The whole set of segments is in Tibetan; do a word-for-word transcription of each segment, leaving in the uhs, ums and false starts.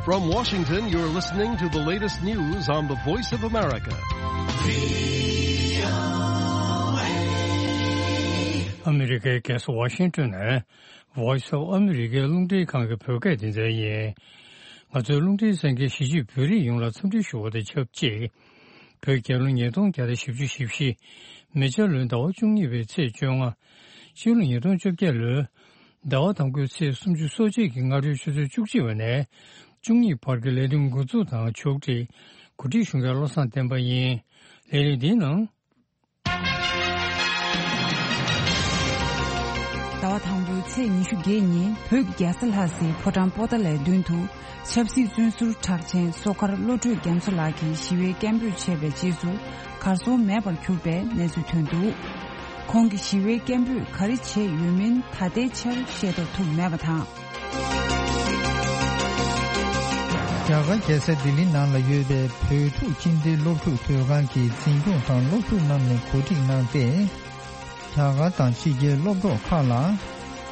From Washington, you're listening to the latest news on the Voice of America. ཨ་མི་རི་ཀའི་རྒྱལ་ས་ཝ་ཤིང་ཏོན་ནས་Voice of America རླུང་འཕྲིན་ཁང་གི་བོད་སྐད་སྡེ་ཚན་ཡིན། ང་ཚོའི་རླུང་འཕྲིན་གསན་མཁན་གཞིས་བྱེས་བོད་རིགས་ཡོངས་ལ་འཚམས་འདྲི་ཞུ་བ་དང་ཆབས་ཅིག་བོད་རྒྱལ་ལོ་ཉིས་སྟོང་བརྒྱ་དང་བཞི་བཅུ་ཞེ་བཞི། མེ་བྱ་ལོའི་ཟླ་བ་བཅུ་གཉིས་པའི་ཚེས་བཅོ་ལྔ། སྤྱི་ལོ་ཉིས་སྟོང་བཅོ་བརྒྱད་ལོའི་ཟླ་བ་དང་པོའི་ཚེས་སུམ་ཅུ་སོ་གཅིག་གི་སྔ་དྲོའི་ཆུ་ཚོད་བཅུ་གཅིག་པ་ནས་བཅུ་གཉིས་བར་གྱི་ལས་རིམ་འགོ་འཛུགས་དང་ཕྱོགས་སྒྲིག་གོ་སྒྲིག་ཞུ་མཁན་བློ་བཟང་བསྟན་པ་ཡིན། ལས་རིམ་འདིའི་ནང་། ཟླ་བ་དང་པོའི་ཚེས་ཉི་ཤུ་བརྒྱད་ཉིན་བོད་ཀྱི་རྒྱལ་ས་ལྷ་སའི་ཕོ་བྲང་པོ་ཏཱ་ལའི་མདུན་དུ་ཆབ་སྲིད་བཙོན་ཟུར་གྲགས་ཅན་སོ་མཁར་བློ་གྲོས་རྒྱ་མཚོ་ལགས་ཀྱིས་ཞི་བའི་སྐད་འབོད་བྱས་པའི་རྗེས་སུ་གར་སོང་མེད་པར་གྱུར་པའི་གནས་ཚུལ་ཐོན་འདུག་ཁོང་གིས་ཞི་བའི་སྐད་འབོད་ག་རེ་བྱས་ཡོད་མིན་ད་ལྟའི་ཆར་ཤེས་རྟོགས་ཐུབ་མེད་པ་དང་། རྒྱ་གར་རྒྱལ་ས་ལྡི་ལི་ནང་ལ་ཡོད་པའི་བོད་ཕྲུག་ཁྱིམ་སྡེའི་སློབ་ཕྲུག་དོས་ཁང་གི་འཛིན་སྐྱོང་དང་སློབ་ཕྲུག་རྣམས་ནས་གོ་སྒྲིག་གནང་སྟེ། རྒྱ་གར་དང་ཕྱི་རྒྱལ་སློབ་གྲོགས་ཁག་ལ་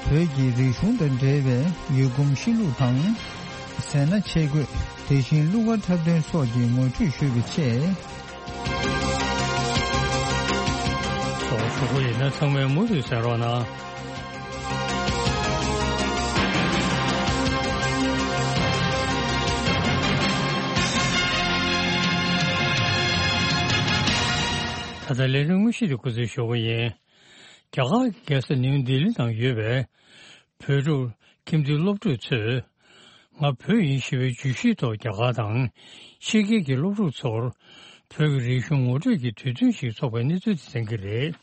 བོད་ཀྱི་རིག་གཞུང་དང་འབྲེལ་བའི་ཡུལ་གོམས་གཤིས་ལུགས་དང་། ཟས་སྣ་ཆས་གོས། དེ་བཞིན་གླུ་གར་འཁྲབ་སྟོན་སོགས་ཀྱི་ངོ་སྤྲོད་ཞུས་པའི་ཆེད། ཚོགས་ཞུགས་ཡིན་ན་ཚང་མས་མུ་མཐུད་གསན་རོགས་གནང་། ད་ལྟ་ལས་རིམ་དངོས་གཞི་དེ་སྐུ་ཚེ་ཞུ་བ་ཡིན། རྒྱ་གར་གྱི་རྒྱལ་ས་ནིའུ་ལྡི་ལི་ནང་ཡོད་པའི་བོད་ཕྲུག་ཁྱིམ་སྡེའི་སློབ་ཕྲུག་ཚོས། ང་བོད་ཡིན་ཞེས་པའི་བརྗོད་གཞིའི་ཐོག་རྒྱ་གར་དང་ཕྱི་རྒྱལ་གྱི་སློབ་ཕྲུག་ཚོར་བོད་ཀྱི་རིག་གཞུང་ངོ་སྤྲོད་ཀྱི་དུས་སྟོན་ཞིག་འཚོགས་པའི་གནས་ཚུལ་དེ་གསན་གྱི་རེད།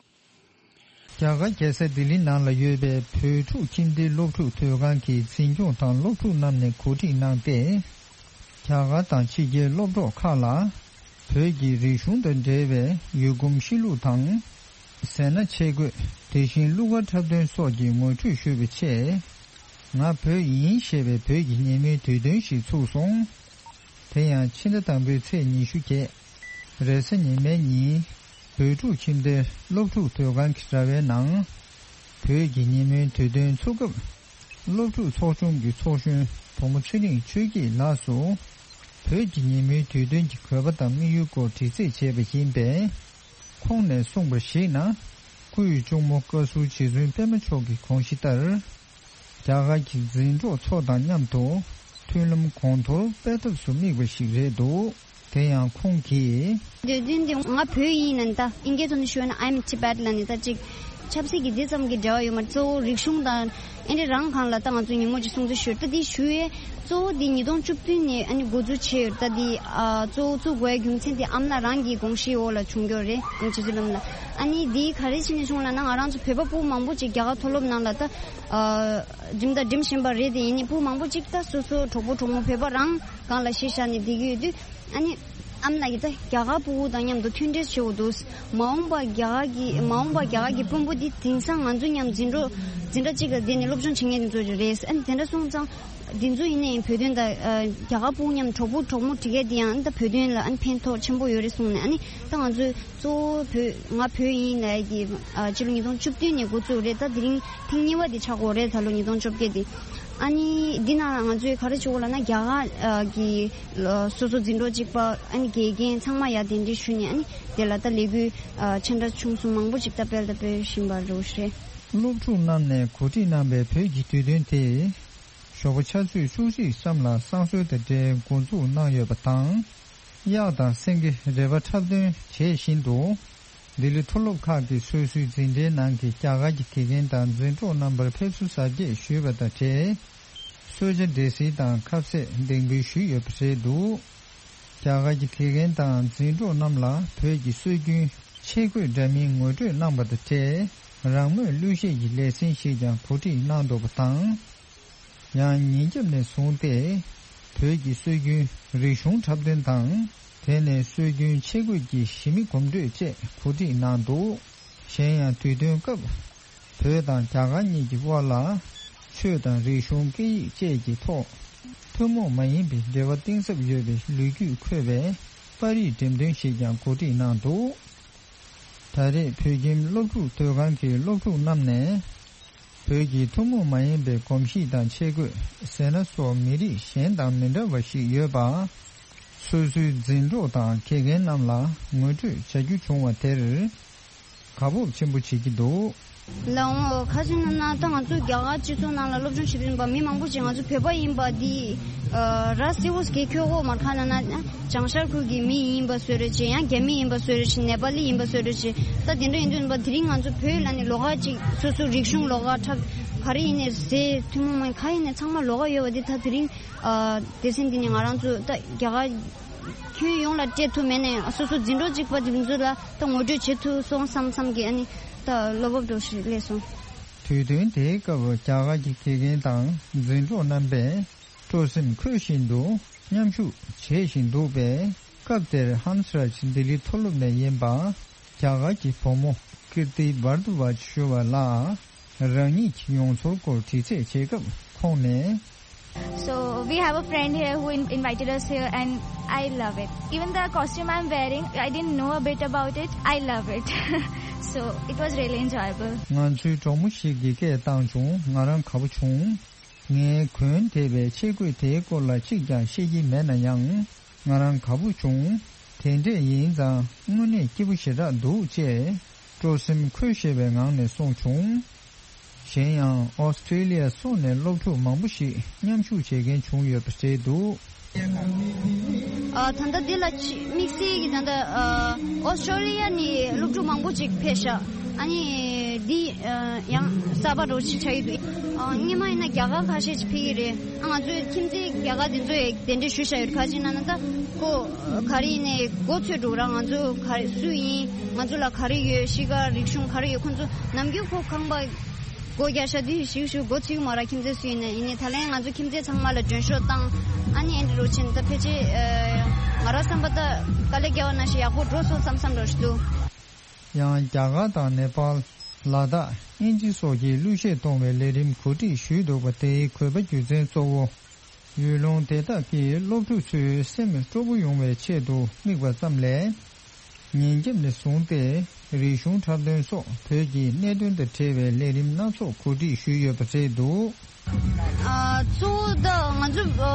རྒྱ་གར་རྒྱལ་ས་ལྡི་ལི་ནང་ལ་ཡོད་པའི་བོད་ཕྲུག་ཁྱིམ་སྡེའི་སློབ་ཕྲུག་དོས་ཁང་གི་འཛིན་སྐྱོང་དང་སློབ་ཕྲུག་རྣམས་ནས་གོ་སྒྲིག་གནང་སྟེ། རྒྱ་གར་དང་ཕྱི་རྒྱལ་སློབ་གྲོགས་ཁག་ལ་བོད་ཀྱི་རིག་གཞུང་དང་འབྲེལ་བའི་ཡུལ་གོམས་གཤིས་ལུགས་དང་། ཟས་སྣ་ཆས་གོས། དེ་བཞིན་གླུ་གར་འཁྲབ་སྟོན་སོགས་ཀྱི་ངོ་སྤྲོད་ཞུས་པའི་ཆེད། ང་བོད་ཡིན་ཞེས་པའི་བོད་ཀྱི་ཉིན་མོའི་དུས་སྟོན་ཞིག་ཚུགས་སོང་། དེ་ཡང་ཕྱི་ཟླ་དང་པོའི་ཚེས་ཉི་ཤུ་བརྒྱད། རེས་གཟའ་ཉི་མའི་ཉིན། བོད་ཕྲུག་ཁྱིམ་སྡེའི་སློབ་ཕྲུག་དོས་ཁང་གི་ར་བའི་ནང་། བོད་ཀྱི་ཉིན་མོའི་དུས་སྟོན་ཚུགས་སྐབས། སློབ་ཕྲུག་ཚོགས་ཆུང་གི་ཚོགས་གཞོན་བུ་མོ་ཚེ་རིང་ཆོས་སྐྱིད་ལགས་སུ། བོད་ཀྱི་ཉིན་མོའི་དུས་སྟོན་གྱི་དགོས་པ་དང་དམིགས་ཡུལ་སྐོར་དྲི་རྩད་བྱས་པ་ཡིན་པས། ཁོང་ནས་གསུངས་པར་གཞིགས་ན། སྐུའི་གཅུང་མོ་བཀའ་ཟུར་རྗེ་བཙུན་པད་མ་མཆོག་གི་དགོངས་གཞི་ལྟར། རྒྱ་གར་གྱི་འཛིན་གྲོགས་ཚོ་དང་མཉམ་དུ་མཐུན་ལམ་གོང་མཐོར་སྤེལ་ཐབས་སུ་དམིགས་པ་ཞིག་རེད་འདུག་དེ་ཡང་ཁོང་གིས། དུས་སྟོན་འདི་ང་བོད་ཡིན་ནི་ད་ཨིན་སྐད་ཐོག་ནས་ཞུས་ན་I'm Tibet ལབ་ནི་ད་ཅིག་ཆབ་སྲིད་ཀྱི་འདི་ཙམ་གྱི་འབྲེལ་བ་ཡོད་མ་རེད། གཙོ་བོ་རིག་གཞུང་དང་ཨེ་འདྲ་རང་སྒང་ལ་ད་ང་ཚོ་ཉིན་མོ་ཅིག་སྲུང་བརྩི་ཞུས་ད་འདི་ཞུ་ཡས་གཙོ་བོ་འདི་ཉིས་སྟོང་བཅུ་བདུན་ནས་ཨ་ནི་འགོ་འཛུགས་བྱས་ཡོད་ད་འདི་ཨ་གཙོ་བོ་བཙུགས་དགོས་ཡ་རྒྱུ་མཚན་འདི་ཨ་མ་ལགས་རང་གི་དགོངས་གཞིའི་འོག་ལ་བྱུང་ཡོད་རེད། ཨ་ནི་ཆུ་ཚོད་ལམ་ལ་ཨ་ནི་འདི་ག་རེ་བྱས་ནས་བྱུང་ལབ་ན་ང་རང་ཚོ་བོད་པ་ཕྲུ་གུ་མང་པོ་ཅིག་རྒྱ་གར་མཐོ་སློབ་ནང་ལ་ད། ཨ་འགྲིམ་དང་འགྲིམ་བཞིན་པ་རེད་དེ་ཡིན་ནའི་ཕྲུ་གུ་མང་པོ་ཅིག་ད་སོ་སོ་གྲོགས་པོ་གྲོགས་མོ་བོད་པ་རང་སྒང་ལ་གཞི་བཞག་ནས་བསྡད་ཀྱི་ཡོད་དུས་ཨ་ནི་ཨ་མ་ལགས་ཀྱིས་ད་རྒྱ་གར་ཕྲུ་གུ་དང་མཉམ་དུ་མཐུན་འབྲེལ་བྱེད་དགོས་འདུག་མ་འོངས་པ་རྒྱ་གར་གྱི་མ་འོངས་པ་རྒྱ་གར་གྱི་དཔོན་པོ་འདི་དེང་སང་ང་ཚོ་མཉམ་འཛིན་གྲོགས་འཛིན་གྲྭ་གཅིག་ལ་བསྡད་ནས་སློབ་སྦྱོང་བྱེད་མཁན་དེ་ཚོ་རེད། ཨ་ནི་དེ་འདྲ་སོང་ཙང་འདི་ཚོ་ཡིན་ནའི་བོད་དོན་དང་རྒྱ་གར་ཕྲུ་གུ་མཉམ་གྲོགས་པོ་གྲོགས་མོ་བསྒྲིག་ཡས་དེ་ཡང་ཨ་ནི་ད་བོད་དོན་ལ་ཨ་ནི་ཕན་ཐོགས་ཆེན་པོ་ཡོད་རེད་གསུངས་ནས་ཨ་ནི་ད་ང་ཚོས། གཙོ་བོ་བོད་ང་བོད་ཡིན་ལབ་ཀྱི་ཨ་ཕྱི་ལོ་ཉིས་སྟོང་བཅུ་བདུན་ནས་འགོ་བཙུགས་རེད། ད་དེ་རིང་ཐེངས་གཉིས་པ་དེ་ཆགས་ཀྱི་ཡོད་རེད། ད་ལོ་ཉིས་སྟོང་བཅོ་བརྒྱད་དེ་ཨ་ནི་འདི་ནང་ང་ཚོས་ག་རེ་བྱེད་དགོས་ལབ་ན་རྒྱ་གར་ཨ་གི་ཨ་སོ་སོ་འཛིན་གྲོགས་གཅིག་པ་ཨ་ནི་དགེ་རྒན་ཚང་མ་ཡར་གདན་འདྲེན་ཞུས་ནས་ཨ་ནི་དེ་ལ་ད་ལས་འགུལ་ཨ་ཆེ་འདྲ་ཆུང་གསུམ་མང་པོ་ཅིག་ད་སྤེལ་ད་སྤེལ་བཞིན་པ་རེད་ཤག་སློབ་ཕྲུག་རྣམས་ནས་གོ་སྒྲིག་གནང་པའི་བོད་ཀྱི་དུས་སྟོན་དེ་ཞོགས་པ་ཆུ་ཚོད་བཅུ་གཅིག་ཙམ་ལ་བསང་གསོལ་དང་འབྲེལ་འགོ་འཛུགས་གནང་ཡོད་པ་དང་། གཡག་དང་སེང་གེ་རལ་པ་འཁྲབ་སྟོན་བྱེད་བཞིན་དུ། ལྡི་ལི་མཐོ་སློབ་ཁག་གི་སོ་སོའི་འཛིན་གྲྭའི་ནང་གི་རྒྱ་གར་གྱི་དགེ་རྒན་དང་འཛིན་གྲོགས་རྣམ་པར་ཕེབས་བསུ་གཟབ་རྒྱས་ཞུས་པ་དང་འབྲེལ། གསོལ་ཇ་འབྲས་སིལ་དང་ཁ་ཟས་འདེགས་འབུལ་ཞུས་ཡོད་པ་རེད་འདུག་རྒྱ་གར་གྱི་དགེ་རྒན་དང་འཛིན་གྲོགས་རྣམས་ལ་བོད་ཀྱི་སྲོལ་རྒྱུན་ཆས་གོས་འདྲ་མིན་ངོ་སྤྲོད་གནང་པ་དང་འབྲེལ། རང་མོས་གླུ་གཞས་ཀྱི་ལེ་ཚན་ཞིག་ཀྱང་གོ་སྒྲིག་གནང་འདུག་པ་དང་། ཡང་ཉིན་རྒྱབ་ནས་བཟུང་སྟེ། བོད་ཀྱི་སྲོལ་རྒྱུན་རིག་གཞུང་འཁྲབ་སྟོན་དང་། དེ་ནས་སྲོལ་རྒྱུན་ཆས་གོས་ཀྱི་ཞི་མི་གོམ་བགྲོད་བཅས་གོ་སྒྲིག་གནང་འདུག་གཞན་ཡང་དུས་སྟོན་སྐབས། བོད་དང་རྒྱ་གར་གཉིས་ཀྱི་དབར་ལ། ཆོས་དང་རིག་གཞུང་སྐད་ཡིག་བཅས་ཀྱི་ཐོག་ཐུན་མོང་མ་ཡིན་པའི་འབྲེལ་བ་གཏིང་ཟབ་ཡོད་པའི་ལོ་རྒྱུས་འཁོད་པའི་པར་རིས་འགྲེམས་སྟོན་ཞིག་ཀྱང་གོ་སྒྲིག་གནང་འདུག་ད་རེས་བོད་ཁྱིམ་སློབ་ཕྲུག་དོས་ཁང་གི་སློབ་ཕྲུག་རྣམས་ནས། བོད་ཀྱི་ཐུན་མོང་མ་ཡིན་པའི་གོམས་གཤིས་དང་ཆས་གོས་ཟས་སྣ་སོགས་མི་རིགས་གཞན་དང་མི་འདྲ་བ་ཞིག་ཡོད་པ། སོ་སོའི་འཛིན་གྲོགས་དང་དགེ་རྒན་རྣམས་ལ་ངོ་སྤྲོད་བྱ་རྒྱུ་བྱུང་བ་དེར་དགའ་སྤོབས་ཆེན་པོ་བྱེད་ཀྱི་འདུག། ལའང་ཁ་ཅིག་ན་ན་ད་ང་ཚོ་རྒྱ་གར་སྤྱི་ཚོགས་ནང་ལ་སློབ་སྦྱོང་བྱེད་དུ་ཡིན་པ་མི་མང་པོ་ཅིག་ང་ཚོ་བོད་པ་ཡིན་པ་འདི་ར་སེ་བོ་སྐད་ཁྱོད་གོ་མར་ཁ་ན་ན། བྱང་ཤར་ཁུལ་གྱི་མི་ཡིན་པ་བཟོ་འདྲ་བྱས། ཡང་རྒྱ་མི་ཡིན་པ་བཟོ་འདྲ་བྱས། ནེ་པ་ལི་ཡིན་པ་བཟོ་འདྲ་བྱས། ད་དེ་འདྲ་ཡིན་དུས་ཡིན་པ་དེ་རིང་ང་ཚོ་བོད་ལ་ནི་ལོགས་ཀ་ཅིག་སོ་སོ་རིག་གཞུང་ལོགས་ཀ་འཁྲབ། ག་རེ་ཡིན་ནའི་ཟས་ཐུན་མོང་མ་ཡིན་ག་ཡིན་ནའི་ཚང་མ་ལོགས་ཀ་ཡོད་པ་འདི་ད་དེ་རིང་ཨ་སྡེ་ཚན་འདི་ནས་ང་རང་ཚོ་ད་རྒྱ་གར་ཁྱོན་ཡོངས་ལ་སྤྲད་ཐུབ་མེད་ནའི་སོ་སོ་འཛིན་གྲོགས་གཅིག་པ་དེ་ཚོ་ལ་ད་ངོ་སྤྲོད་བྱེད་ཐུབ་སོང་བསམ་བསམ་གི་ཨ་ནི་ད་བློ་སྤོབས་འདྲ་ཞིག་སླེབས་སོང་། དུས་སྟོན་དེའི་སྐབས་རྒྱ་གར་གྱི་དགེ་རྒན་དང་འཛིན་གྲོགས་རྣམ་པས། སྤྲོ་སེམས་འཁོལ་བཞིན་དུ་མཉམ་ཞུགས་བྱེད་བཞིན་འདུག་པས། སྐབས་དེར་ཧམ་སི་རཱཇ་ལྡི་ལི་མཐོ་སློབ་ནས་ཡིན་པ་རྒྱ་གར་གྱི་བུ་མོ་ཀིརྟི་བར་དུ་བ་ཞུ་བ་ལགས་རང་ཉིད་ཀྱི་མྱོང་ཚོར་སྐོར་དྲི་རྩད་བྱེད་སྐབས་ཁོང་ནས། So we have a friend here who in- invited us here and I love it. Even the costume I'm wearing, I didn't know a bit about it. I love it. So it was really enjoyable. ང་ཚོའི་གྲོགས་མོ་ཞིག་གིས་སྐད་བཏང་བྱུང་། ང་རང་དགའ་པོ་བྱུང་། ངས་གོན་བསྡད་པའི་ཆས་གོས་དེའི་སྐོར་ལ་གཅིག་ཀྱང་ཤེས་ཀྱི་མེད་ན་ཡང་ང་རང་དགའ་པོ་བྱུང་། དེ་འདྲས་ཡིན་ཙང་དངོས་གནས་སྐྱིད་པོ་ཞེ་དྲག་འདུག་ཅེས་སྤྲོ་སེམས་འཁོལ་ཤེས་པའི་ངང་ནས་གསུངས་བྱུང་། གཞན་ཡང་ཨོ་སི་ཀྲེ་ལི་ཡ་སོགས་ནས་སློབ་ཕྲུག་མང་པོ་ཞིག་མཉམ་ཞུགས་བྱེད་མཁན་བྱུང་ཡོད་པ་རེད་འདུག། ཨ་ད་ལྟ་འདི་ལ་ཆེས་དམིགས་བསལ་གྱི་ད་ལྟ་ཨ་ཨོ་སི་ཀྲོ་ལི་ཡ་ནས་སློབ་ཕྲུག་མང་པོ་ཅིག་ཕེབས་ཤག། ཨ་ནི་འདི་ཨ་ཡང་གསར་པ་འདྲ་བོ་ཞིག་ཆགས་ཀྱི་འདུག། ཨ་སྔོན་མ་ཡིན་ན་རྒྱ་གར་ཁ་ཤས་ཅིག་ཕེབས་ཀྱི་རེད། ཨ་ང་ཚོའི་ཁྱིམ་མཚེས་རྒྱ་གར་འདི་ཚོ་ཡང་གདན་འདྲེན་ཞུས་བཞག་ཡོད། ག་ཅི་ན་ན་ད་ཁོ་ག་རེ་ཡིན་ནའི་མགོ་ཚོས་འགྲོ་ར། ང་ཚོ་ག་རེ་སུ་ཡིན། ང་ཚོ་ལ་ག་རེ་ཡོད། གཤིས་ཀ་རིག་གཞུང་ག་རེ་ཡོད། ཁོ་ཚོ་ནམ་རྒྱུན་ཁོ་ཁང་པ་སྒོ་རྒྱག་ཤག་དེ་ཞིག་ཞུ་སྒོ་ཚུགས་མ་ར། ཁྱིམ་མཚེས་སུ་ཡིན་ནའི་ཡིན་ནའི་ད་ལན་ང་ཚོ་ཁྱིམ་མཚེས་ཚང་མ་ལ་མགྲོན་ཤོག་བཏང་། ཨ་ནི་ཨེ་འདྲ་རུ་ཕྱིན། ད་ཕལ་ཆེར་ང་རང་བསམ་པ་ད་དཀའ་ལས་བརྒྱབ་པ་ནང་བཞིན་ཡག་པོ་འགྲོ་སོང་བསམ་བསམ་འདྲ་ཞིག་འདུག། ཡང་རྒྱ་གར་དང་ནེ་པཱལ། ལ་དྭགས། དབྱིན་ཇི་སོགས་ཀྱི་གླུ་གཞས་གཏོང་བའི་ལས་རིམ་གོ་སྒྲིག་ཞུས་འདུག་པ། དེའི་དགོས་པ་རྒྱུ་མཚན་གཙོ་བོ། ཡུལ་ལུང་དེ་དག་གི་སློབ་ཕྲུག་ཚོའི་སེམས་སྤྲོ་པོ་ཡོང་བའི་ཆེད་དུ་དམིགས་པ་ཙམ་ལས། ཉིན་རྒྱབ་ནས་བཟུང་སྟེ་རིག་གཞུང་འཁྲབ་སྟོན་སོགས་བོད་ཀྱི་གནད་དོན་དང་འབྲེལ་བའི་ལས་རིམ་སྣ་ཚོགས་གོ་སྒྲིག་ཞུས་ཡོད་པ་རེད་འདུག། ཨ་གཙོ་བོ་ད་ང་ཚོ་ཨ་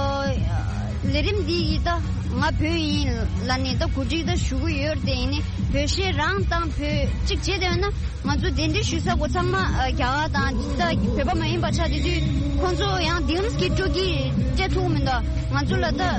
ལས་རིམ་འདི་ཡི་ད་ང་བོད་ཡིན་ལ་ནི་ད་གོ་སྒྲིག་ད་ཞུ་གི་ཡོད་རེད། དེ་ཡིན་ནི་བོད་གཞས་རང་དང་བོད་གཅིག་བྱས་བསྡད་ཡོད་ན། ང་ཚོ་གདན་འདྲེན་ཞུ་ས་གོ་ཚང་མ་ཨ་རྒྱ་གར་དང་ད་བོད་པ་མ་ཡིན་པ་ཆགས་དེ་དུས་ཁོང་ཚོ་ཡང་དེ་རིམ་གྱི་སྤྲོ་སྐྱིད་སྤྲད་ཐུབ་མི་འདུག། ང་ཚོ་ལ་ད་ཨ་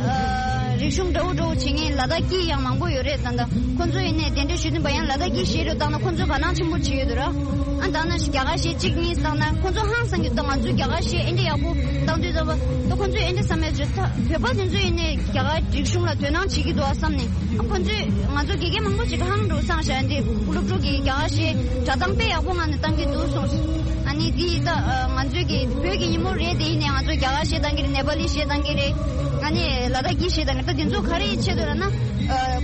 རིག་གཞུང་འདྲ་བོ་འདྲ་བོ་བྱེད་མཁན་ལ་དྭགས་སྐད་ཡང་མང་པོ་ཡོད་རེད། ད་ད་ཁོང་ཚོ་ཡིན་ནའི་གདན་འདྲེན་ཞུ་བདུན་པ་ཡང་ལ་དྭགས་སྐད་བཤད་རོགས་བཏང་ན་ཁོང་ཚོ་དགའ་སྣང་ཆེན་པོ་བྱེད་ཡོད་འདུག་ར། ཨ་ད་ན་རྒྱ་གར་གཞས་གཅིག་གཉིས་བཏང་ན་ཁོང་ཚོ་ཧང་སང་གི་འདུག། ང་ཚོ་རྒྱ་གར་གཞས་ཨེ་འདྲ་ཡག་པོ་བཏང་དུས་ཙམ་པ་ད་ཁོང་ཚོས་ཨེ་འདྲ་བསམ་ཡོད་ཅེ། ད་བོད་པ་དེ་ཚོ་ཡིན་ནའི་རྒྱ་གར་རིག་གཞུང་ལ་དོ་སྣང་བྱེད་ཀྱི་འདུག་ཨ་བསམ་ནས། ཨ་ཁོང་ཚོས་ང་ཚོ་དགེ་རྒན་མང་པོ་ཅིག་ཧང་འགྲོ་སང་ཤ་འདི་སློབ་ཕྲུག་གི་རྒྱ་གར་གཞས་སྒྲ་གདངས་དཔེ་ཡག་པོ་ངང་ནས་བཏང་གི་འདུག་གསུངས། ཨ་ནི་འདི་ད་ང་ཚོའི་གི་བོད་ཀྱི་ཉིན་མོ་རེད། དེ་ཡིན་ནའི་ང་ཚོ་རྒྱ་གར་གཞས་བཏང་གི་རེད། ནེ་པ་ལི་གཞས་བཏང་གི་རེད། ཨ་ནི་ལ་དྭགས་སྐད་གཞས་བཏང་གི་རེད། ད་འདི་ཚོ་ག་རེ་ཡི་ཆེད་དུ་ར་ན།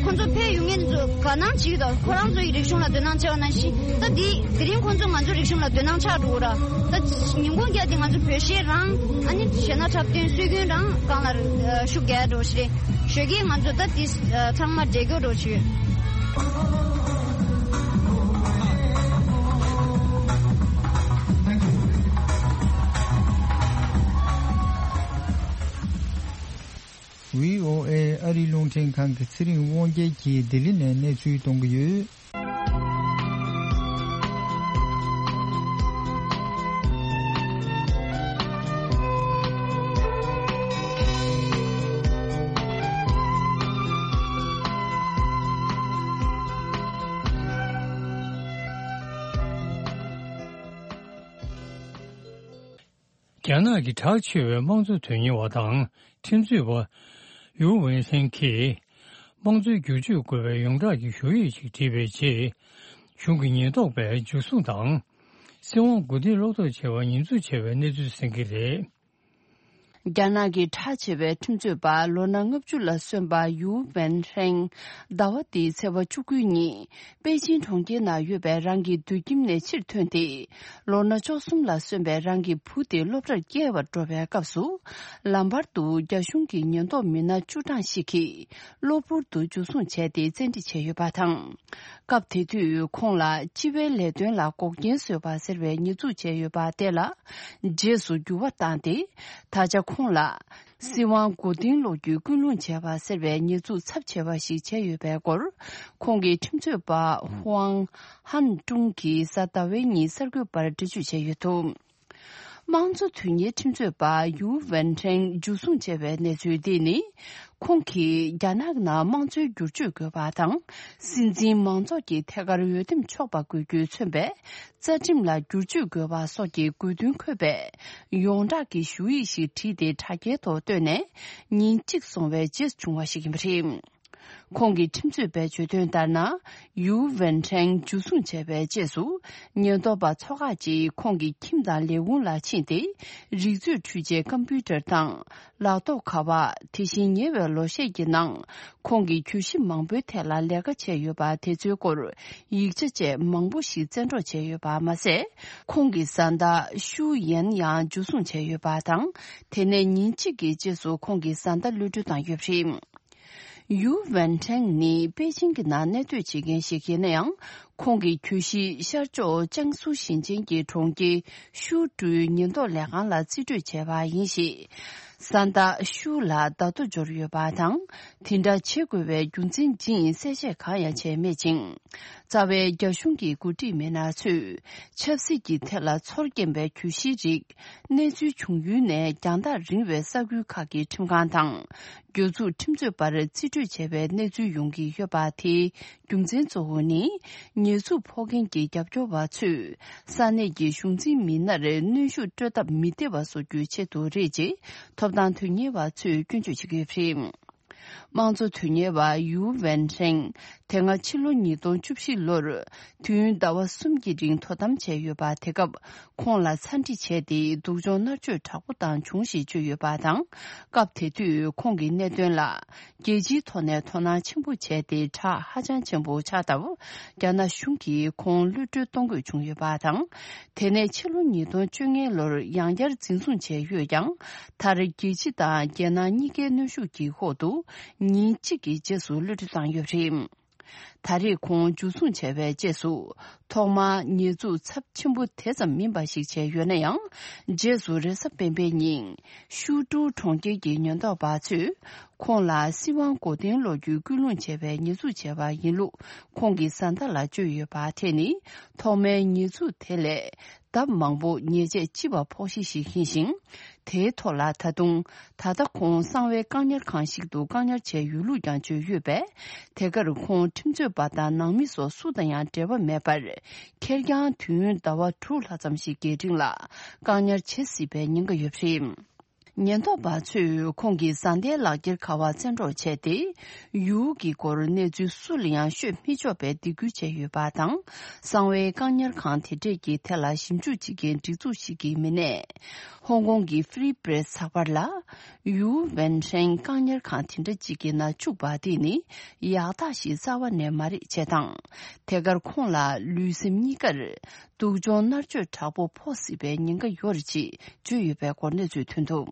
ཁོང་ཚོ་ཕེབས་ཡོང་མཁན་ཚོ་དགའ་སྣང་བྱེད་ཀྱི་འདུག། ཁོ་རང་ཚོ་ཡི་རིག་གཞུང་ལ་དོ་སྣང་བྱས་པ་ནང་བཞིན་ད་འདི་དེ་རིང་ཁོང་ཚོ་ང་ཚོ་རིག་གཞུང་ལ་དོ་སྣང་ཆགས་འགྲོ་གི་ར། ད་ཉིན་གུང་རྒྱབ་དེ་ང་ཚོ་བོད་གཞས་རང་ཨ་ནི་གཞས་སྣ་འཁྲབ་སྟོན་སྲོལ་རྒྱུན་རང་སྒང་ལ་ཤུགས་རྒྱག་འགྲོ་ཞིག་རེད། ཞོགས་ཀས་ང་ཚོ་ད་འདི་ཚང་མ་འབྲེལ་སྐྱོར་འགྲོ་ཞུ། ཝི་ཨོ་ཨེ་ཨ་རིའི་རླུང་འཕྲིན་ཁང་གི་ཚེ་རིང་དབང་རྒྱལ་གྱིས་ལྡི་ལི་ནས་གནས་ཚུལ་གཏོང་གི་ཡོད། རྒྱ་ནག་གི་གྲགས་ཆེ་བའི་དམངས་གཙོ་དོན་གཉེར་བ་དང་ཁྲིམས་རྩོད་པ་ཡུའུ་ཝེན་སན་གྱིས། དམངས་གཙོའི་བསྒྱུར་བཅོས་དགོས་པའི་ཡོངས་གྲགས་ཀྱི་ཞུ་ཡིག་ཅིག་བྲིས་པའི་རྗེས། གཞུང་གི་ཉེན་རྟོག་པས་འཇུ་བཟུང་དང་། སྲིད་དབང་མགོ་རྟིང་སློག་ཐབས་བྱས་པར་ཉེས་འཛུགས་བྱས་པའི་གནས་ཚུལ་གསན་གྱི་རེད། རྒྱ་ནག་གི་གྲགས་ཆེ་བའི་ཁྲིམས་རྩོད་པ་ལོ་ན་ལྔ་བཅུ་ལ་སོན་པ་ཡུའུ་ཝེན་ཧྲེང་ཟླ་བ་འདིའི་ཚེས་པ་བཅུ་དགུ་ཉིན་པེ་ཅིན་གྲོང་ཁྱེར་ནང་ཡོད་པའི་རང་གི་སྡོད་ཁྱིམ་ནས་ཕྱིར་ཐོན་ཏེ། ལོ་ན་བཅུ་གསུམ་ལ་སོན་པའི་རང་གི་བུ་དེ་སློབ་གྲྭར་སྐྱེལ་བར་འགྲོ་བའི་སྐབས་སུ། ལམ་བར་དུ་རྒྱ་གཞུང་གི་ཉེན་རྟོག་མི་སྣ་བཅུ་གྲངས་ཤིག་གིས་གློ་བུར་དུ་འཇུ་བཟུང་བྱས་ཏེ་བཙན་ཁྲིད་བྱས་ཡོད་པ་དང་། སྐབས་དེ་དུས་ཁོང་ལ་སྤྱི་པའི་ལས་དོན་ལ་འགོག་རྐྱེན་བཟོས་པ་ཟེར་བའི་ཉེས་འཛུགས་བྱས་ཡོད་པ་དེ་ལ་རྗེས་སུ་འགྱུར་བ་བཏང་སྟེ། ད་ཆ་ཁོང་ལ་སྲིད་དབང་མགོ་རྟིང་སློག་རྒྱུའི་ཀུན་སློང་བྱས་པ་ཟེར་བའི་ཉེས་འཛུགས་ཚབས་ཆེ་བ་ཞིག་བྱས་ཡོད་པའི་སྐོར། ཁོང་གི་ཁྲིམས་རྩོད་པ་ཧུའང་ཧན་ཀྲུང་གིས་གཟའ་ཟླ་བའི་ཉིན་གསར་འགོད་པར་འགྲེལ་བརྗོད་བྱས་ཡོད་འདུག་དམངས་གཙོ་དོན་གཉེར་ཁྲིམས་རྩོད་པ་ཡུའུ་ཝེན་ཁྲེང་འཇུ་བཟུང་བྱས་པའི་གནས་ཚུལ་འདི་ནི། ཁོང་གིས་རྒྱ་ནག་ནང་དམངས་གཙོའི་བསྒྱུར་བཅོས་དགོས་པ་དང་། སྲིད་འཛིན་མང་ཚོགས་ཀྱི་ཐད་ཀར་འོས་འདེམས་ཆོག་པ་དགོས་རྒྱུས་མཚོན་པའི་རྩ་ཁྲིམས་ལ་བསྒྱུར་བཅོས་དགོས་པ་སོགས་ཀྱི་དགོས་འདུན་འཁོད་པའི་ཡོངས་གྲགས་ཀྱི་ཞུ་ཡིག་ཞིག་བྲིས་ཏེ་དྲ་རྒྱའི་ཐོག་བཏོན་ནས་ཉིན་གཅིག་སོང་བའི་རྗེས་བྱུང་བ་ཞིག་ཡིན་པ་རེད། ཁོང་གི་ཁྲིམས་རྩོད་པས་བརྗོད་དོན་ལྟར་ན། ཡུའུ་ཝེན་ཁྲེང་འཇུ་བཟུང་བྱས་པའི་རྗེས་སུ། ཉེན་རྟོག་པ་ཚོ་ཁག་ཅིག་ཁོང་གི་ཁྱིམ་དང་ལས་ཁུངས་ལ་ཕྱིན་ཏེ། རིག་མཛོད་འཕྲུལ་ཆས་ཀམ་པུ་ཊར་དང་། ལག་ཐོགས་ཁ་པར། དེ་བཞིན་ཉེ་བའི་ལོ་ཤས་ཀྱི་ནང་། ཁོང་གི་གྱོད་གཞི་མང་པོའི་ཐད་ལ་ལས་ཀ་བྱས་ཡོད་པ་དེ་ཚོའི་སྐོར། ཡིག་ཆ་བཅས་མང་པོ་ཞིག་བཙན་འཕྲོག་བྱས་ཡོད་པ་མ་ཟད། ཁོང་གི་བཟའ་ཟླ་ཤུའུ་ཡན་ཡང་འཇུ་བཟུང་བྱས་ཡོད་པ་དང་། དེ་ནས་ཉིན་གཅིག་གི་རྗེས་སུ་ཁོང་གི་བཟའ་ཟླ་གློད་གྲོལ་བཏང་ཡོད་པ་རེད། ཡུའུ་ཝན་ཁྲེང་ནི་པེ་ཅིང་གི་ནང་གནས་སྡོད་བྱེད་མཁན་ཞིག་ཡིན་ན་ཡང་། ཁོང་གི་གྱོད་གཞི་ཤར་ཕྱོགས་ཅང་སུའུ་ཞིང་ཆེན་གྱི་གྲོང་ཁྱེར་ཤུའུ་ཀྲུའུ་ཉེན་རྟོག་ལས་ཁང་ལ་རྩིས་སྤྲོད་བྱས་པ་ཡིན་ཞིང་། བཟའ་ཟླ་ཤུའུ་ལ་བརྡ་ཐོ་འབྱོར་ཡོད་པ་དང་། དེ་འདྲ་བྱེད་དགོས་པའི་རྒྱུ་མཚན་ཅི་ཡིན་གསལ་བཤད་གང་ཡང་བྱས་མེད་ཅིང་། རྩ་བའི་རྒྱ་གཞུང་གི་འགོ་ཁྲིད་མི་སྣ་ཚོས་ཆབ་སྲིད་ཀྱི་ཐད་ལ་ཚོར་སྐྱེན་པའི་གྱོད་གཞིའི་རིགས། གནས་ཚུལ་བྱུང་ཡུལ་ནས་རྒྱང་ཐག་རིང་བའི་ས་ཁུལ་ཁག་གི་ཁྲིམས་ཁང་དང་། གྱོད་འཛུགས་ཁྲིམས་རྩོད་པར་རྩིས་སྤྲོད་བྱས་པའི་གནས་ཚུལ་ཡོང་གི་ཡོད་པ་དེའི་རྒྱུ་མཚན་གཙོ་བོ་ནི། ཉེས་འཛུགས་ཕོག་མཁན་གྱི་རྒྱབ་སྐྱོར་བ་ཚོས་ས་གནས་ཀྱི་གཞུང་འཛིན་མི་སྣར་གནོན་ཤུགས་སྤྲོད་ཐབས་མི་བདེ་བ་བཟོ་རྒྱུའི་ཆེད་དུ་རེད་ཅེས་ཐོབ་ཐང་དོན་གཉེར་བ་ཚོས་སྐྱོན་བརྗོད་བྱེད་ཀྱི་ཡོད་པ་རེད། དམངས་གཙོ་དོན་གཉེར་བ་ཡུའུ་ཝེན་ཧྲེང་དེ་སྔ་ཕྱི་ལོ་ཉིས་སྟོང་བཅུ་བཞི་ལོར་དུས་ཡུན་ཟླ་བ་གསུམ་གྱི་རིང་དོ་དམ་བྱས་ཡོད་པ། དེ་སྐབས་ཁོང་ལ་ཚ་འདྲི་བྱས་ཏེ་སྡུག་སྦྱོང་མནར་གཅོད་དྲག་པོ་བཏང་བྱུང་ཞེས་བརྗོད་ཡོད་པ་དང་། སྐབས་དེ་དུས་ཁོང་གི་གནད་དོན་ལ་རྒྱལ་སྤྱིའི་ཐོག་ནས་དོ་སྣང་ཆེན་པོ་བྱས་ཏེ། གྲགས་ཧ་ཅང་ཆེན་པོ་ཆགས་སྟབས། རྒྱ་ནག་གཞུང་གིས་ཁོང་གློད་གྲོལ་གཏོང་དགོས་བྱུང་ཡོད་པ་དང་། དེ་ནས་ཕྱི་ལོ་ཉིས་སྟོང་བཅོ་ལྔ་ལོར་ཡང་བསྐྱར་འཛིན་བཟུང་བྱས་ཡོད་ཀྱང་། མཐར་རྒྱལ་སྤྱི་དང་རྒྱལ་ནང་གཉིས་ཀའི་གནོན་ཤུགས་ཀྱི་འོག་ཏུ་ཉིན་གཅིག་གི་རྗེས་སུ་གློད་གྲོལ་བཏང་ཡོད་པ་རེད། ད་རེས་ཁོང་འཇུ་བཟུང་བྱས་པའི་རྗེས་སུ། ཐོག་མར་ཉེས་འཛུགས་ཚབས་ཆེན་པོ་དེ་ཙམ་མིན་པ་ཞིག་བྱས་ཡོད་ན་ཡང་། རྗེས་སུ་རེས་གཟའ་སྤེན་པའི་ཉིན། ཤུའུ་ཀྲུའུ་གྲོང་ཁྱེར་གྱི་ཉེན་རྟོག་པ་ཚོས། ཁོང་ལ་སྲིད་དབང་མགོ་རྟིང་སློག་རྒྱུའི་སྐུལ་སློང་བྱས་པའི་ཉེས་འཛུགས་བྱས་པ་ཡིན་ལུགས། ཁོང་གི་བཟའ་ཟླ་ལ་བཅོལ་ཡོད་པ་དེ་ནི། ཐོག་མའི་ཉེས་འཛུགས་དེ་ལས། ལྡབ་མང་པོ་ཉེས་ཆད་ལྕི་བ་ཕོག་གཞི་ཞིག་ཡིན་ཞིང་། དེའི་ཐོག་ལ་ད་དུང་ད་ལྟ་ཁོང་གསང་བའི་བཀག་ཉར་ཁང་ཞིག་ཏུ་བཀག་ཉར་བྱས་ཡོད་ལུགས་ཀྱང་བརྗོད་ཡོད་པས། དེ་གར་ཁོང་ཁྲིམས་རྩོད་པ་དང་ནང་མི་སོགས་སུ་དང་ཡང་འབྲེལ་བ་མེད་པར། ཁེར་རྐྱང་དུས་ཡུན་ཟླ་བ་དྲུག་ལྷག་ཙམ་ཞིག་གི་རིང་ལ་བཀག་ཉར་བྱེད་སྲིད་པའི་ཉེན་ཁ་ཡོད་པ་རེད། ཉེན་རྟོག་པ་ཚོས་ཁོང་གི་བཟའ་ཟླའི་ལག་འཁྱེར་ཁ་པར་བཙན་འཕྲོག་བྱས་ཏེ། ཡུའུ་གི་སྐོར་གནས་ཚུལ་སུ་ལ་ཡང་ཤོད་མི་ཆོག་པའི་སྡིགས་སྐུལ་བྱས་ཡོད་པ་དང་། གསང་བའི་བཀག་ཉར་ཁང་དེ་འདྲས་ཀྱི་ཐད་ལ་ཞིབ་འཇུག་བྱེད་མཁན་སྒྲིག་འཛུགས་ཤིག་གི་མི་སྣས། ཧོང་ཀོང་གི་Free Press་ཚགས་པར་ལ། ཡུའུ་ཝེན་ཧྲེང་བཀག་ཉར་ཁང་དེ་འདྲ་ཅིག་གི་ནང་བཅུག་པ་དེ་ནི་ཡག་རྟགས་ཤིག་རྩ་བ་ནས་མ་རེད་ཅེས་དང་། དེ་གར་ཁོང་ལ་ལུས་སེམས་གཉིས་ཀར། སྡུག་སྦྱོང་མནར་གཅོད་དྲག་པོ་ཕོག་སྲིད་པའི་ཉེན་ཁ་ཡོད་རེད་ཅེས་བརྗོད་ཡོད་པའི་སྐོར་གནས་ཚུལ་ཐོན་འདུག་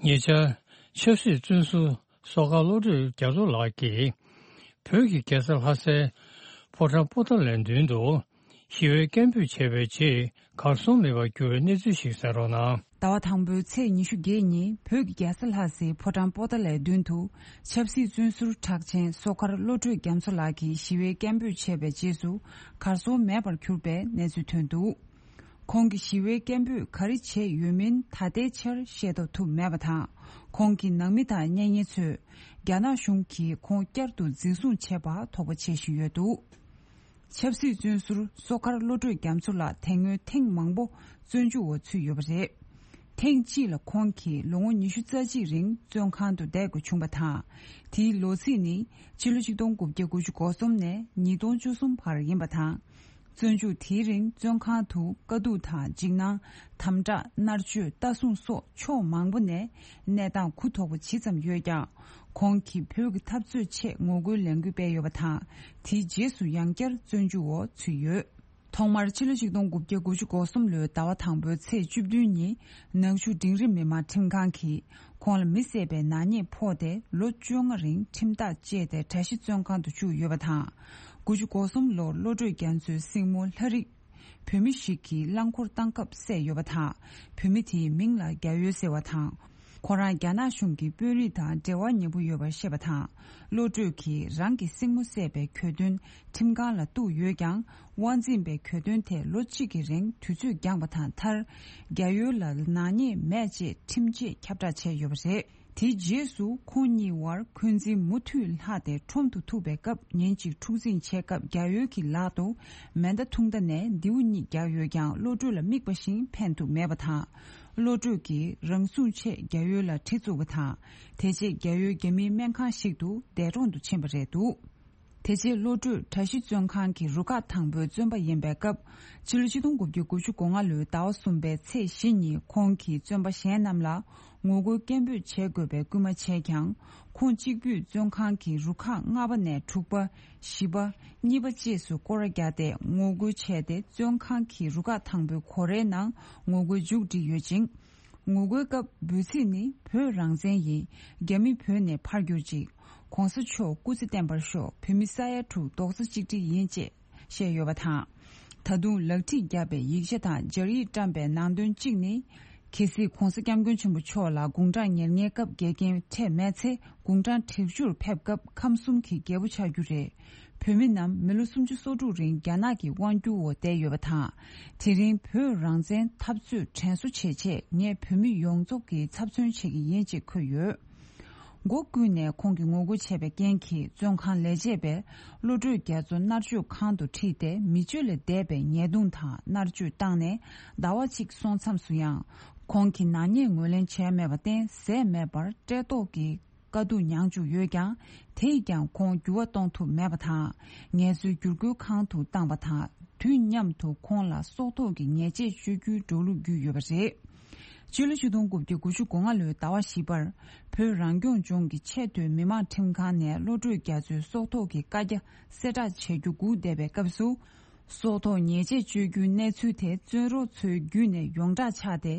ཉེ་ཆར། ཆབ་སྲིད་བཙོན་ཟུར་བསོད་དཀར་བློ་གྲོས་རྒྱ་མཚོ་ལགས་ཀྱིས། བོད་ཀྱི་རྒྱལ་ས་ལྷ་སའི་ཕོ་བྲང་པོ་ཏཱ་ལའི་མདུན་དུ། ཞི་བའི་སྐད་འབོད་བྱས་པའི་རྗེས་གར་སོང་མེད་པར་གྱུར་བའི་གནས་ཚུལ་ཞིག་གསན་རོགས་གནང་། ཟླ་བ་དང་པོའི་ཚེས་ཉི་ཤུ་བརྒྱད་ཉིན་བོད་ཀྱི་རྒྱལ་ས་ལྷ་སའི་ཕོ་བྲང་པོ་ཏཱ་ལའི་མདུན་དུ་ཆབ་སྲིད་བཙོན་ཟུར་གྲགས་ཆེན་བསོད་དཀར་བློ་གྲོས་རྒྱ་མཚོ་ལགས་ཀྱིས་ཞི་བའི་སྐད་འབོད་བྱས་པའི་རྗེས་སུ་གར་སོང་མེད་པར་གྱུར་པའི་གནས་ཚུལ་ཐོན་འདུག་ཁོང་གི་ཞི་བའི་སྐད་འབོད་ག་རེ་བྱས་ཡོད་མིན་ད་ལྟའི་ཆར་ཤེས་རྟོགས་ཐུབ་མེད་པ་དང་། ཁོང་གི་ནང་མི་དང་གཉེན་ཉེ་ཚོས་རྒྱ་ནག་གཞུང་གིས་ཁོང་བསྐྱར་དུ་འཛིན་བཟུང་བྱས་པ་དོགས་པ་བྱེད་བཞིན་ཡོད་འདུག་ཆབ་སྲིད་བཙོན་ཟུར་བསོད་དཀར་བློ་གྲོས་རྒྱ་མཚོ་ལགས་དེ་སྔོན་ཐེངས་མང་པོ་བཙོན་འཇུག་འོག་ཚུད་ཡོད་པ་རེད། ཐེངས་གཅིག་ལ་ཁོང་གིས་ལོ་ངོ་ཉི་ཤུ་རྩ་གཅིག་རིང་བཙོན་ཁང་དུ་བསྡད་དགོས་བྱུང་བ་དང་། དེའི་ལོ་ཚིགས་ནི་ཕྱི་ལོ་ཆིག་སྟོང་དགུ་བརྒྱ་དགུ་བཅུ་གོ་གསུམ་ནས་ཉིས་སྟོང་བཅུ་གསུམ་བར་ཡིན་པ་དང་། བཙོན་འཇུག་དེའི་རིང་བཙོན་ཁང་དུ་དཀའ་སྡུག་དང་འཇིགས་སྣང་། དམ་དྲག་མནར་གཅོད་ལྟ་སྲུང་སོགས་ཕྱོགས་མང་པོ་ནས་གནས་སྟངས་གུ་དོག་པོ་ཇི་ཙམ་ཡོད་ཀྱང་། ཁོང་གིས་བོད་ཀྱི་འཐབ་རྩོད་ཆེད་ངོ་རྒོལ་ལས་འགུལ་སྤེལ་ཡོད་པ་དང་། དེའི་རྗེས་སུ་ཡང་བསྐྱར་བཙོན་འཇུག་འོག་ཚུད་ཡོད། ཐོག་མར་ཕྱི་ལོ་ཆིག་སྟོང་དགུ་བརྒྱ་དགུ་བཅུ་གོ་གསུམ་ལོའི་ཟླ་བ་དང་པོའི་ཚེས་བཅུ་བདུན་ཉིན་ནག་ཆུ་འབྲིང་རིམ་མི་དམངས་ཁྲིམས་ཁང་གིས་ཁོང་ལ་མི་བསད་པའི་ནག་ཉེས་ཕོག་སྟེ་ལོ་བཅོ་ལྔ་རིང་ཁྲིམས་ཐག་བཅད་དེ་གྲྭ་བཞི་བཙོན་ཁང་དུ་བཅུག་ཡོད་པ་དང་། དགུ་བཅུ་གོ་གསུམ་ལོར་བློ་གྲོས་རྒྱ་མཚོའི་སྲིང་མོ་ལྷ་རིགས། བོད་མི་ཞིག་གིས་རླངས་འཁོར་བཏང་སྐབས་བསད་ཡོད་པ་དང་། བོད་མི་དེའི་མིང་ལ་རྒྱ་ཡོལ་ཟེར་བ་དང་། ཁོ་རང་རྒྱ་ནག་གཞུང་གི་དཔོན་རིགས་དང་འབྲེལ་བ་ཉེ་པོ་ཡོད་པར་བཤད་པ་དང་། བློ་གྲོས་ཀྱིས་རང་གི་སྲིང་མོ་བསད་པའི་གྱོད་དོན་ཁྲིམས་ཁང་ལ་གཏུགས་ཡོད་ཀྱང་། དབང་འཛིན་པས་གྱོད་དོན་དེ་ལོ་གཅིག་གི་རིང་དུས་ཚོད་འགྱངས་པ་དང་། མཐར་རྒྱ་ཡོལ་ལ་ནག་ཉེས་མེད་ཅེས་ཁྲིམས་ཆད་ཁྱབ་བསྒྲགས་བྱས་ཡོད་པ་རེད། དེའི་རྗེས་སུ་ཁོང་གཉིས་བར་འཁོན་འཛིན་མུ་མཐུད་ལྷག་སྟེ། ཁྲོམ་དུ་ཐུག་པའི་སྐབས་ཉིན་གཅིག་འཁྲུག་འཛིང་བྱས་སྐབས་རྒྱ་ཡོལ་གྱི་ལག་ཏུ་མེ་མདའ་ཐུང་མདའ་ནས་མདེའུ་གཉིས་བརྒྱབ་ཡོད་ཀྱང་། བློ་གྲོས་ལ་དམིགས་པ་བཞིན་ཕན་ཐོགས་མེད་པ་དང་། བློ་གྲོས་ཀྱིས་རང་སྲུང་ཆེད་རྒྱ་ཡོལ་ལ་གྲི་བཙུགས་པ་དང་། དེ་རྗེས་རྒྱ་ཡོལ་རྒྱ་མིའི་སྨན་ཁང་ཞིག་ཏུ་འདས་གྲོངས་སུ་ཕྱིན་པ་རེད་འདུག་དེ་རྗེས་བློ་གྲོས་གྲྭ་བཞི་བཙོན་ཁང་གི་རུ་ཁག་དང་པོའི་བཙོན་པ་ཡིན་པའི་སྐབས། ཕྱི་ལོ་ཆིག་སྟོང་དགུ་བརྒྱ་དགུ་བཅུ་གོ་ལྔ་ལོའི་ཟླ་བ་གསུམ་པའི་ཚེས་བཞི་ཉིན་ཁོང་གིས་བཙོན་པ་གཞན་རྣམས་ལ་ངོ་རྒོལ་སྐད་འབོད་བྱེད་དགོས་པའི་སྐུལ་མ་བྱས་ཀྱང་། ཁོང་གཅིག་པུས་བཙོན་ཁང་གི་རུ་ཁག་ལྔ་པ་ནས་དྲུག་པ། བཞི་པ། གཉིས་པ་བཅས་སུ་སྐོར་ར་བརྒྱབ་སྟེ་ངོ་རྒོལ་བྱས་ཏེ། བཙོན་ཁང་གི་རུ་ཁག་དང་པོའི་སྒོ་རའི་ནང་ངོ་རྒོལ་མཇུག་བསྒྲིལ་ཡོད་ཅིང་། ངོ་རྒོལ་སྐབས་འབོད་ཚིག་ནི། བོད་རང་བཙན་ཡིན། རྒྱ་མི་བོད་ནས་ཕར་གྱུར་ཅིག། གོང་ས་མཆོག་སྐུ་ཚེ་བརྟན་པར་ཤོག། བོད་མི་ས་ཡ་དྲུག་རྡོག་རྩ་གཅིག་སྒྲིལ་ཡིན་ཅེས་བཤད་ཡོད་པ་དང་། ད་དུང་ལག་ཁྲིད་བརྒྱབ་པའི་ཡིག་ཆ་དང་སྦྱར་ཡིག་བཀྲམ་པའི་ནང་དོན་གཅིག་ནི། གལ་སྲིད་གོང་ས་སྐྱབས་མགོན་ཆེན་པོ་མཆོག་ལ་དགུང་གྲངས་ཉེར་ལྔའི་སྐབས་འགལ་རྐྱེན་འཕྲད་མེད་ཚེ། དགུང་གྲངས་དྲུག་ཅུར་ཕེབས་སྐབས་ཁམས་གསུམ་གྱི་རྒྱལ་པོ་ཆགས་རྒྱུ་རེད། བོད་མི་རྣམས་མི་ལོ་སུམ་ཅུ་སོ་དྲུག་རིང་རྒྱ་ནག་གི་དབང་སྒྱུར་འོག་བསྡད་ཡོད་པ་དང་། དེ་རིང་བོད་རང་བཙན་འཐབ་རྩོད་དྲན་གསོ་བྱེད་ཆེད་ངས་བོད་མི་ཡོངས་རྫོགས་ཀྱི་ཚབ་མཚོན་བྱེད་ཀྱི་ཡིན་ཅེས་འཁོད་ཡོད། མགོ་བཀུག་ནས་ཁོང་གིས་ངོ་རྒོལ་བྱས་པའི་རྐྱེན་གྱིས་བཙོན་ཁང་ལས་བྱེད་པས་བློ་གྲོས་རྒྱ་མཚོ་མནར་གཅོད་ཁང་དུ་ཁྲིད་དེ། མི་སྤྱོད་ལས་འདས་པའི་ཉེས་རྡུང་དང་མནར་གཅོད་བཏང་ནས་ཟླ་བ་གཅིག་སོང་མཚམས་སུ་ཡང་། ཁོང་གིས་ནག་ཉེས་ངོས་ལེན་བྱས་མེད་པར་བརྟེན། ཟས་མེད་པར་བཀྲེས་ལྟོགས་ཀྱི་དཀའ་སྡུག་མྱངས་བཅུག་ཡོད་ཀྱང་། དེས་ཀྱང་ཁོང་འགྱུར་བ་གཏོང་ཐུབ་མེད་པ་དང་། ངལ་རྩོལ་བསྒྱུར་བཀོད་ཁང་དུ་བཏང་པ་དང་། དུས་མཉམ་དུ་ཁོང་ལ་སྲོག་ཐོག་གི་ཉེས་ཆད་གཅོད་རྒྱུའི་འགྲོ་ལུགས་བརྒྱུད་ཡོད་པ་རེད། སྤྱི་ལོ་ཆིག་སྟོང་དགུ་བརྒྱ་དགུ་བཅུ་གོ་ལྔ་ལོའི་ཟླ་བ་བཞི་པར། བོད་རང་སྐྱོང་ལྗོངས་ཀྱི་ཆེས་མཐོའི་མི་དམངས་ཁྲིམས་ཁང་ནས་བློ་གྲོས་རྒྱ་མཚོའི་སྲོག་ཐོག་གི་བཀའ་རྒྱ་གསལ་བསྒྲགས་བྱ་རྒྱུ་སྒུག་བསྡད་པའི་སྐབས་སུ། སྲོག་ཐོག་ཉེས་ཆད་གཅོད་རྒྱུའི་གནས་ཚུལ་དེ་བཙོན་རོགས་ཚོའི་བརྒྱུད་ནས་ཡོངས་གྲགས་ཆགས་ཏེ།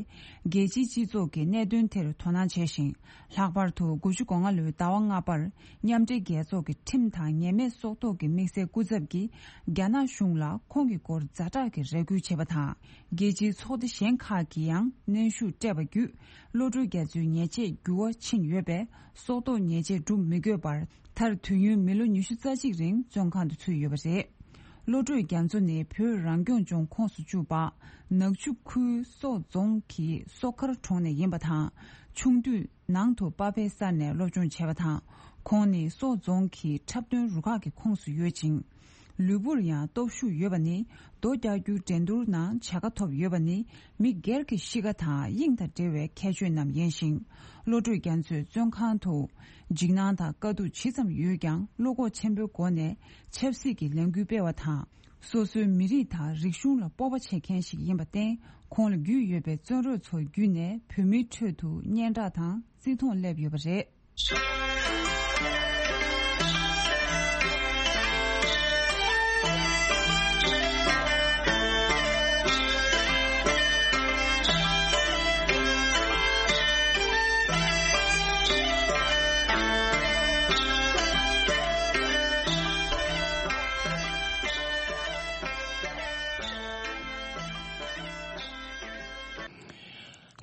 རྒྱལ་སྤྱིའི་སྤྱི་ཚོགས་ཀྱིས་གནད་དོན་དེར་དོ་སྣང་བྱས་ཤིང་། ལྷག་པར་དུ་དགུ་བཅུ་གོ་ལྔ་ལོའི་ཟླ་བ་ལྔ་པར། མཉམ་འབྲེལ་རྒྱལ་ཚོགས་ཀྱི་ཁྲིམས་དང་ཉེས་མེད་སྲོག་ཐོག་གི་དམིགས་བསལ་སྐུ་ཚབ་ཀྱིས་རྒྱ་ནག་གཞུང་ལ་ཁོང་གི་སྐོར་ཛ་དྲག་གི་རེ་སྐུལ་བྱས་པ་དང་། རྒྱལ་སྤྱིའི་ཚོགས་སྡེ་གཞན་ཁག་གིས་ཡང་གནོན་ཤུགས་སྤྲད་པ་བརྒྱུད། བློ་གྲོས་རྒྱ་མཚོའི་ཉེས་ཆད་འགྱུར་བ་ཕྱིན་ཡོད་པས། སྲོག་ཐོག་ཉེས་ཆད་སྒྲུབ་མི་དགོས་པར། མཐར་དུས་ཡུན་མི་ལོ་ཉི་ཤུ་རྩ་གཅིག་རིང་བཙོན་ཁང་དུ་ཚུད་ཡོད་པ་རེད། བློ་གྲོས་རྒྱ་མཚོ་ནི་བོད་རང་སྐྱོང་ལྗོངས་ཁོངས་སུ་བཅུག་པ། ནག་ཆུ་ཁུལ་སོག་རྫོང་གི་སོག་མཁར་གྲོང་ནས་ཡིན་པ་དང་། ཆུང་དུས་ནང་དུ་པ་ཕའི་ས་ནས་སློབ་སྦྱོང་བྱས་པ་དང་། ཁོང་ནི་སོག་རྫོང་གི་འཁྲབ་སྟོན་རུ་ཁག་གི་ཁོངས་སུ་ཡོད་ཅིང་། ལུས་པོར་ཡང་སྟོབས་ཤུགས་ཡོད་པ་ནི། རྡོ་རྒྱག་རྒྱུའི་འགྲན་བསྡུར་ནང་བྱ་དགའ་ཐོབ་ཡོད་པ་ནི། མི་སྒེར་གྱི་གཤིས་ཀ་དང་དབྱིངས་དང་འབྲེལ་བའི་ཁྱད་ཆོས་རྣམས་ཡིན་ཞིང་། བློ་གྲོས་རྒྱ་མཚོས་བཙོན་ཁང་དུ་འཇིགས་སྣང་དང་དཀའ་སྡུག་ཇི་ཙམ་ཡོད་ཀྱང་། བློ་ཁོག་ཆེན་པོའི་སྒོ་ནས་ཆབ་སྲིད་ཀྱི་ལས་འགུལ་སྤེལ་བ་དང་། སོ་སོའི་མི་རིགས་དང་རིག་གཞུང་ལ་སྤོབས་པ་བྱེད་མཁན་ཞིག་ཡིན་པར་བརྟེན། ཁོང་ལ་རྒྱུས་ཡོད་པའི་བཙོན་རོགས་ཚོ་བརྒྱུད་ནས་བོད་མིའི་ཁྲོད་དུ་སྙན་གྲགས་དང་བརྩི་མཐོང་སླེབས་ཡོད་པ་རེད།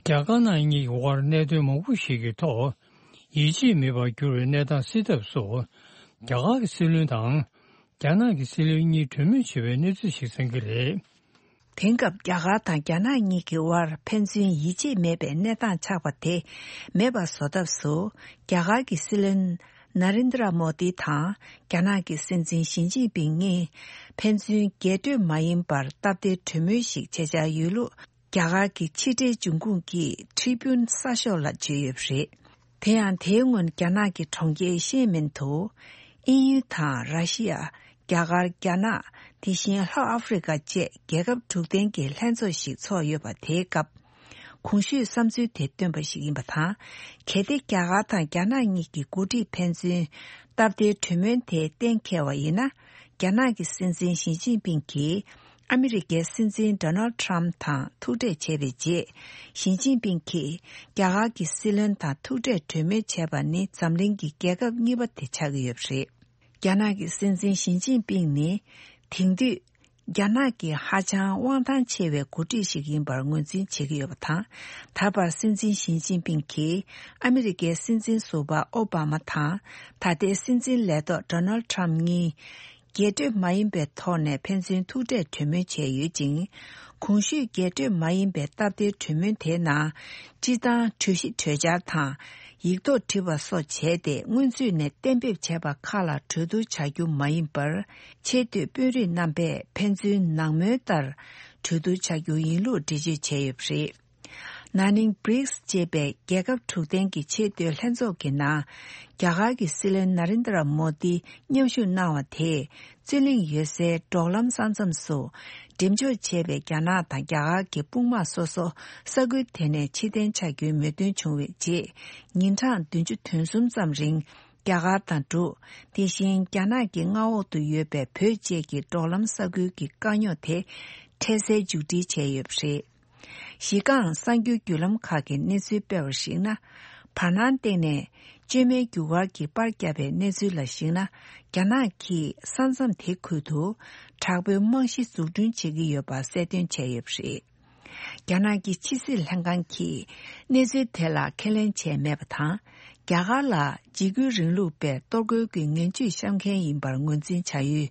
རྒྱ་དཀར་ནག་གཉིས་ཀྱི་དབར་གནད་དོན་མང་པོ་ཞིག་གི་ཐོག་ཡིད་ཆེས་མེད་པར་གྱུར་བའི་གནས་སྟངས་སེལ་ཐབས་སུ། རྒྱ་གར་གྱི་སྲིད་བློན་དང་། རྒྱ་ནག་གི་སྲིད་བློན་གཉིས་གྲོས་མོལ་བྱེད་པའི་གནས་ཚུལ་ཞིག་གསན་གྱི་རེད། དེང་སྐབས་རྒྱ་གར་དང་རྒྱ་ནག་གཉིས་ཀྱི་དབར་ཕན་ཚུན་ཡིད་ཆེས་མེད་པའི་གནས་སྟངས་ཆགས་པ་དེ་མེད་པ་བཟོ་ཐབས་སུ། རྒྱ་གར་གྱི་སྲིད་བློན་ན་རེན་དྲ་མོ་དི་དང་རྒྱ་ནག་གི་སྲིད་འཛིན་ཞི་ཅིན་ཕིང་གཉིས་ཕན་ཚུན་རྒྱས་སྤྲོས་མ་ཡིན་པར་སྟབས་བདེའི་གྲོས་མོལ་ཞིག་བྱེད་འཆར་ཡོད་ལུགས། རྒྱ་གར་གྱི་ཕྱི་འབྲེལ་འབྱུང་ཁུངས་ཀྱིས་ཁྲི་པུན་གསར་ཤོག་ལ་བརྗོད་ཡོད་པ་རེད། དེ་ཡང་དེའི་སྔོན་རྒྱ་ནག་གི་གྲོང་ཁྱེར་ཤེ་མིན་དུ། དབྱིན་ཡུལ་དང་ར་ཤི་ཡ། རྒྱ་གར། རྒྱ་ནག་དེ་བཞིན་ལྷོ་ཨ་ཧྥེ་རི་ཀ་བཅས་རྒྱལ་ཁབ་དྲུག་ལྡན་གྱི་ལྷན་ཚོགས་ཤིག་ཚོགས་ཡོད་པ་དེའི་སྐབས། གོང་ཞུས་བསམ་ཚུལ་དེ་བཏོན་པ་ཞིག་ཡིན་པ་དང་། གལ་ཏེ་རྒྱ་གར་དང་རྒྱ་ནག་གཉིས་ཀྱི་འགོ་ཁྲིད་ཕན་ཚུན་སྟབས་བདེའི་གྲོས་མོལ་དེ་གཏན་འཁེལ་བ་ཡིན་ན། རྒྱ་ནག་གི་སྲིད་འཛིན་ཞི་ཅིན་ཕིང་གིས། ཨ་མི་རི་ཀའི་སྲིད་འཛིན་ཌོ་ནལ་ཊམ་དང་ཐུག་འཕྲད་བྱས་པའི་རྗེས། ཞི་ཅིན་ཕིང་གིས་རྒྱ་གར་གྱི་སྲིད་བློན་དང་ཐུག་འཕྲད་གྲོས་མོལ་བྱས་པ་ནི་འཛམ་གླིང་གི་རྒྱལ་ཁབ་གཉིས་པ་དེ་ཆགས་ཀྱི་ཡོད་པ་རེད། རྒྱ་ནག་གི་སྲིད་འཛིན་ཞི་ཅིན་ཕིང་ནི། དེང་དུས་རྒྱ་ནག་གི་ཧ་ཅང་དབང་ཐང་ཆེ་བའི་འགོ་ཁྲིད་ཞིག་ཡིན་པར་ངོས་འཛིན་བྱེད་ཀྱི་ཡོད་པ་དང་། ད་བར་སྲིད་འཛིན་ཞི་ཅིན་ཕིང་གིས་ཨ་མི་རི་ཀའི་སྲིད་འཛིན་ཟུར་པ་ཨོ་བྷ་མ་དང་། ད་ལྟའི་སྲིད་འཛིན་ལས་ཐོག་ཌོ་ནལ་ཊམ་གཉིས། རྒྱས་སྤྲོས་མ་ཡིན་པའི་ཐོག་ནས་ཕན་ཚུན་ཐུག་འཕྲད་གྲོས་མོལ་བྱས་ཡོད་ཅིང་། གོང་ཞུས་རྒྱས་སྤྲོས་མ་ཡིན་པའི་སྟབས་བདེའི་གྲོས་མོལ་དེའི་ནང་། སྤྱིར་བཏང་གྲོས་གཞི་གྲོས་འཆར་དང་། ཡིག་ཐོག་བྲིས་པ་སོགས་བྱས་ཏེ། སྔོན་ཚུད་ནས་གཏན་འབེབས་བྱས་པ་ཁག་ལ་གྲོས་བསྡུར་བྱ་རྒྱུ་མ་ཡིན་པར། ཆེས་མཐོའི་དཔོན་རིགས་རྣམ་པས་ཕན་ཚུན་ནང་མོལ་ལྟར་གྲོས་བསྡུར་བྱ་རྒྱུ་ཡིན་ལུགས་འགྲེལ་བརྗོད་བྱས་ཡོད་པ་རེད། ན་ནིང་བྷི་རིགས་ཅེས་པའི་རྒྱལ་ཁབ་དྲུག་ལྡན་གྱི་ཆེས་མཐོའི་ལྷན་ཚོགས་ཀྱི་ནང་། རྒྱ་གར་གྱི་སྲིད་བློན་ན་རེན་དྲ་མོ་དི་མཉམ་ཞུགས་གནང་བ་དེས། རྩོད་གླེང་ཡོད་སའི་འབྲོག་ལམ་ས་མཚམས་སུ་འགྲེམས་འཇོག་བྱས་པའི་རྒྱ་ནག་དང་རྒྱ་གར་གྱི་དཔུང་དམག་སོ་སོ་ས་ཁུལ་དེ་ནས་ཕྱིར་འཐེན་བྱ་རྒྱུའི་མོས་མཐུན་བྱུང་བའི་རྗེས། ཉིན་གྲངས་བདུན་ཅུ་དོན་གསུམ་ཙམ་རིང་རྒྱ་གར་དང་འབྲུག་དེ་བཞིན་རྒྱ་ནག་གི་མངའ་འོག་ཏུ་ཡོད་པའི་བོད་བཅས་ཀྱི་འབྲོག་ལམ་ས་ཁུལ་གྱི་དཀའ་རྙོག་དེ་འཕྲལ་སེལ་མཇུག་སྒྲིལ་བྱས་ཡོད་པ་རེད། གཞི་རྐང་གསར་འགྱུར་བརྒྱུད་ལམ་ཁག་གིས་གནས་ཚུལ་སྤེལ་བར་གཞིགས་ན། བར་སྣང་སྟེང་ནས་བཅོས་མའི་རྒྱུ་སྐར་གྱིས་པར་བརྒྱབ་པའི་གནས་ཚུལ་ལ་གཞིགས་ན། རྒྱ་ནག་གིས་ས་མཚམས་དེ་ཁུལ་དུ་དྲག་པོའི་རྨང་གཞི་འཛུགས་སྐྲུན་བྱེད་ཀྱི་ཡོད་པ་གསལ་སྟོན་བྱས་ཡོད་པ་རེད། རྒྱ་ནག་གི་ཕྱི་སྲིད་ལྷན་ཁང་གིས་གནས་ཚུལ་དེ་ལ་ཁས་ལེན་བྱས་མེད་པ་དང་། རྒྱ་གར་ལ་འཇིགས་སྐུལ་རིང་ལུགས་པས་གཏོར་རྒོལ་གྱི་ངན་ཇུས་བཤམས་མཁན་ཡིན་པར་ངོས་འཛིན་བྱ་ཡུལ་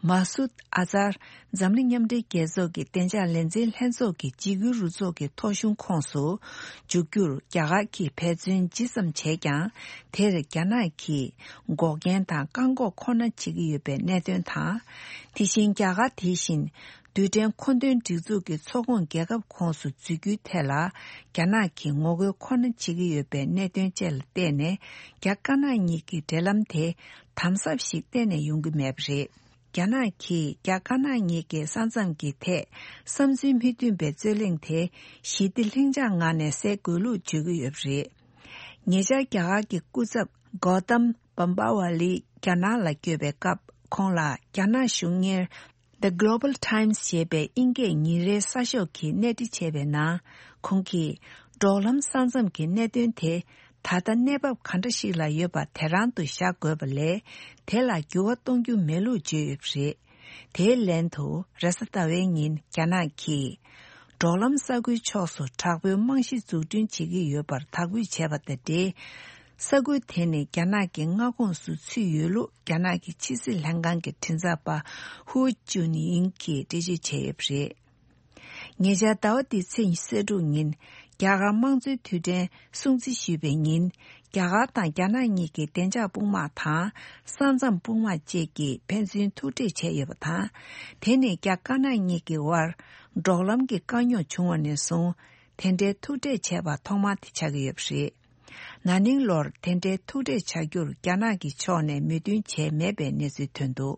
མ་སུད་ཨ་ཛར། འཛམ་གླིང་མཉམ་འབྲེལ་རྒྱལ་ཚོགས་ཀྱི་བདེ་འཇགས་ལས་འཛིན་ལྷན་ཚོགས་ཀྱི་འཇིགས་སྐུལ་རུ་ཚོགས་ཀྱི་ཐོ་གཞུང་ཁོངས་སུ་འཇུག་རྒྱུར་རྒྱ་གར་གྱིས་འབད་བརྩོན་ཇི་ཙམ་བྱས་ཀྱང་། དེར་རྒྱ་ནག་གིས་འགོག་རྐྱེན་དང་བཀག་འགོག་ཁོ་ན་བྱེད་ཀྱི་ཡོད་པའི་གནད་དོན་དང་། དེ་བཞིན་རྒྱ་གར་དེ་བཞིན་རྡུལ་ཕྲན་མཁོ་འདོན་སྒྲིག་འཛུགས་ཀྱི་ཚོགས་ཁོངས་རྒྱལ་ཁབ་ཁོངས་སུ་འཛུལ་རྒྱུའི་ཐད་ལ། རྒྱ་ནག་གིས་ངོ་རྒོལ་ཁོ་ན་བྱེད་ཀྱི་ཡོད་པའི་གནད་དོན་བཅས་ལ་བརྟེན་ནས། རྒྱ་དཀར་ནག་གཉིས་ཀྱི་འབྲེལ་ལམ་དེ་དམ་ཟབ་ཞིག་གཏན་ནས་ཡོང་གི་མེད་པ་རེད། རྒྱ་ནག་གིས་རྒྱ་དཀར་ནག་གཉིས་ཀྱི་ས་མཚམས་ཀྱི་ཐད་བསམ་ཚུལ་མི་མཐུན་པའི་རྩོད་གླེང་དེ་ཞི་བདེ་ལྷིང་འཇགས་ངང་ནས་སེལ་དགོས་ལུགས་བརྗོད་ཀྱི་ཡོད་པ་རེད། ཉེ་ཆར་རྒྱ་གར་གྱི་སྐུ་ཚབ་གོ་ཏམ་བམ་པ་ཝ་ལི་རྒྱ་ནག་ལ་བསྐྱོད་པའི་སྐབས། ཁོང་ལ་རྒྱ་ནག་གཞུང་གཉེར་The Global Times ཞེས་པའི་དབྱིན་སྐད་ཉིན་རེའི་གསར་ཤོག་གིས་གནས་འདྲི་བྱས་པའི་ནང་། ཁོང་གིས་འབྲོག་ལམ་ས་མཚམས་ཀྱི་གནད་དོན་དེ་ད་ལྟ་གནས་བབ་ག་འདྲ་ཞིག་ལ་ཡོད་པ་དེ་རང་དུ་བཞག་དགོས་པ་ལས། དེ་ལ་འགྱུར་བ་གཏོང་རྒྱུ་མེད་ལུགས་བརྗོད་ཡོད་པ་རེད། དེའི་ལན་དུ། རེས་གཟའ་ཟླ་བའི་ཉིན་རྒྱ་ནག་གིས་འབྲོག་ལམ་ས་ཁུལ་ཕྱོགས་སུ་དྲག་པོའི་རྨང་གཞི་འཛུགས་སྐྲུན་བྱེད་ཀྱི་ཡོད་པར་དག་འབུལ་བྱས་པ་དང་འབྲེལ། ས་ཁུལ་དེ་ནི་རྒྱ་ནག་གི་མངའ་ཁོངས་སུ་ཚུད་ཡོད་ལུགས་རྒྱ་ནག་གི་ཕྱི་སྲིད་ལྷན་ཁང་གི་མགྲིན་ཚབ་པ་ཧུའུ་ཅུན་ཡིང་གིས་འགྲེལ་བརྗོད་བྱས་ཡོད་པ་རེད། ཉེ་ཆར་ཟླ་བ་འདིའི་ཚེས་ཉི་ཤུ་རྩ་དྲུག་ཉིན། རྒྱ་གར་དམངས་གཙོའི་དུས་དྲན་སྲུང་བརྩི་ཞུས་པའི་ཉིན། རྒྱ་གར་དང་རྒྱ་ནག་གཉིས་ཀྱི་བདེ་འཇགས་དཔུང་དམག་དང་། ས་མཚམས་དཔུང་དམག་བཅས་ཀྱིས་ཕན་ཚུན་ཐུག་འཕྲད་བྱས་ཡོད་པ་དང་། དེ་ནི་རྒྱ་དཀར་ནག་གཉིས་ཀྱི་དབར་འབྲོག་ལམ་གྱི་དཀའ་རྙོག་བྱུང་བ་ནས་བཟུང་། དེ་འདྲའི་ཐུག་འཕྲད་བྱས་པ་ཐོག་མ་དེ་ཆགས་ཀྱི་ཡོད་པ་རེད། ན་ནིང་ལོར་དེ་འདྲའི་ཐུག་འཕྲད་བྱ་རྒྱུར་རྒྱ་ནག་གི་ཕྱོགས་ནས་མོས་མཐུན་བྱས་མེད་པའི་གནས་ཚུལ་ཐོན་འདུག།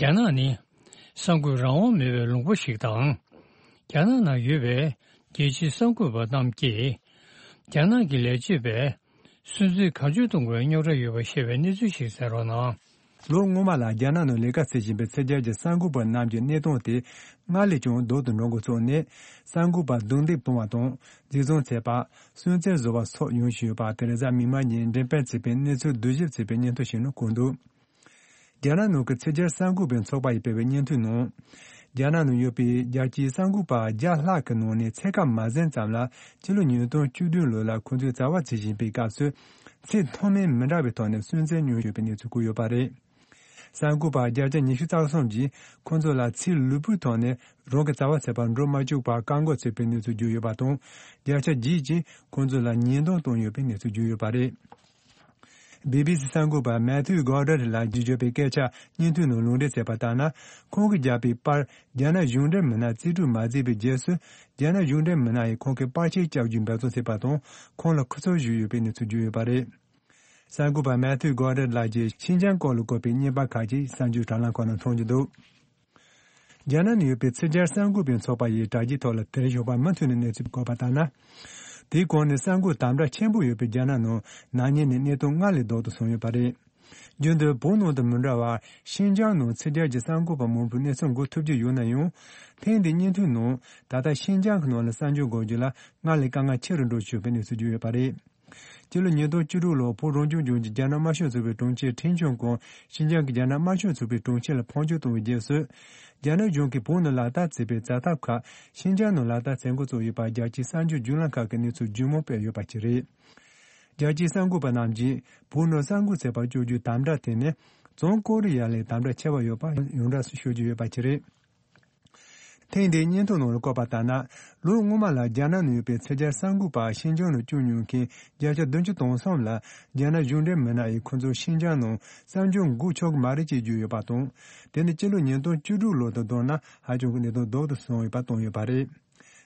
རྒྱ་ནག་ནི་གསར་འགོད་རང་དབང་མེད་པའི་ལུང་པ་ཞིག་དང་། རྒྱ་ནག་ནང་ཡོད་པའི་རྒྱལ་སྤྱིའི་གསར་འགོད་པ་རྣམས་ཀྱིས། རྒྱ་ནག་གི་ལས་བྱེད་པས་སུན་གཙེར་གང་བྱུང་གཏོང་བའི་རྙོག་དྲ་ཡོད་པ་ཤེས་པའི་གནས་ཚུལ་ཞིག་གསན་རོགས་གནང་། ལོ་སྔོན་མ་ལ་རྒྱ་ནག་ནང་ལས་ཀ་བྱེད་བཞིན་པའི་ཕྱི་རྒྱལ་གྱི་གསར་འགོད་པ་རྣམས་ཀྱི་གནས་སྟངས་དེ་སྔར་ལས་ཀྱང་སྡུག་ཏུ་འགྲོ་འགོ་བཙུགས་ནས། གསར་འགོད་པ་རྡུང་རྡེག་སྤོང་བ་དང་། འཛིན་བཟུང་བྱས་པ། སུན་གཙེར་བཟོ་བ་སོགས་ཡོང་བཞིན་ཡོད་པ། ཐེ་རེ་ཟ་མིག་དམར་གྱིས་འགྲེམས་སྤེལ་བྱས་པའི་གནས་ཚུལ་བསྡུ་ཞིབ་བྱས་པའི་སྙན་ཐོ་ཞིག་ནང་བཀོད་འདུག་རྒྱ་ནག་ནང་གི་ཕྱི་རྒྱལ་གསར་འགོད་པའི་ཚོགས་པ་ཡིས་སྤེལ་བའི་སྙན་ཐོའི་ནང་། རྒྱ་ནག་ནང་ཡོད་པའི་རྒྱལ་སྤྱིའི་གསར་འགོད་པ་བརྒྱ་ལྷག་གི་ནང་ནས་ཕྱེད་ཀ་མ་ཟིན་ཙམ་ལ། ཕྱི་ལོ་ཉིས་སྟོང་བཅུ་བདུན་ལོ་ལ་ཁོང་ཚོས་བྱ་བ་བྱེད་བཞིན་པའི་སྐབས་སུ། ཚད་མཐོ་དམན་མི་འདྲ་བའི་ཐོག་ནས་སུན་གཙེར་མྱོང་ཡོད་པའི་གནས་ཚུལ་བཀོད་ཡོད་པ་རེད། གསར་འགོད་པ་བརྒྱ་ཆ་ཉི་ཤུ་རྩ་གསུམ་གྱིས་ཁོང་ཚོ་ལ་ཚེ་ལུས་པོའི་ཐོག་ནས་རང་གི་བྱ་བ་བྱེད་པར་འགྲོ་མ་བཅུག་པར་བཀག་འགོག་བྱས་པའི་གནས་ཚུལ་བརྗོད་ཡོད་པ་དང་། བརྒྱ་ཆ་བརྒྱད་ཀྱིས་ཁོང་ཚོ་ལ་ཉེས་རྡུང་བཏང་ཡོད་པའི་གནས་ཚུལ་བརྗོད་ཡོད་པ་རེད། བི་བི་སི་གསར་འགོད་པ་མེ་ཐིའུ་གོར་ཌན་ལགས་ཀྱིས་བརྗོད་པའི་སྐད་ཆ་སྙན་ཐོའི་ནང་ལུང་འདྲེན་བྱས་པ་ལྟར་ན། ཁོང་གིས་བརྒྱབ་པའི་པར་རྒྱ་ནག་གཞུང་འབྲེལ་མི་སྣར་རྩིས་སྤྲོད་མ་བྱས་པའི་རྗེས་སུ། རྒྱ་ནག་གཞུང་འབྲེལ་མི་སྣ་ཡིས་ཁོང་གི་པར་ཆས་བཀྱག་རྒྱུའི་འབད་བརྩོན་བྱས་པ་དང་། ཁོང་ལ་ཁུ་ཚུར་གཞུས་ཡོད་པའི་གནས་ཚུལ་བརྗོད་ཡོད་པ་རེད། གསར་འགོད་པ་མེ་ཐིའུ་གོར་ཌན་ལགས་ཀྱིས་ཤིན་ཅང་སྐོར་ལ་བཀོད་པའི་བརྙན་པར་ཁག་ཅིག་གསར་འགྱུར་དྲ་ལམ་ཁག་ནང་མཐོང་རྒྱུ་འདུག་རྒྱ་ནག་ནང་ཡོད་པའི་ཕྱི་རྒྱལ་གསར་འགོད་པའི་ཚོགས་པ་ཡིས་དྲ་རྒྱའི་ཐོག་ལ་དེར་ཞོགས་པ་མུ་མཐུད་ནས་གནས་ཚུལ་བཀོད་པ་ལྟར་ན། དེའི་གོང་ནས་གསར་འགོད་དམ་དྲག་ཆེན་པོ་ཡོད་པའི་རྒྱ་ནག་ནང་ན་ནིང་ནས་གནས་སྟངས་སྔར་ལས་སྡུག་ཏུ་སོང་ཡོད་པ་རེད། རྒྱུན་དུ་བོད་ནང་དང་མི་འདྲ་བར་ཤིན་ཅང་ནང་ཕྱི་རྒྱལ་གྱི་གསར་འགོད་པ་མང་པོས་གནས་ཚུལ་འགོད་ཐུབ་ཀྱི་ཡོད་ན་ཡང་། ཐེངས་འདིའི་སྙན་ཐོའི་ནང་ད་ལྟ་ཤིན་ཅང་གི་ནང་ལ་གསར་འགྱུར་འགོད་རྒྱུ་ལ་སྔར་ལས་དཀའ་ངལ་ཆེ་རུ་འགྲོ་བཞིན་ཡོད་པའི་གནས་ཚུལ་བརྗོད་ཡོད་པ་རེད། སྤྱི་ལོ་ཉིས་སྟོང་བཅུ་དྲུག་ལོར་བོད་རང་སྐྱོང་ལྗོངས་ཀྱི་རྒྱ་ནག་དམར་ཤོག་ཚོགས་པའི་དྲུང་ཆེ་ཁྲིན་ཆོན་ཀོང་ཤིན་ཅང་གི་རྒྱ་ནག་དམར་ཤོག་ཚོགས་པའི་དྲུང་ཆེ་ལ་ཕོན་ཆེན་བཏང་བའི་རྗེས་སུ། རྒྱ་ནག་གཞུང་གིས་བོད་ནང་ལག་བསྟར་བྱས་པའི་བྱ་ཐབས་ཁག་ཤིན་ཅང་ནང་ལག་བསྟར་བྱེད་འགོ་བཙུགས་ཡོད་པ། རྒྱལ་སྤྱིའི་གསར་འགྱུར་བརྒྱུད་ལམ་ཁག་གིས་གནས་ཚུལ་ལྗིད་མོ་སྤེལ་ཡོད་པ་ཅིག་རེད། རྒྱལ་སྤྱིའི་གསར་འགོད་པ་རྣམས་ཀྱིས་བོད་ནང་གསར་འགོད་བྱེད་པར་སྤྱོད་རྒྱུའི་དམ་དྲག་དེ་ནི་བྱང་ཀོ་རི་ཡ་ལས་དམ་དྲག་ཆེ་བ་ཡོད་པ་ཡོངས་གྲགས་སུ་ཤོད་ཀྱི་ཡོད་པ་ཅིག་རེད། ཐེངས་འདིའི་སྙན་ཐོ་ནང་ལ་བཀོད་པ་ལྟར་ན། ལོ་སྔོན་མ་ལ་རྒྱ་ནག་ནང་ཡོད་པའི་ཕྱི་རྒྱལ་གསར་འགོད་པ་ཤིན་ཅང་ནང་བསྐྱོད་མྱོང་མཁན་བརྒྱ་ཆ་བདུན་ཅུ་དོན་གསུམ་ལ་རྒྱ་ནག་གཞུང་འབྲེལ་མི་སྣ་ཡིས་ཁོ་ཚོ་ཤིན་ཅང་ནང་གསར་འགྱུར་འགོད་ཆོག་གི་མ་རེད་ཅེས་བརྗོད་ཡོད་པ་དང་། དེ་ནི་སྤྱི་ལོ་ཉིས་སྟོང་བཅུ་དྲུག་ལོ་དང་བསྡུར་ན་ཧ་ཅང་གི་གནད་དོན་སྡུག་ཏུ་སོང་ཡོད་པ་བཏོན་ཡོད་པ་རེད།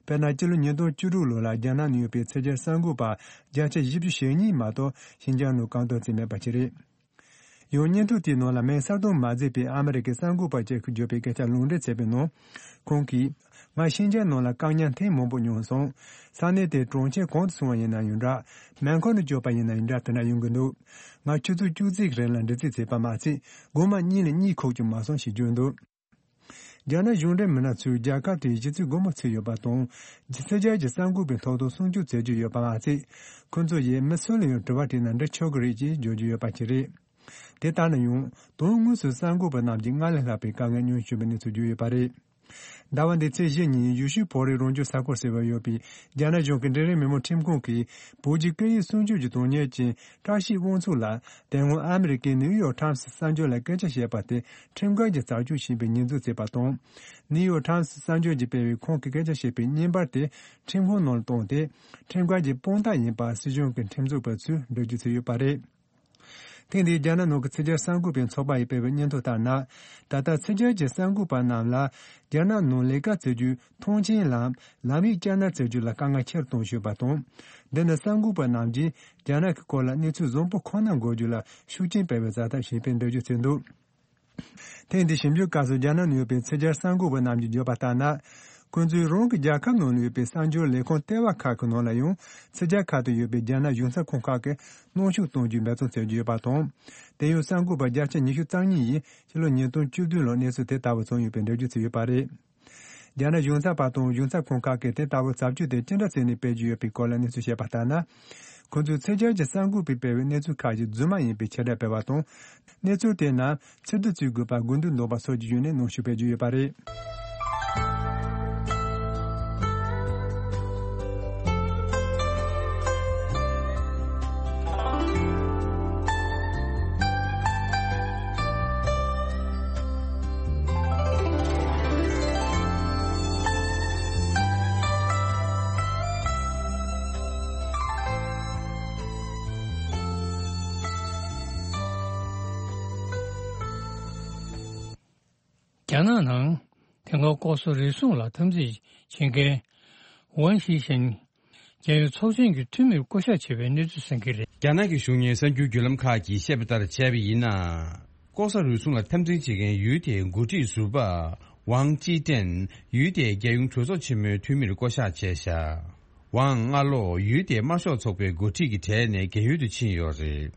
དཔེར་ན། སྤྱི་ལོ་ཉིས་སྟོང་བཅུ་དྲུག་ལོ་ལ་རྒྱ་ནག་ནང་ཡོད་པའི་ཕྱི་རྒྱལ་གསར་འགོད་པ་བརྒྱ་ཆ་བཞི་བཅུ་ཞེ་གཉིས་མ་གཏོགས་ཤིན་ཅང་ནང་བཀག་འགོག་བྱས་མེད་པ་ཞིག་རེད། ཡང་སྙན་ཐོ་དེའི་ནང་ལ་མིང་གསལ་སྟོན་མ་མཛད་པའི་ཨ་མི་རི་ཀའི་གསར་འགོད་པ་ཅིག་གིས་བརྗོད་པའི་སྐད་ཆ་ལུང་འདྲེན་བྱས་པའི་ནང་། ཁོང་གིས། ང་ཤིན་ཅང་ནང་ལ་བཀག་ཉར་ཐེངས་མང་པོ་མྱོང་སོང་། ས་གནས་དེའི་གྲོང་ཁྱེར་གང་དུ་སོང་བ་ཡིན་ན་ཡང་འདྲ། མེ་འཁོར་ནང་བསྐྱོད་པ་ཡིན་ན་ཡང་འདྲ། དེ་འདྲ་ཡོང་གི་འདུག་ང་ཆུ་ཚོད་བཅུ་གཅིག་གི་རིང་ལ་འདྲི་རྩད་བྱས་པ་མ་ཟད། སྒོ་མ་གཉིས་ལས་གཉིད་ཁུག་ཀྱང་མ་སོང་ཞེས་བརྗོད་འདུག་རྒྱ་ནག་གཞུང་འབྲེལ་མི་སྣ་ཚོས་རྒྱལ་ཁབ་དེའི་གཞི་རྩའི་སྒོ་མོ་ཚུགས་ཡོད་པ་དང་། ཕྱི་རྒྱལ་གྱི་གསར་འགོད་པའི་ཐོབ་ཐང་སྲུང་སྐྱོབ་བྱེད་ཀྱི་ཡོད་པ་མ་ཟད། ཁོ་ཚོ་ཡིས་མི་སུ་ལ་ཡང་དྲི་བ་དྲིས་ན་འདྲི་ཆོག་གི་རེད་ཅེས་བརྗོད་ཀྱི་ཡོད་པ་ཞིག་རེད། དེ་ལྟར་ན་ཡང་དོན་དངོས་སུ་གསར་འགོད་པ་རྣམས་ཀྱིས་སྔར་ལས་ལྷག་པའི་དཀའ་ངལ་མྱོང་བཞིན་པའི་གནས་ཚུལ་བརྗོད་ཡོད་པ་རེད། ཟླ་བ་འདིའི་ཚེས་བཞི་ཉིན་ཡུལ་ཤུལ་བོད་རིགས་རང་སྐྱོང་ས་ཁུལ་ཟེར་བ་ཡོད་པའི་རྒྱ་ནག་གཞུང་གི་འབྲིང་རིམ་མི་དམངས་ཁྲིམས་ཁང་གིས་བོད་ཀྱི་སྐད་ཡིག་སྲུང་སྐྱོབ་ཀྱི་དོན་གཉེར་ཅན་བཀྲ་ཤིས་དབང་ཕྱུག་ལགས་དེ་སྔོན་ཨ་མི་རི་ཀའི་ནིའུ་ཡོག་ཊའིམ་སི་གསར་འགྱུར་ལ་སྐད་ཆ་བཤད་པ་དེ་ཁྲིམས་འགལ་གྱི་བྱ་སྤྱོད་ཡིན་པའི་ཉེས་འཛུགས་བྱས་པ་དང་། ནིའུ་ཡོག་ཊའིམ་སི་གསར་འགྱུར་གྱིས་སྤེལ་བའི་ཁོང་གི་སྐད་ཆ་བཤད་པའི་བརྙན་པར་དེ་ཁྲིམས་ཁང་ནང་ལ་བཏོན་ཏེ། ཁྲིམས་འགལ་གྱི་དཔང་རྟགས་ཡིན་པ་སྲིད་གཞུང་གི་ཁྲིམས་རྩོད་པ་ཚོས་འགྲེལ་བརྗོད་བྱས་ཡོད་པ་རེད། ཐེངས་འདིའི་རྒྱ་ནག་ནང་གི་ཕྱི་རྒྱལ་གསར་འགོད་པའི་ཚོགས་པ་ཡིས་སྤེལ་བའི་སྙན་ཐོ་ལྟར་ན། ད་ལྟ་ཕྱི་རྒྱལ་གྱི་གསར་འགོད་པ་རྣམས་ལ་རྒྱ་ནག་ནང་ལས་ཀ་བྱེད་རྒྱུའི་ཐོངས་མཆན་ལམ་ལམ་ཡིག་བསྐྱར་ནན་བྱེད་རྒྱུ་ལ་དཀའ་ངལ་ཆེ་རུ་གཏོང་བཞིན་ཡོད་པ་དང་། འདི་ནི་གསར་འགོད་པ་རྣམས་ཀྱིས་རྒྱ་ནག་གི་སྐོར་ལ་གནས་ཚུལ་བཟང་པོ་ཁོ་ན་འགོད་རྒྱུ་ལ་ཤུགས་རྐྱེན་སྤེལ་བའི་བྱ་ཐབས་ཤིག་ཡིན་པའི་འགྲེལ་བརྗོད་བྱས་འདུག་ཐེངས་འདིའི་ཞིབ་འཇུག་སྐབས་སུ་རྒྱ་ནག་ནང་ཡོད་པའི་ཕྱི་རྒྱལ་གསར་འགོད་པ་རྣམས་ཀྱིས་བརྗོད་པ་ལྟར་ན། ཁོང་ཚོས་རང་གི་རྒྱལ་ཁབ་ནང་ལ་ཡོད་པའི་གསར་འགྱུར་ལས་ཁུངས་ལྟེ་བ་ཁག་གི་ནང་ལ་ཡང་ཕྱི་རྒྱལ་ཁག་ཏུ་ཡོད་པའི་རྒྱ་ནག་གཞུང་ཚབ་ཁང་ཁག་གི་གནོན་ཤུགས་གཏོང་རྒྱུའི་འབད་བརྩོན་བྱེད་ཀྱི་ཡོད་པ་དང་། དེ་ཡང་གསར་འགོད་པ་བརྒྱ་ཆ་ཉི་ཤུ་རྩ་གཉིས་ཡིས་ཕྱི་ལོ་ཉིས་སྟོང་བཅུ་བདུན་ལོར་གནས་ཚུལ་དེ་ལྟ་བུ་བྱུང་ཡོད་པའི་འགྲེལ་བརྗོད་བྱས་ཡོད་པ་རེད། རྒྱ་ནག་གཞུང་ཚབ་པ་དང་གཞུང་ཚབ་ཁང་ཁག་གིས་དེ་ལྟ་བུའི་བྱ་སྤྱོད་དེ་ཅི་འདྲ་བྱས་ནས་སྤེལ་གྱི་ཡོད་པའི་སྐོར་ལ་གནས་ཚུལ་བཤད་པ་ལྟར་ན། ཁོང་ཚོས་ཕྱི་རྒྱལ་གྱི་གསར་འགོད་པས་སྤེལ་བའི་གནས་ཚུལ་ཁག་ཅིག་རྫུན་མ་ཡིན་པའི་ཁྱབ་བསྒྲགས་སྤེལ་བ་དང་། གནས་ཚུལ་དེ་རྣམས་ཕྱིར་བསྡུ་བྱེད་དགོས་པར་དགོས་འདུན་འདོན་པ་སོགས་ཀྱི་ཡོད་ནས་གནོན་ཤུགས་སྤེལ་གྱི་ཡོད་པ་རེད། རྒྱ་ནག་ནང་དེ་སྔ་ལྐོག་ཟ་རུལ་སུངས་ལ་འཐབ་འཛིང་བྱེད་མཁན་ཝང་ཞི་ཤིན། རྒྱལ་ཡོངས་ཚོགས་ཆེན་གྱི་འཐུས་མིར་བསྐོ་གཞག་བྱས་པའི་གནས་ཚུལ་གསན་གྱི་རེད། རྒྱ་ནག་གི་གཞུང་གཉེར་གསར་འགྱུར་བརྒྱུད་ལམ་ཁག་གིས་བཤད་པ་ལྟར་བྱས་པ་ཡིན་ན། ལྐོག་ཟ་རུལ་སུངས་ལ་འཐབ་འཛིང་བྱེད་མཁན་ཡུལ་དེའི་འགོ་ཁྲིད་ཟུར་པ་ཝང་ཅི་ཀྲེན་ཡུལ་དེའི་རྒྱལ་ཡོངས་གྲོས་ཚོགས་ཆེན་མོའི་འཐུས་མིར་བསྐོ་གཞག་བྱས་བཞག་ཝང་སྔ་ལོ་ཡུལ་དེའི་དམར་ཤོག་ཚོགས་པའི་འགོ་ཁྲིད་ཀྱི་གྲས་ནས་རྒན་ཡོལ་དུ་ཕྱིན་ཡོད་རེད།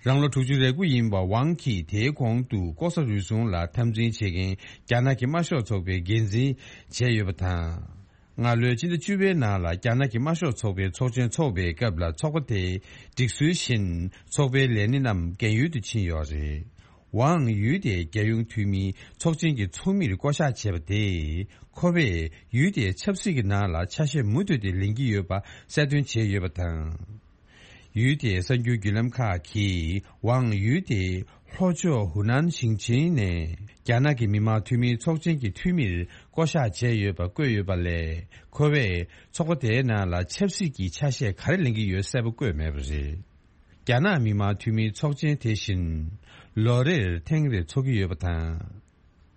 རང་ལོ་དྲུག་ཅུ་རེ་དགུ་ཡིན་པ་ཝང་གིས་དེའི་གོང་དུ་ལྐོག་ཟ་རུལ་སུངས་ལ་འཐབ་འཛིང་བྱེད་མཁན་རྒྱ་ནག་གི་དམར་ཤོག་ཚོགས་པའི་འགན་འཛིན་བྱས་ཡོད་པ་དང་། སྔ་ལོའི་སྤྱི་ཟླ་བཅུ་པའི་ནང་ལ་རྒྱ་ནག་གི་དམར་ཤོག་ཚོགས་པའི་ཚོགས་ཆེན་འཚོགས་པའི་སྐབས་ལ་ཚོགས་པ་དེའི་སྒྲིག་སྲོལ་བཞིན་ཚོགས་པའི་ལས་སྣེ་རྣམས་རྒན་ཡོལ་དུ་ཕྱིན་ཡོད་རེད། ཝང་ཡུལ་དེའི་རྒྱལ་ཡོངས་འཐུས་མིའི་ཚོགས་ཆེན་གྱི་ཚོགས་མིར་བསྐོ་གཞག་བྱས་པ་དེས། ཁོ་པས་ཡུལ་དེའི་ཆབ་སྲིད་ཀྱི་ནང་ལ་ཆ་ཤས་མུ་མཐུད་དེ་ལེན་གྱི་ཡོད་པ་གསལ་སྟོན་བྱས་ཡོད་པ་དང་། ཡུལ་དེའི་གསར་འགྱུར་བརྒྱུད་ལམ་ཁག་གིས་ཝང་ཡུལ་དེའི་ལྷོ་ཕྱོགས་ཧུ་ནན་ཞིང་ཆེན་ནས་རྒྱ་ནག་གི་མི་དམངས་འཐུས་མིའི་ཚོགས་ཆེན་གྱི་འཐུས་མིར་བསྐོ་གཞག་བྱས་ཡོད་པ་བཀོད་ཡོད་པ་ལས། ཁོ་པས་ཚོགས་པ་དེའི་ནང་ལ་ཆབ་སྲིད་ཀྱི་ཆ་ཤས་ག་རེ་ལེན་གྱི་ཡོད་གསལ་པོ་བཀོད་མེད་པ་རེད། རྒྱ་ནག་མི་དམངས་འཐུས་མིའི་ཚོགས་ཆེན་དེ་བཞིན་ལོ་རེར་ཐེངས་རེ་འཚོགས་ཀྱི་ཡོད་པ་དང་།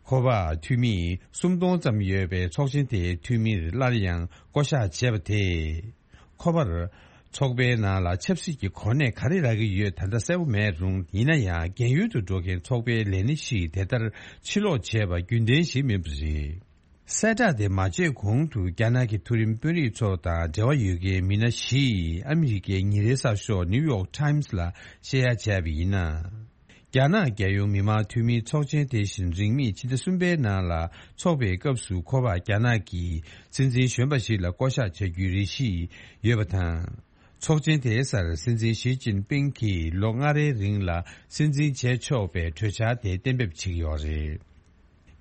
ཁོ་པ་འཐུས་མི་སུམ་སྟོང་ཙམ་ཡོད་པའི་ཚོགས་ཆེན་དེའི་འཐུས་མིར་སླར་ཡང་བསྐོ་གཞག་བྱས་པ་དེས། ཁོ་པར་ཚོགས་པའི་ནང་ལ་ཆབ་སྲིད་ཀྱི་གོ་གནས་ག་རེ་རག་གི་ཡོད་ད་ལྟ་གསལ་པོ་མེད་རུང་། ཡིན་ན་ཡང་རྒན་ཡོལ་དུ་འགྲོ་མཁན་ཚོགས་པའི་ལས་སྣེ་ཞིག་དེ་ལྟར་ཕྱིར་ལོག་བྱས་པ་རྒྱུན་ལྡན་ཞིག་མིན་པ་རེད། གསལ་བསྒྲགས་དེ་མ་བྱས་གོང་དུ་རྒྱ་ནག་གི་མཐོ་རིམ་དཔོན་རིགས་ཚོ་དང་འབྲེལ་བ་ཡོད་མཁན་མི་སྣ་བཞིས་ཨ་མི་རི་ཀའི་ཉིན་རེའི་གསར་ཤོག་ནིའུ་ཡོག་ཊའིམ་སི་ལ་བཤད་ཡ་བྱས་པ་ཡིན་ན། རྒྱ་ནག་རྒྱལ་ཡོངས་མི་དམངས་འཐུས་མིའི་ཚོགས་ཆེན་དེ་བཞིན་རིང་མིན་ཕྱི་ཟླ་གསུམ་པའི་ནང་ལ་འཚོགས་པའི་སྐབས་སུ་ཁོ་པ་རྒྱ་ནག་གི་སྲིད་འཛིན་གཞོན་པ་ཞིག་ལ་བསྐོ་གཞག་བྱ་རྒྱུའི་རེ་ཞིག་ཡོད་པ་དང་། ཚོགས་ཆེན་དེའི་སར་སྲིད་འཛིན་ཞི་ཅིན་ཕིང་གིས་ལོ་ལྔ་རེའི་རིང་ལ་སྲིད་འཛིན་བྱས་ཆོག་པའི་གྲོས་འཆར་དེ་གཏན་འབེབས་བྱེད་ཀྱི་ཡོད་རེད།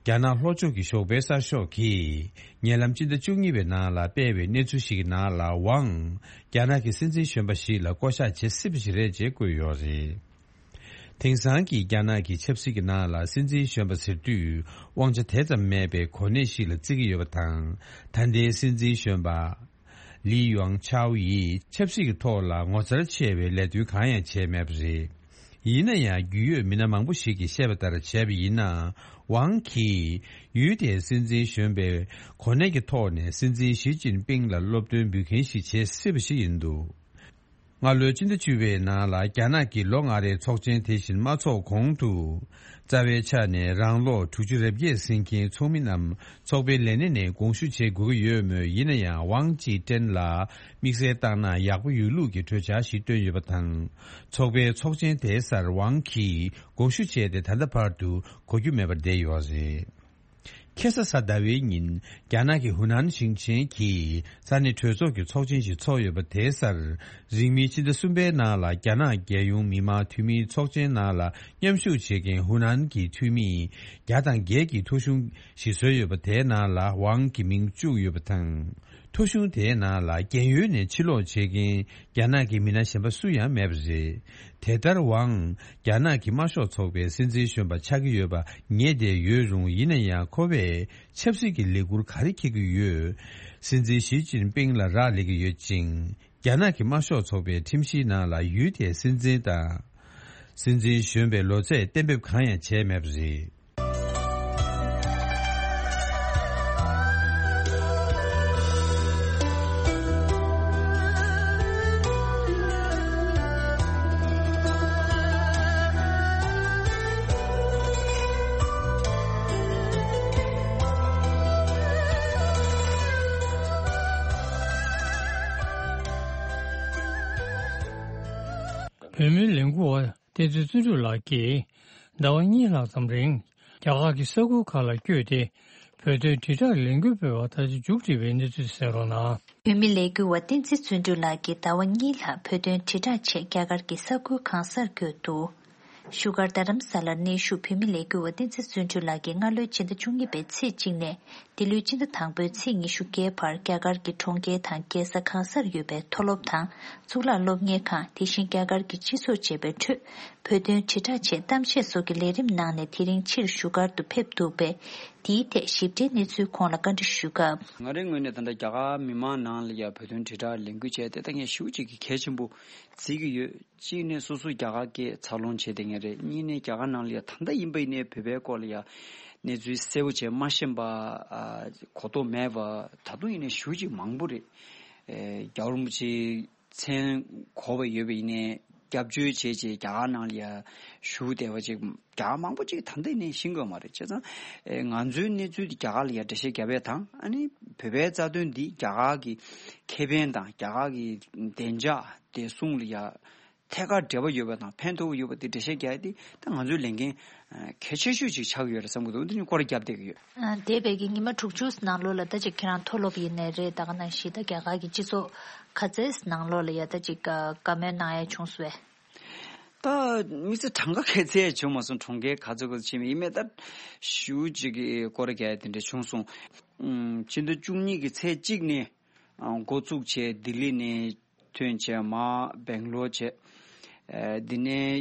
རྒྱ་ནག་ལྷོ་ཕྱོགས་ཀྱི་ཞོགས་པའི་གསར་ཤོག་གིས་ཉེ་ལམ་སྤྱི་ཟླ་བཅུ་གཉིས་པའི་ནང་ལ་སྤེལ་བའི་གནས་ཚུལ་ཞིག་གི་ནང་ལ་ཝང་རྒྱ་ནག་གི་སྲིད་འཛིན་གཞོན་པ་ཞིག་ལ་བསྐོ་གཞག་བྱེད་སྲིད་པ་ཞིག་རེད་ཅེས་བཀོད་ཡོད་རེད། དེང་སང་གི་རྒྱ་ནག་གི་ཆབ་སྲིད་ཀྱི་ནང་ལ་སྲིད་འཛིན་གཞོན་པ་ཟེར་དུས་དབང་ཆ་དེ་ཙམ་མེད་པའི་གོ་གནས་ཤིག་ལ་བརྩི་གི་ཡོད་པ་དང་། ད་ལྟའི་སྲིད་འཛིན་གཞོན་པ་ལི་ཡོང་ཆའོ་ཡིས་ཆབ་སྲིད་ཀྱི་ཐོག་ལ་ངོ་མཚར་ཆེ་བའི་ལས་དོན་གང་ཡང་བྱས་མེད་པ་རེད། ཡིན་ན་ཡང་རྒྱུས་ཡོད་མི་སྣ་མང་པོ་ཞིག་གིས་བཤད་པ་ལྟར་བྱས་པ་ཡིན་ན། ཝང་གིས་ཡུལ་དེའི་སྲིད་འཛིན་གཞོན་པའི་གོ་གནས་ཀྱི་ཐོག་ནས་སྲིད་འཛིན་ཞི་ཅིན་ཕིང་ལ་སློབ་སྟོན་འབུལ་མཁན་ཞིག་བྱེད་སྲིད་པ་ཞིག་ཡིན་འདུག་སྔ་ལོའི་སྤྱི་ཟླ་བཅུ་པའི་ནང་ལ་རྒྱ་ནག་གི་ལོ་ལྔ་རེའི་ཚོགས་ཆེན་དེ་བཞིན་མ་འཚོགས་གོང་དུ། རྩ་བའི་ཆ་ནས་རང་ལོ་དྲུག་ཅུ་རེ་བརྒྱད་ཟིན་མཁན་ཚོགས་མི་རྣམས་ཚོགས་པའི་ལས་སྣེ་ནས་དགོངས་ཞུ་བྱེད་དགོས་ཀྱི་ཡོད་མོད། ཡིན་ན་ཡང་ཝང་ཅི་ཀྲེན་ལ་དམིགས་བསལ་བཏང་ན་ཡག་པོ་ཡོད་ལུགས་ཀྱི་གྲོས་འཆར་ཞིག་བཏོན་ཡོད་པ་དང་། ཚོགས་པའི་ཚོགས་ཆེན་དེའི་སར་ཝང་གིས་དགོངས་ཞུ་བྱས་ཏེ་ད་ལྟ་བར་དུ་གོ་རྒྱུ་མེད་པར་བསྡད་ཡོད་རེད། ཁ་སང་གཟའ་ཟླ་བའི་ཉིན། རྒྱ་ནག་གི་ཧུ་ནན་ཞིང་ཆེན་གྱི་ས་གནས་གྲོས་ཚོགས་ཀྱི་ཚོགས་ཆེན་ཞིག་འཚོགས་ཡོད་པ་དེའི་སར། རིང་མིན་ཕྱི་ཟླ་གསུམ་པའི་ནང་ལ་རྒྱ་ནག་རྒྱལ་ཡོངས་མི་དམངས་འཐུས་མིའི་ཚོགས་ཆེན་ནང་ལ་མཉམ་ཞུགས་བྱེད་མཁན་ཧུ་ནན་གྱི་འཐུས་མི་བརྒྱ་དང་བརྒྱད་ཀྱི་ཐོ་གཞུང་ཞིག་བཟོས་ཡོད་པ་དེའི་ནང་ལ་ཝང་གི་མིང་བཅུག་ཡོད་པ་དང་། ཐོ་གཞུང་དེའི་ནང་ལ་རྒན་ཡོལ་ནས་ཕྱིར་ལོག་བྱེད་མཁན་རྒྱ་ནག་གི་མི་སྣ་གཞན་པ་སུ་ཡང་མེད་པ་རེད། དེ་ལྟར་ཝང་རྒྱ་ནག་གི་དམར་ཤོག་ཚོགས་པའི་སྲིད་འཛིན་གཞོན་པ་ཆགས་ཀྱི་ཡོད་པ་ངེས་བསྡད་ཡོད་རུང་། ཡིན་ན་ཡང་ཁོ་པས་ཆབ་སྲིད་ཀྱི་ལས་འཁུར་ག་རེ་འཁྱེར་གྱི་ཡོད། སྲིད་འཛིན་ཞི་ཅིན་ཕིང་ལ་རག་ལས་ཀྱི་ཡོད་ཅིང་། རྒྱ་ནག་གི་དམར་ཤོག་ཚོགས་པའི་ཁྲིམས་གཞིའི་ནང་ལ་ཡུལ་དེའི་སྲིད་འཛིན་དང་། སྲིད་འཛིན་གཞོན་པའི་ལོ་ཚད་གཏན་འབེབས་གང་ཡང་བྱས་མེད་པ་རེད། བོད་མིའི་ལས་འགུལ་བ་བསྟན་འཛིན་བརྩོན་འགྲུས་ལགས་ཀྱིས་ཟླ་བ་གཉིས་ལྷག་ཙམ་རིང་རྒྱ་གར་གྱི་ས་ཁུལ་ཁག་ལ་བསྐྱོད་དེ། བོད་དོན་དྲིལ་བསྒྲགས་ལས་འགུལ་སྤེལ་བ་ད་ཆ་མཇུག་སྒྲིལ་བའི་གནས་ཚུལ་གསན་རོགས་གནང་། བོད་མི་ལས་འགུལ་བ་བསྟན་འཛིན་བརྩོན་འགྲུས་ལགས་ཀྱིས་ཟླ་བ་གཉིས་ལྷག་བོད་དོན་དྲིལ་བསྒྲགས་ཆེད་རྒྱ་གར་གྱི་ས་ཁུལ་གང་སར་བསྐྱོད་འདུག་བཞུགས་སྒར་རྡ་རམ་ས་ལར་གནས་བཞུགས་བོད་མི་ལས་འགུལ་བ་བསྟན་འཛིན་བརྩོན་འགྲུས་ལགས་ཀྱིས་སྔ་ལོའི་ཕྱི་ཟླ་བཅུ་གཉིས་པའི་ཚེས་གཅིག་ནས་འདི་ལོའི་ཕྱི་ཟླ་དང་པོའི་ཚེས་ཉི་ཤུ་བརྒྱད་བར་རྒྱ་གར་གྱི་གྲོང་ཁྱེར་དང་རྒྱལ་ས་གང་སར་ཡོད་པའི་མཐོ་སློབ་དང་གཙུག་ལག་སློབ་གཉེར་ཁང་། དེ་བཞིན་རྒྱ་གར་གྱི་སྤྱི་ཚོགས་བཅས་པའི་ཁྲོད་བོད་དོན་དྲིལ་བསྒྲགས་ཆེད་གཏམ་བཤད་སོགས་ཀྱི་ལས་རིམ་གནང་ནས་དེ་རིང་ཕྱིར་བཞུགས་སྒར་དུ་ཕེབས་འདུག་པས། དེའི་ཐད་ཞིབ་ཕྲའི་གནས་ཚུལ་ཁོང་ལ་བཀའ་འདྲི་ཞུ་སྐབས། ང་རའི་ངོས་ནས་ད་ལྟ་རྒྱ་གར་མི་མང་ནང་ལ་ཡང་བོད་དོན་དྲིལ་བསྒྲགས་ལས་འགུལ་བྱས་ཏེ་ད་ངས་ཞེ་པོ་ཅིག་གི་གལ་ཆེན་པོ་བརྩི་གི་ཡོད། གཅིག་ནས་སོ་སོ་རྒྱ་གར་སྐད་འཚར་ལོངས་བྱས་བསྡད་མཁན་རེད། གཉིས་ནས་རྒྱ་གར་ནང་ལ་ཡང་ད་ལྟ་ཡིན་པ་ཡིན་ནའི་བོད་པའི་སྐོར་ལ་ཡང་གནས་ཚུལ་གསལ་པོ་བྱས་མ་ཤེས་པ། ཨ། གོ་རྟོགས་མེད་པ་ད་དུང་ཡིན་ནའི་ཞེ་པོ་ཅིག་མང་པོ་རེད། ཨེ། རྒྱལ་བ་རིན་པོ་ཆེའི་མཚན་གོ་བ་ཡོད་པ་ཡིན་ནའི་སྐྱབས་བཅོལ་བྱས་བྱས་རྒྱ་གར་ནང་ལ་ཡང་བཞུགས་བསྡད་པ་ཅིག་རྒྱ་གར་མང་པོ་ཅིག་ད་ལྟ་ཡིན་ནའི་ཤེས་ཀྱི་ཡོད་མ་རེད། བྱས་ཙང་། ཨེ། ང་ཚོའི་གནས་ཚུལ་འདི་རྒྱ་གར་ལ་ཡང་འགྲེལ་བཤད་རྒྱབ་ཡས་དང་། ཨ་ནི་བོད་པའི་རྩ་དོན་འདི་རྒྱ་གར་གྱི་ཁེ་ཕན་དང་རྒྱ་གར་གྱི་བདེ་འཇགས་བདེ་སྲུང་ལ་ཡང་། ཐད་ཀར་འབྲེལ་བ་ཡོད་པ་དང་ཕན་ཐོགས་ཡོད་པ་དེ་འགྲེལ་བཤད་རྒྱག་ཡ་དེ་ད་ང་ཚོའི་ལས་འགན་གལ་ཆེ་ཤོས་ཅིག་ཆགས་ཀྱི་ཡོད་རེད་བསམ་གྱི་འདུག་འདི་ནི་སྐོར་ར་བརྒྱབ་བསྡད་ཀྱི་ཡོད། ཨ། འདས་པའི་གི་ཉི་མ་དྲུག་ཅུ་ནང་ལོགས་ལ་ད་ཅིག་ཁྱེད་རང་མཐོ་སློབ་ཡིན་ནའི་རེད། ད་ག་ནང་བཞིན་ད་རྒྱ་གར་གི་སྤྱི་ཚོགས་ག་ཚད་ནང་ལོགས་ལ་ཡ་ད་ཅིག་བཀའ་མོལ་གནང་ཡ་བྱུང་སོང་བས། ད་དམིགས་བསལ་གྲངས་ཀ་ག་ཚད་བྱུང་མ་སོང་། གྲོང་ཁྱེར་ག་ཚོད་ག་ཚོད་ཕྱིན་པ་ཡིན་མིན་ད་ཞུ་ཅིག་གི་སྐོར་ར་རྒྱག་ཡ་དེ་འདྲ་བྱུང་སོང་། ཨམ། ཕྱི་ཟླ་བཅུ་གཉིས་ཀྱི་ཚེས་གཅིག་ནས་ཨ། འགོ་བཙུགས་བྱས་ལྡི་ལི་ནས་ཐོན་བྱས་མར་སྦེང་ལོར་བྱས། ཨ། འདི་ནས་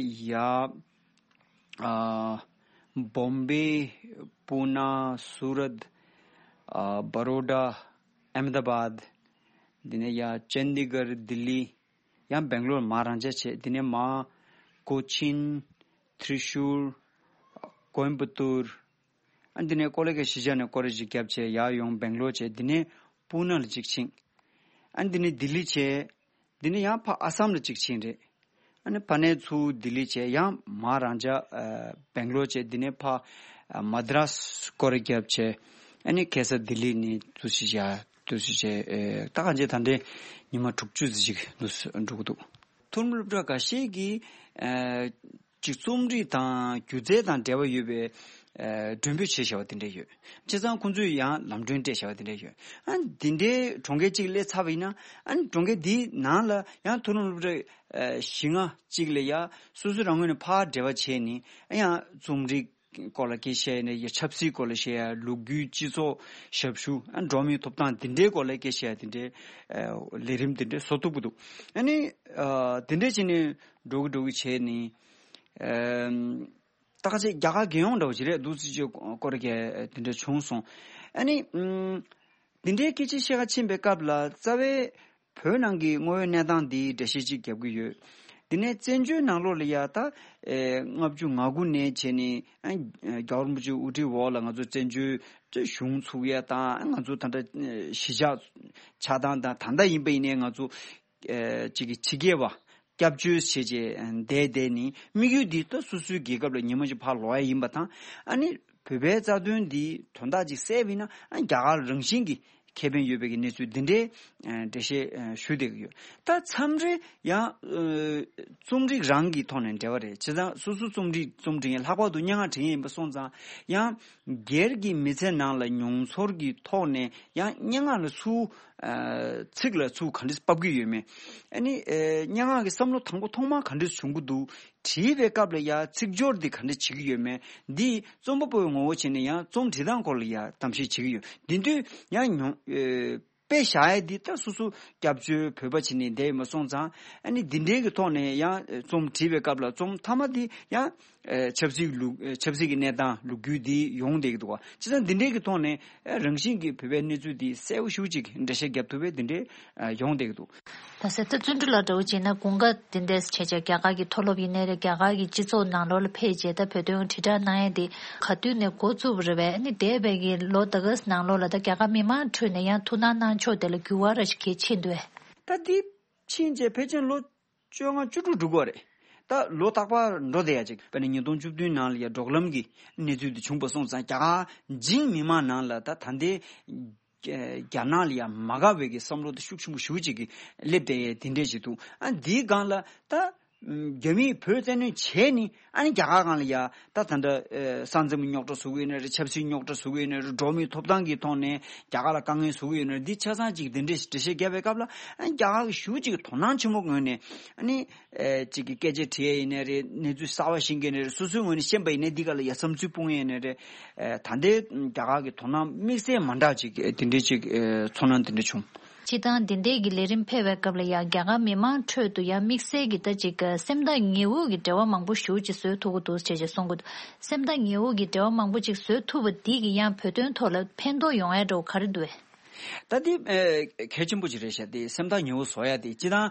ཡར་ཨ། བོམ་བེ། པུ་ན། སུ་རད། ཨ། བ་རོ་ཌ། ཨེ་མེ་ད་བཱད། འདི་ནས་ཡར་ཅན་དི་གར། ལྡི་ལི། ཡང་སྦེང་ལོར་མར་རང་འཇགས་བྱས། འདི་ནས་མར་ཀོ་ཆིན། ཐྲི་ཤུར། ཀོའེམ་པ་ཏུར། ཨ། འདི་ནས་ཀོ་ལ་གྷལ་གཞིས་ཆགས་ནས་སྐོར་ར་ཅིག་བརྒྱབ་བྱས་ཡར་ཡོང་སྦེང་ལོར་བྱས། འདི་ནས་པུ་ན་ལ་ཅིག་ཕྱིན། ཨ། འདི་ནས་ལྡི་ལི་བྱས། འདི་ནས་ཡང་ཕར་ཨ་སམ་ལ་ཅིག་ཕྱིན་རེད། ཨ་ནི་ཕར་ནས་ཚུར་ལྡི་ལི་བྱས། ཡང་མར་རང་འཇགས་ཨ། སྦེང་ལོར་བྱས། འདི་ནས་ཕར་ཨ། མ་དྲ་སི་སྐོར་ར་བརྒྱབ་བྱས། ཨ་ནི་ཁ་སང་ལྡི་ལི་ནས་འདུག་སེ་བྱས། འདུག་སེ་བྱས། ཨེ། ད་གང་ཅི་ད་ལྟའི་ཉི་མ་དྲུག་ཅུ་ཙམ་ཅིག་འདུག་སེ་འགྲོ་གི་འདུག་མཐོ་རིམ་སློབ་གྲྭ་འགའ་ཤས་ཀྱིས་ཨ། ཅིག་རྩོམ་རིག་དང་སྒྱུ་རྩལ་དང་འབྲེལ་བ་ཡོད་པའི་ཨ། མགྲོན་འབོད་བྱས་བཞག་པ་དེ་འདྲ་ཡོད། བྱས་ཙང་ཁོང་ཚོས་ཡང་ལམ་གྲོན་སྤྲད་བཞག་པ་དེ་འདྲ་ཡོད། ཨ། འདི་འདྲའི་གྲོང་ཁྱེར་གཅིག་སླེབས་ཚར་བ་ཡིན་ན། ཨ། གྲོང་ཁྱེར་འདིའི་ནང་ལ་ཡང་མཐོ་རིམ་སློབ་གྲྭ་ཨ། བཞི་ལྔ་གཅིག་ལ་ཡ་སོ་སོ་རང་ངོས་ནས་ཕར་འབྲེལ་བ་བྱས་ནས། ཨ། ཡང་རྩོམ་རིག་སྐོར་ལ་སྐད་ཆ་བཤད་ཡ་ནས་ཡ་ཆབ་སྲིད་སྐོར་ལ་བཤད་ཡ། ལོ་རྒྱུས། སྤྱི་ཚོགས། ཞབས་ཞུ། ཨ། འགྲོ་བ་མིའི་ཐོབ་ཐང་འདི་འདྲའི་སྐོར་ལ་སྐད་ཆ་བཤད་ཡ་དེ་འདྲའི་ཨ། ལས་རིམ་དེ་འདྲ་བཟོ་ཐུབ་ཀྱི་འདུག་ཨ་ནི་ཨ། དེ་འདྲ་བྱས་ནས་འགྲོ་གི་འགྲོ་གི་བྱས་ནས། ཨ། ད་ག་ཚོད་རྒྱ་གར་རྒྱལ་ཡོངས་འདྲ་བོ་ཅིག་རེད། འདུག་སེ་ཅིག་སྐོར་ར་རྒྱག་དེ་འདྲ་བྱུང་སོང་། ཨ་ནི་ཨམ། དེ་འདྲའི་སྐད་ཆ་བཤད་ག་ཕྱིན་པའི་སྐབས་ལ་རྩ་བའི་བོད་ནང་གི་དངོས་ཡོད་གནས་སྟངས་འདི་འགྲེལ་བཤད་ཅིག་རྒྱབ་ཀྱི་ཡོད། དེ་ནས་བཙན་བྱོལ་ནང་ལོགས་ལ་ཡ་ད་ཨེ། ལྔ་བཅུ་ང་དགུ་ནས་བྱས་ནས་ཨ། རྒྱལ་བ་རིན་པོ་ཆེའི་དབུ་ཁྲིད་འོག་ལ་ང་ཚོ་བཙན་བྱོལ་གཞུང་ཚུགས་ཡ་དང་། ང་ཚོ་ད་ལྟ་ཨེ། གཞིས་ཆགས་ཆགས་སྟངས་དང་། ད་ལྟ་ཡིན་པ་ཡིན་ནའི་ང་ཚོ་ཨེ། ཅིག་གི་ཕྱི་རྒྱལ་བ་སྐྱབས་བཅོལ་བྱས་བྱས་བསྡད་བསྡད་ནས། དམིགས་ཡུལ་འདི་ད་སོ་སོའི་རྒྱལ་ཁབ་ལ་ཉི་མ་གཅིག་ཕར་ལོག་ཡ་ཡིན་པ་དང་། ཨ་ནི་བོད་པའི་རྩ་དོན་འདི་དོན་དག་ཅིག་སེལ་བ་ཡིན་ན། ཨ། རྒྱ་གར་རང་བཞིན་གྱི་ཁེ་ཕན་ཡོད་པའི་གི་གནས་ཚུལ་འདི་འདྲའི་ཨ། འགྲེལ་བཤད་ཨ། ཞུ་བསྡད་ཀྱི་ཡོད། ད་མཚམས་རེ་ཡང་ཨ། རྩོམ་རིག་རང་གི་ཐོག་ནས་འབྲེལ་བ་རེད། བྱས་ཙང་སོ་སོ་རྩོམ་རིག་རྩོམ་འབྲི་མཁན། ལྷག་པར་དུ་སྙན་ངག་འབྲི་མཁན་ཡིན་པ་སོང་ཙང་། ཡང་སྒེར་གྱི་མི་ཚེ་ནང་ལ་མྱོང་ཚོར་གྱི་ཐོག་ནས་ཡང་སྙན་ངག་ལ་ཚུར་ཨ། ཚིག་ལ་ཚུར་ག་འདྲས་ཕབ་ཀྱི་ཡོད་མེད། ཨ་ནི་ཨ། སྙན་ངག་གི་བསམ་བློ་དང་པོ་ཐོག་མར་ག་འདྲས་བྱུང་གི་འདུག་བྲིས་པའི་སྐབས་ལ་ཡ་ཚིག་སྦྱོར་འདི་ག་འདྲས་བྱེད་ཀྱི་ཡོད་མེད། འདི་རྩོམ་པ་པོའི་ངོ་བོ་བྱས་ནས་ཡང་རྩོམ་འབྲི་སྟངས་སྐོར་ལ་ཡ་གཏམ་བཤད་བྱེད་ཀྱི་ཡོད། འདི་དུས་ཡང་མྱོང་ཨ། དཔེ་བཞག་ཡ་འདི་ད་སོ་སོ་སྐྱབས་བཅོལ་བོད་པ་བྱས་ནས་བསྡད་ཡོད་པ་སོང་ཙང་། ཨ་ནི་འདི་འདྲའི་གི་ཐོག་ནས་ཡང་རྩོམ་བྲིས་པའི་སྐབས་ལ་རྩོམ་མཐའ་མ་འདི་ཡང་ཨ། ཆབ་སྲིད་ལུགས། ཨ། ཆབ་སྲིད་ཀྱི་གནས་སྟངས་ལོ་རྒྱུས་འདི་ཡོང་བསྡད་ཀྱི་འདུག་བ། བྱས་ཙང་འདི་འདྲའི་གི་ཐོག་ནས་ཨ། རང་བཞིན་གྱིས་བོད་པའི་གནས་ཚུལ་འདི་གསལ་པོ་ཞེ་པོ་ཅིག་འགྲེལ་བཤད་རྒྱབ་ཐུབ་པའི་འདི་འདྲའི་ཨ། ཡོང་བསྡད་ཀྱི་འདུག། ད་ཟེར་ད་བརྩོན་འགྲུས་ལགས་འདྲ་བོ་བྱས་ན་དགུན་ཁ་འདི་འདྲས་བྱས་བྱས་རྒྱ་གར་གྱི་མཐོ་སློབ་ཡིན་ནའི་རེད། རྒྱ་གར་གྱི་སྤྱི་ཚོགས་ནང་ལོགས་ལ་ཕེབས་བྱས་ད་བོད་དོན་དྲིལ་བསྒྲགས་གནང་ཡས་དེ་ག་དུས་ནས་འགོ་བཙུགས་པ་རེད་པས། ཨ་ནི་འདས་པའི་གི་ལོ་ད་ག་ནང་ལོགས་ལ་ད་རྒྱ་གར་མི་མང་ཁྲོད་ནས་ཡང་ཐུགས་སྣང་གནང་ཕྱོགས་དེ་ལ་འགྱུར་བ་ར་ཞིག་གལ་ཆེ་འདུག་གས། ད་འདི་ཕྱིན་བྱས་ཕལ་ཆེར་ལོ་བཅོ་ལྔ་བཅུ་དྲུག་འགྲོ་གི་རེད། ད་ལོ་རྟག་པར་འགྲོ་བསྡད་ཡ་ཅིག། དཔེར་ན་ཉིས་སྟོང་བཅུ་བདུན་ནང་ལ་ཡ་འབྲོག་ལམ་གྱི་གནས་ཚུལ་འདི་བྱུང་པ་སོང་ཙང་། རྒྱ་གར་འཇིགས་མི་མང་ནང་ལ་ད་ད་ལྟའི་རྒྱ་ནག་ལ་ཡ་མ་དགའ་བའི་གི་བསམ་བློ་དེ་ཤུགས་ཆེན་པོ་ཞེ་པོ་ཅིག་གི་སླེབས་བསྡད་ཡས་དེ་འདྲས་ཅིག་འདུག། ཨ། འདིའི་སྒང་ལ་ད་རྒྱ་མིས་བོད་བཙན་གནོན་བྱས་ནས། ཨ་ནི་རྒྱ་གར་སྒང་ལ་ཡ་ད་ད་ལྟ་ཨ། ས་མཚམས་རྙོག་དྲ་བཟོ་གི་ཡོད་ནའི་རེད། ཆབ་སྲིད་རྙོག་དྲ་བཟོ་གི་ཡོད་ནའི་རེད། འགྲོ་བ་མིའི་ཐོབ་ཐང་གི་ཐོག་ནས་རྒྱ་གར་ལ་དཀའ་ངལ་བཟོ་གི་ཡོད་ནའི་རེད། འདི་ཆ་ཚང་ཅིག་དེ་འདྲས་འགྲེལ་བཤད་བརྒྱབ་པའི་སྐབས་ལ། ཨ་ནི་རྒྱ་གར་གྱི་ཞེ་པོ་ཅིག་དོ་སྣང་ཆེན་པོ་ངོས་ནས། ཨ་ནི་ཨ། ཅིག་གི་སྐད་ཆ་དྲི་ཡས་ཡིན་ནའི་རེད། གནས་ཚུལ་གསར་པ་ཤེས་མཁན་ནའི་རེད། སོ་སོའི་ངོས་ནས་ཤེས་པ་ཡིན་ནའི་འདི་ག་ལ་ཡ་བསམ་ཚུལ་སྤུངས་ཡས་ཡིན་ནའི་རེད། ཨ། ད་ལྟའི་རྒྱ་གར་གྱི་དོ་སྣང་དམིགས་བསལ་མ་འདྲ་ཅིག་དེ་འདྲའི་ཅིག་ཨ། ཚོར་སྣང་དེ་འདྲ་བྱུང་། སྤྱིར་བཏང་འདི་འདྲའི་གི་ལས་རིམ་ཕེབས་པའི་སྐབས་ལ་ཡང་རྒྱ་གར་མི་མང་ཁྲོད་དུ་ཡང་དམིགས་བསལ་གྱི་ད་ཅིག་སེམས་ཐག་ཉེ་བོ་གི་འབྲེལ་བ་མང་པོ་ཞེ་པོ་ཅིག་བཟོ་ཐུབ་ཀྱི་འདུག་ཅེས་ཅེས་གསུང་གི་འདུག། སེམས་ཐག་ཉེ་བོ་གི་འབྲེལ་བ་མང་པོ་ཅིག་བཟོ་ཐུབ་པ་འདི་གི་ཡང་བོད་དོན་ཐོག་ལ་ཕན་ཐོགས་ཡོང་ཡ་འདྲ་བོ་ག་རེ་འདུག་གས། ད་འདི་ཨ། གལ་ཆེན་པོ་ཅིག་རེད་ཤག། དེ་སེམས་ཐག་ཉེ་བོ་བཟོ་ཡ་དེ་སྤྱིར་བཏང་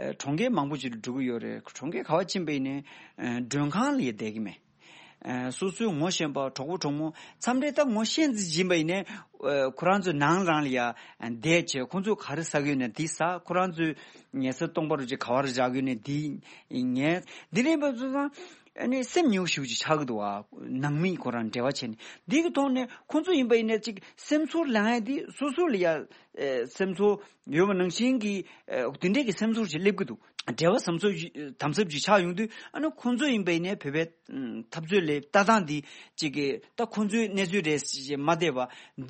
ཨ། གྲོང་ཁྱེར་མང་པོ་ཅིག་ལ་འགྲོ་གི་ཡོད་རེད། གྲོང་ཁྱེར་ག་པར་ཕྱིན་པ་ཡིན་ནའི་ཨ། མགྲོན་ཁང་ལ་ཡ་བསྡད་ཀྱི་མེད། ཨ། སོ་སོའི་ངོ་ཤེས་པ་གྲོགས་པོ་གྲོགས་མོ་མཚམས་རེ་ད་ངོ་ཤེས་ཙམ་ཡིན་པ་ཡིན་ནའི། ཨ། ཁོ་རང་ཚོའི་ནང་རང་ལ་ཡ་བསྡད་བྱས། ཁོ་ཚོས་ག་རེ་ཟ་གི་ཡོད་ན་འདི་ཟ། ཁོ་རང་ཚོའི་ཉལ་ས་སྟོང་པ་རུ་ཅིག་ག་པར་བཞག་གི་ཡོད་ན་འདི་ཉལ། འདི་འདྲ་ཡིན་པ་སོང་ཙང་། ཨ་ནི་སེམས་ཉེ་བོ་ཞེ་པོ་ཅིག་ཆགས་ཀྱི་འདུག་བ། ནང་མི་ཁོ་རང་འབྲེལ་བ་བྱས་ནས། འདི་གི་ཐོག་ནས་ཁོ་ཚོ་ཡིན་པ་ཡིན་ན་ཅིག་སེམས་ཚོར་ལངས་ཡ་འདི་སོ་སོ་ལ་ཡ་ཨེ། སེམས་ཚོར་ཡོད་པ་ནང་བཞིན་གྱི་ཨེ། འདི་འདྲས་ཀྱི་སེམས་ཚོར་ཞིག་སླེབས་ཀྱི་འདུག། འབྲེལ་བ་ཟམ་ཟབ་ཞིག་དམ་ཟབ་ཅིག་ཆགས་ཡོང་དུས། ཨ་ནི་ཁོང་ཚོ་ཡིན་པ་ཡིན་ནའི་བོད་པའི་འཐབ་རྩོད་ལས་ལྟ་སྟངས་འདི་གཅིག་གི་ད་ཁོང་ཚོའི་གནས་ཚུལ་རེད་ཞེས་མ་བསྡད་པ་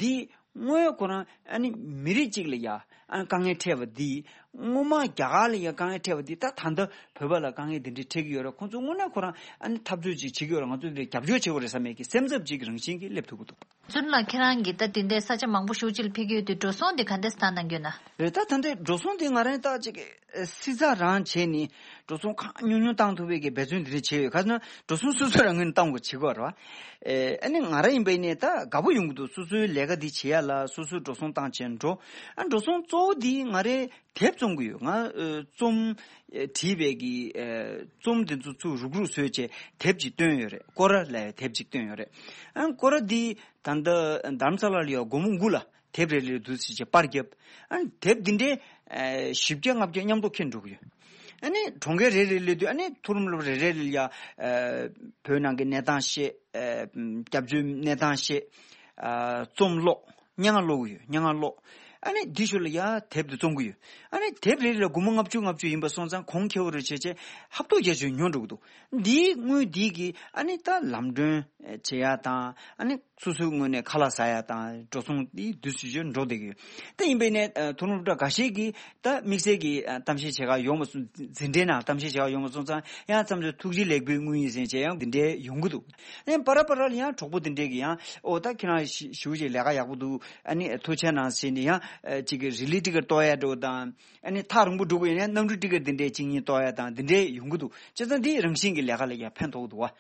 འདི་དངོས་ཡོད་ཁོ་རང་ཨ་ནི་མི་རིགས་གཅིག་ལ་ཡ་ཨ་ནི་དཀའ་ངལ་འཕྲད་པ་འདི། སྔོན་མ་རྒྱ་གར་ལ་ཡ་དཀའ་ངལ་འཕྲད་པ་འདི་ད་ད་ལྟ་བོད་པ་ལ་དཀའ་ངལ་འདི་འདྲ་འཕྲད་ཀྱི་ཡོད་རེད། ཁོང་ཚོ་དངོས་གནས་ཁོ་རང་ཨ་ནི་འཐབ་རྩོད་ཅིག་བྱེད་ཀྱི་ཡོད་རེད། ང་ཚོ་འདི་རྒྱབ་སྐྱོར་བྱེད་དགོས་རེད་བསམ་ཡས་ཀྱི་སེམས་འཚབ་ཅིག་རང་བཞིན་གྱིས་སླེབས་ཐུབ་ཀྱི་འདུག། ཚུན་ལ་ཁྱེད་རང་གིས་ད་དེ་འདྲའི་ས་ཆ་མང་པོ་ཞེ་པོ་ཅིག་ལ་ཕེབས་ཀྱི་ཡོད་དུས། འགྲོ་སོང་དེ་ག་འདྲས་བཏང་གནང་གི་ཡོད་ན། རེད། ད་ད་ལྟའི་འགྲོ་སོང་དེ་ང་རང་ད་ཅིག་སྲིད་ཚགས་རང་བྱས་ནས་འགྲོ་སོང་གང་ཉུང་ཉུང་བཏང་ཐུབ་པའི་གི་འབད་བརྩོན་དེ་འདྲ་བྱས་ཡོད། ག་ཟེར་ན་འགྲོ་སོང་སོ་སོ་རང་ངོས་ནས་བཏང་དགོས་བྱེད་དགོས་རེད་བ། ཨེ་ཨ་ནི་ང་རང་ཡིན་པ་ཡིན་ནའི་ད་དགའ་པོ་ཡོང་གི་འདུག། སོ་སོའི་ལས་ཀ་འདི་བྱེད་ཡ་ལ་སོ་སོའི་འགྲོ་སོང་བཏང་བྱས་འགྲོ། ཨ་འགྲོ་སོང་གཙོ་བོ་འདི་ང་རའི་དེབ་རྩོམ་གྱི་ཡོད། ང་ཨ་རྩོམ་ཨ་བྲིས་པའི་གི་ཨ་རྩོམ་དེ་ཚོ་ཚུར་རུག་རུག་བཟོས་བྱས་དེབ་ཅིག་བཏོན་ཡོད་རེད། སྐོར་ར་ལབ་ཡ་དེབ་ཅིག་བཏོན་ཡོད་རེད། ཨ་སྐོར་ར་འདི་ད་ལྟ་རྡ་རམ་ས་ལ་ལ་ཡ་སྒོར་མོ་དགུ་ལ་དེབ་རེ་རེ་འདུག་ཟེར་བྱས་པར་བརྒྱབ། ཨ་དེབ་འདི་འདྲའི་ཨ་བཞི་བརྒྱ་ལྔ་བརྒྱ་མཉམ་དུ་ཁྱེར་འགྲོ་གི་ཡོད། ཨ་ནི་གྲོང་ཁྱེར་རེ་རེ་སླེབས་དུས་ཨ་ནི་མཐོ་རིམ་སློབ་གྲྭ་རེ་རེ་ལ་ཡ་ཨ་བོད་ནང་གི་གནས་སྟངས་བཤད། ཨ་སྐྱབས་བཅོལ་གནས་སྟངས་བཤད། ཨ་རྩོམ་ཀློག། སྙན་ངག་ཀློག་གི་ཡོད། སྙན་ངག་ཀློག། ཨ་ནི་འདི་ཞོར་ལ་ཡ་དེབ་དེ་རྩོམ་གྱི་ཡོད། ཨ་ནི་དེབ་རེ་རེ་ལ་སྒོར་མོ་ལྔ་བཅུ་ལྔ་བཅུ་ཡིན་པ་སོང་ཙང་གོང་ཁེ་པོ་རེ་བྱས་བྱས་ཧབ་ཐོབ་རྒྱ་ཆེ་ཉོ་འགྲོ་གི་འདུག། འདིའི་དངུལ་འདི་གིས་ཨ་ནི་ད་ལམ་གྲོན་བྱེད་ཡ་དང་། ཨ་ནི་སོ་སོའི་ངོས་ནས་ཁ་ལག་ཟ་ཡ་དང་འགྲོ་སོང་འདི་དུས་སུ་ཅིག་འགྲོ་བསྡད་ཀྱི་ཡོད། དེ་ཡིན་པས་ནས་ཨ་མཐོ་རིམ་སློབ་གྲྭ་འགའ་ཤས་ཀྱིས་ད་དམིགས་བསལ་གྱི་ཨ་གཏམ་བཤད་བྱེད་ག་ཡོང་མ་སོང་། འཛིན་གྲྭའི་ནང་གཏམ་བཤད་བྱེད་ག་ཡོང་མ་སོང་ཙང་ཡང་མཚམས་མཚམས་ཐུགས་རྗེ་ལེགས་འབུལ་དངུལ་ཡིན་ཟེར་བྱས་ཡང་འདི་འདྲའི་ཡོང་གི་འདུག། ཨ་ནི་བར་བར་ལ་ཡང་གྲོགས་པོ་འདི་འདྲས་ཀྱིས་ཡང་ཨོ་ད་ཁྱེད་རང་ཞི་ཞུ་བྱས་ལས་ཀ་ཡག་པོ་འདུག། ཨ་ནི་ཐུགས་རྗེ་གནང་ཟེར་ནས་ཡང་ཨ་ཅིག་གི་རི་ལི་ཏི་ཀར་གཏོང་ཡ་འགྲོ་དང་། ཨ་ནི་ཐག་རིང་པོ་འགྲོ་དགོས་ཡིན་ན་གནམ་གྲུ་ཏི་ཀར་འདི་འདྲའི་གཅིག་གཉིས་གཏོང་ཡ་དང་འདི་འདྲའི་ཡོང་གི་འདུག། བྱས་ཙང་འདི་རང་བཞིན་གྱི་ལས་ཀ་ལ་ཡང་ཕན་ཐོགས་འདུག་བ། ཨ་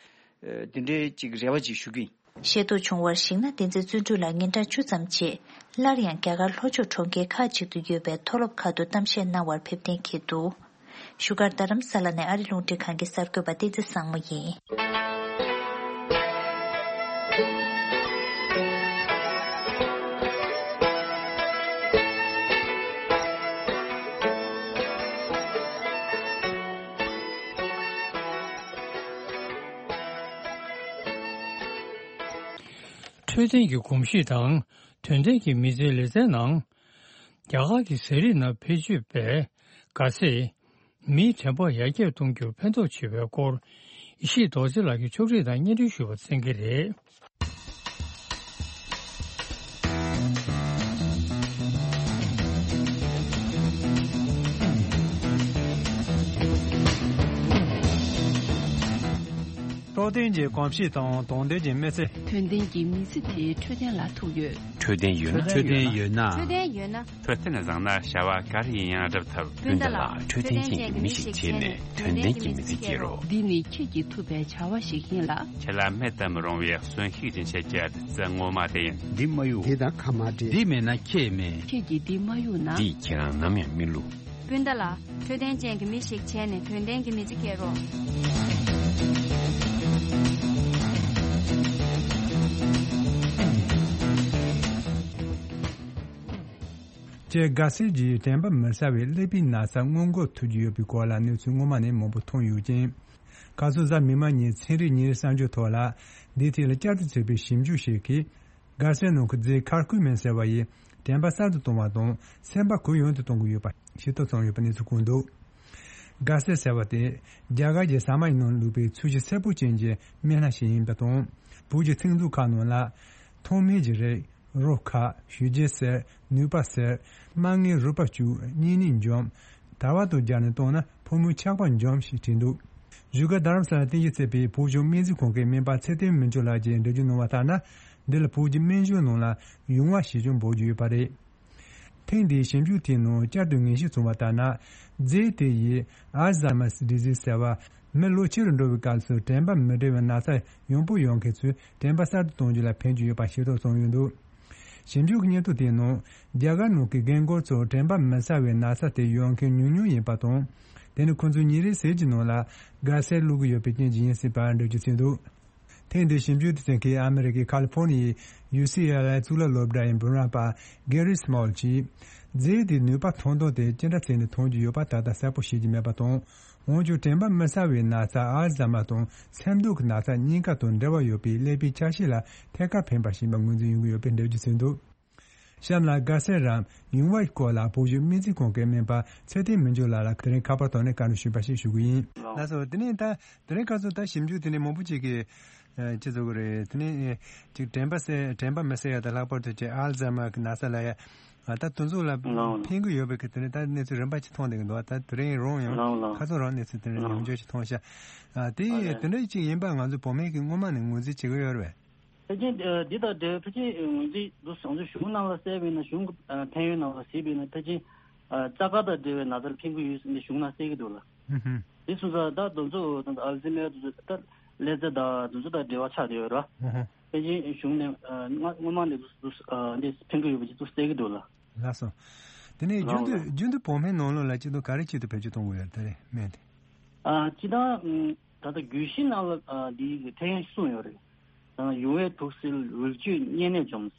འདི་འདྲའི་ཅིག་རེ་བ་ཅིག་ཞུ་གི་ཡིན། ཤེས་རྟོགས་བྱུང་བར་གཞིགས་ན། བསྟན་འཛིན་བརྩོན་འགྲུས་ལགས་ཉིན་གྲངས་བཅུ་ཙམ་རྗེས་སླར་ཡང་རྒྱ་གར་ལྷོ་ཕྱོགས་གྲོང་ཁྱེར་ཁག་ཅིག་ཏུ་ཡོད་པའི་མཐོ་སློབ་ཁག་ཏུ་གཏམ་བཤད་གནང་བར་ཕེབས་གཏན་འཁེལ་འདུག། བཞུགས་སྒར་རྡ་རམ་ས་ལ་ནས་ཨ་རི་རླུང་འཕྲིན་ཁང་གི་གསར་འགོད་པ་བསྟན་འཛིན་བཟང་མོ་ཡིན། འཕྲོད་བསྟེན་གྱི་གོམས་གཤིས་དང་དོན་ལྡན་གྱི་མི་ཚེའི་ལེ་ཚན་ནང་། རྒྱ་གར་གྱི་ཟས་རིགས་ནང་བེད་སྤྱོད་པའི་ག་ཟེ། མིའི་དྲན་པ་ཡར་རྒྱས་གཏོང་རྒྱུར་ཕན་ཐོགས་ཆེ་བའི་སྐོར། ཡེ་ཤེས་རྡོ་རྗེ་ལགས་ཀྱིས་ཕྱོགས་སྒྲིག་དང་སྙན་སྒྲོན་ཞུས་པ་གསན་གྱི་རེད། འཕྲོད་བསྟེན་གྱི་གོམས་གཤིས་དང་དོན་ལྡན་གྱི་མི་ཚེ། དོན་ལྡན་གྱི་མི་ཚེ་དེ་འཕྲོད་བསྟེན་ལ་ཐུག་ཡོད། འཕྲོད་བསྟེན་ཡོད་ན། འཕྲོད་བསྟེན་ཡོད་ན། འཕྲོད་བསྟེན་བཟང་ན་བྱ་བ་ག་རེ་ཡིན་ཡང་འགྲུབ་ཐུབ། སྤུན་ཟླ་ལགས། འཕྲོད་བསྟེན་ཅན་གྱི་མི་ཞིག་བྱས་ནས་དོན་ལྡན་གྱི་མི་ཚེ་སྐྱེལ་རོགས། འདི་ནི་ཁྱེད་ཀྱིས་ཐུབ་པའི་བྱ་བ་ཞིག་ཡིན་ལ། ཁྱེད་ལ་མེད་དུ་མི་རུང་བའི་གསོན་ཤུགས་ཀྱི་འཆར་གཞི་ཨ་ཏི་ཙི་ངོ་མ་དེ་ཡིན། འདི་མ་གཡུག་འདི་དང་ཁ་མ་འབྲལ། འདི་མེད་ན་ཁྱེད་མེད། ཁྱེད་ཀྱིས་འདི་མ་གཡུག་ན། འདིས་ཁྱེད་རང་ནམ་ཡང་མི་བསླུ། སྤུན་ཟླ་ལགས། འཕྲོད་བསྟེན་ཅན་གྱི་མི་ཞིག་བྱས་ནས་དོན་ལྡན་གྱི་མི་ཚེ་སྐྱེལ་རོགས། ཅེས་ག་ཟེ་གྱིས་དྲན་པ་མི་གསལ་བའི་ཀླད་པའི་ན་ཚ་སྔོན་འགོག་ཐུབ་ཀྱི་ཡོད་པའི་སྐོར་ལ་གནས་ཚུལ་སྔོན་མ་ནས་མང་པོ་ཐོན་ཡོད་ཅིང་། ཁ་སང་གཟའ་མིག་དམར་ཉིན་ཚན་རིག་ཉིན་རེའི་གསར་འགྱུར་ཐོག་ལ་འདིའི་ཐད་ལ་བསྐྱར་དུ་བྱས་པའི་ཞིབ་འཇུག་ཞིག་གིས། ག་ཟེ་ནང་གི་རྫས་ཁར་ཀུ་མིན་ཟེར་བ་ཡིས་དྲན་པ་གསར་དུ་གཏོང་བ་དང་སེམས་པ་གུ་ཡངས་དུ་གཏོང་གི་ཡོད་པ་ཤེས་རྟོགས་བྱུང་ཡོད་པ་གནས་ཚུལ་བཀོད་འདུག། ག་ཟེ་ཟེར་བ་དེ་རྒྱ་གར་གྱི་ཟ་མ་ཡི་ནང་བླུགས་པའི་ཚོས་གཞི་སེར་པོ་ཅན་གྱི་སྨན་སྣ་ཞིག་ཡིན་པ་དང་། བོད་ཀྱི་ཚིག་མཛོད་ཁག་ནང་ལ། ཐང་མེད་ཀྱི་རིགས། རོ་ཁ། ཞུ་རྗེས་གསེར། ནུས་པ་གསེར། མ་ལྔའི་རུས་པ་བཅུག་གཉིས་ནི་འཇོམས། དར་བ་དང་སྦྱར་ནས་བཏང་ན་ཕོ་མོའི་ཆགས་པ་འཇོམས་ཞེས་བྲིས་འདུག། བཞུགས་སྒར་རྡ་རམ་ས་ལ་རྟེན་གཞི་བྱས་པའི་བོད་ལྗོངས་སྨན་རྩིས་ཁང་གི་སྨན་པ་ཚེ་བརྟན་མི་འགྱུར་ལགས་ཀྱིས་འགྲེལ་བརྗོད་གནང་བ་ལྟར་ན། འདི་ལ་བོད་ཀྱི་སྨན་གཞུང་ནང་ལ་ཡོང་བ་ཞེས་ཀྱང་འབོད་ཀྱི་ཡོད་པ་རེད། ཐེངས་འདིའི་ཞིབ་འཇུག་དེའི་ནང་བསྐྱར་དུ་ངེས་ཤེས་བྱུང་བ་ལྟར་ན། རྫས་དེ་ཡིས་ཨལ་ཛཱི་མར་ཌི་ཛི་ཟེར་བ། མི་ལོ་ཆེ་རུ་འགྲོ་བའི་སྐབས་སུ་དྲན་པ་མི་བདེ་བའི་ན་ཚ་ཡང་པོ་ཡོང་མཁན་ཚོའི་དྲན་པ་གསར་དུ་གཏོང་རྒྱུ་ལ་ཕན་གྱི་ཡོད་པ་ཤེས་རྟོགས་བྱུང་ཡོད་འདུག། ཞིབ་འཇུག་གི་སྙན་ཐོ་དེའི་ནང་རྒྱ་གར་ནང་གི་རྒན་རྒོན་ཚོར་དྲན་པ་མི་གསལ་བའི་ན་ཚ་དེ་ཡོང་མཁན་ཉུང་ཉུང་ཡིན་པ་དང་། དེ་ནི་ཁོང་ཚོས་ཉིན་རེའི་ཟས་ཀྱི་ནང་ལ་ག་ཟེ་བླུགས་ཀྱི་ཡོད་པའི་རྐྱེན་གྱིས་ཡིན་སྲིད་པར་འགྲེལ་བརྗོད་བྱས་འདུག། ཐེངས་འདིའི་ཞིབ་འཇུག་དེ་བྱེད་མཁན་ཨ་མི་རི་ཀའི་ཁ་ལི་ཕོར་ནི་ཡའི་ཡུ་སི་ཨེལ་ཨེ་གཙུག་ལག་སློབ་གྲྭ་ཡི་འབུམ་རམས་པ་གེ་རི་སྨོལ་གྱིས། རྫས་དེའི་ནུས་པ་ཐོན་སྟངས་དེ་ཅི་འདྲ་བྱས་ནས་ཐོན་གྱི་ཡོད་པ་ད་ལྟ་གསལ་པོ་ཤེས་ཀྱི་མེད་པ་དང་། འོན་ཀྱང་དྲན་པ་མི་གསལ་བའི་ན་ཚ་ཨལ་ཛཱི་མར་དང་སེམས་སྡུག་གི་ན་ཚ་གཉིས་ཀ་དང་འབྲེལ་བ་ཡོད་པའི་ཀླད་པའི་ཆ་ཤས་ལ་ཐད་ཀར་ཕན་པ་ཞིག་ཡིན་པ་ངོས་འཛིན་ཡོང་གི་ཡོད་པའི་འགྲེལ་བརྗོད་བྱས་འདུག། གཤམ་ལ་དགའ་སེ་རམ་ཡུང་བའི་སྐོར་ལ་བོད་གཞུང་སྨན་རྩིས་ཁང་གི་སྨན་པ་ཚེ་བརྟན་མི་འགྱུར་ལགས་ལ་དེ་རིང་ཁ་པར་ཐོག་ནས་བཀའ་འདྲི་ཞུས་པ་ཞིག་ཞུ་གི་ཡིན། ལགས་སོ། དེ་ནས་ད་དེ་རིང་ཁ་སང་ད་ཞིབ་འཇུག་དེ་ནས་མང་པོ་ཅིག་གིས་ཅི་ཟེར་དགོས་རེད། དེ་ནས་ཅིག་དྲན་པ་སེ་དྲན་པ་མི་གསལ་ཡ་དང་ལྷག་པར་དུ་ཅིག་ཨལ་ཛ་མར་གྱི་ན་ཚ་ལ་ཡ་ད་དེ་ཚོ་ལ་ལགས་ལགས། ཕན་གི་ཡོད་པའི་གི་དེ་ནས་ད་གནས་ཚུལ་རིམ་པ་ཅིག་མཐོང་བསྡད་ཀྱི་འདུག་ད་དེ་རིང་རང་ཡང་ལགས་ལགས། ཁ་སང་རང་གནས་ཚུལ་དེ་ནས་ལགས་ཉམས་འགྱུར་ཅིག་མཐོང་ཤག་ཨ་དེ་ཨ་ཡིན་ལགས། དེ་འདྲ་ཅིག་ཡིན་པ་ང་ཚོ་བོད་སྨན་གྱི་སྔོན་མ་ནས་ངོས་འཛིན་བྱེད་ཀྱི་ཡོད་རེད་པས། ཕལ་ཆེར་ཨ་འདི་དང་འབྲེལ་ཕལ་ཆེར་ངོས་འཛིན་འདུག་བཟང་ཚུལ་གཞུང་ནང་ལ་གསལ་བས་ན་གཞུང་ཨ་ཕན་ཡོན་ནང་ལ་གཟིགས་པས་ན་ཕལ་ཆེར་ཨ་རྩ་དཀར་དང་འབྲེལ་བའི་ན་ཚ་ལ་ཕན་གྱི་ཡོད་ཟེར་ནས་གཞུང་ནང་གསལ་གྱི་འདུག་ལ། ཧུམ་ཧུམ། དེ་སོང་ཙང་ད་དེ་ཚོ་ད་ཨལ་ཛི་མེར་དེ་ཚོ་ད་ཀླད་རྩ་དང་དེ་ཚོ་དང་འབྲེལ་བ་ཆགས་བསྡད་ཡོད་རེད་བ། ཧུམ་ཧུམ། ཕལ་ཆེར་གཞུང་ནས་ཨ་སྔ་སྔོན་མ་ནས་དེ་ཚོ་ཨ་འདི་ཕན་གྱི་ཡོད་པ་ཅིག་ཚོ་གསལ་གྱི་འདུག་ལ། ལགས་སོ། དེ་ནས་རྒྱུན་དུ་ལགས་ལགས། རྒྱུན་དུ་བོད་སྨན་ནང་ལོགས་ལ་སྤྱི་ཚོགས་ག་རེ་ཆེད་དུ་བེད་སྤྱོད་གཏོང་དགོས་ཡོད་རེད་ད་རེས་སྨན་དེ། ཨ་སྤྱིར་བཏང་ད་ལྟ་རྒྱུད་བཞི་ནང་ལ་ཨ་འདི་གི་ཐེ་ཡོན་གསུམ་ཡོད་རེད། ཡུང་བའི་དུག་སེལ། རུལ་གཅོད་གཉན་ནད་འཇོམས།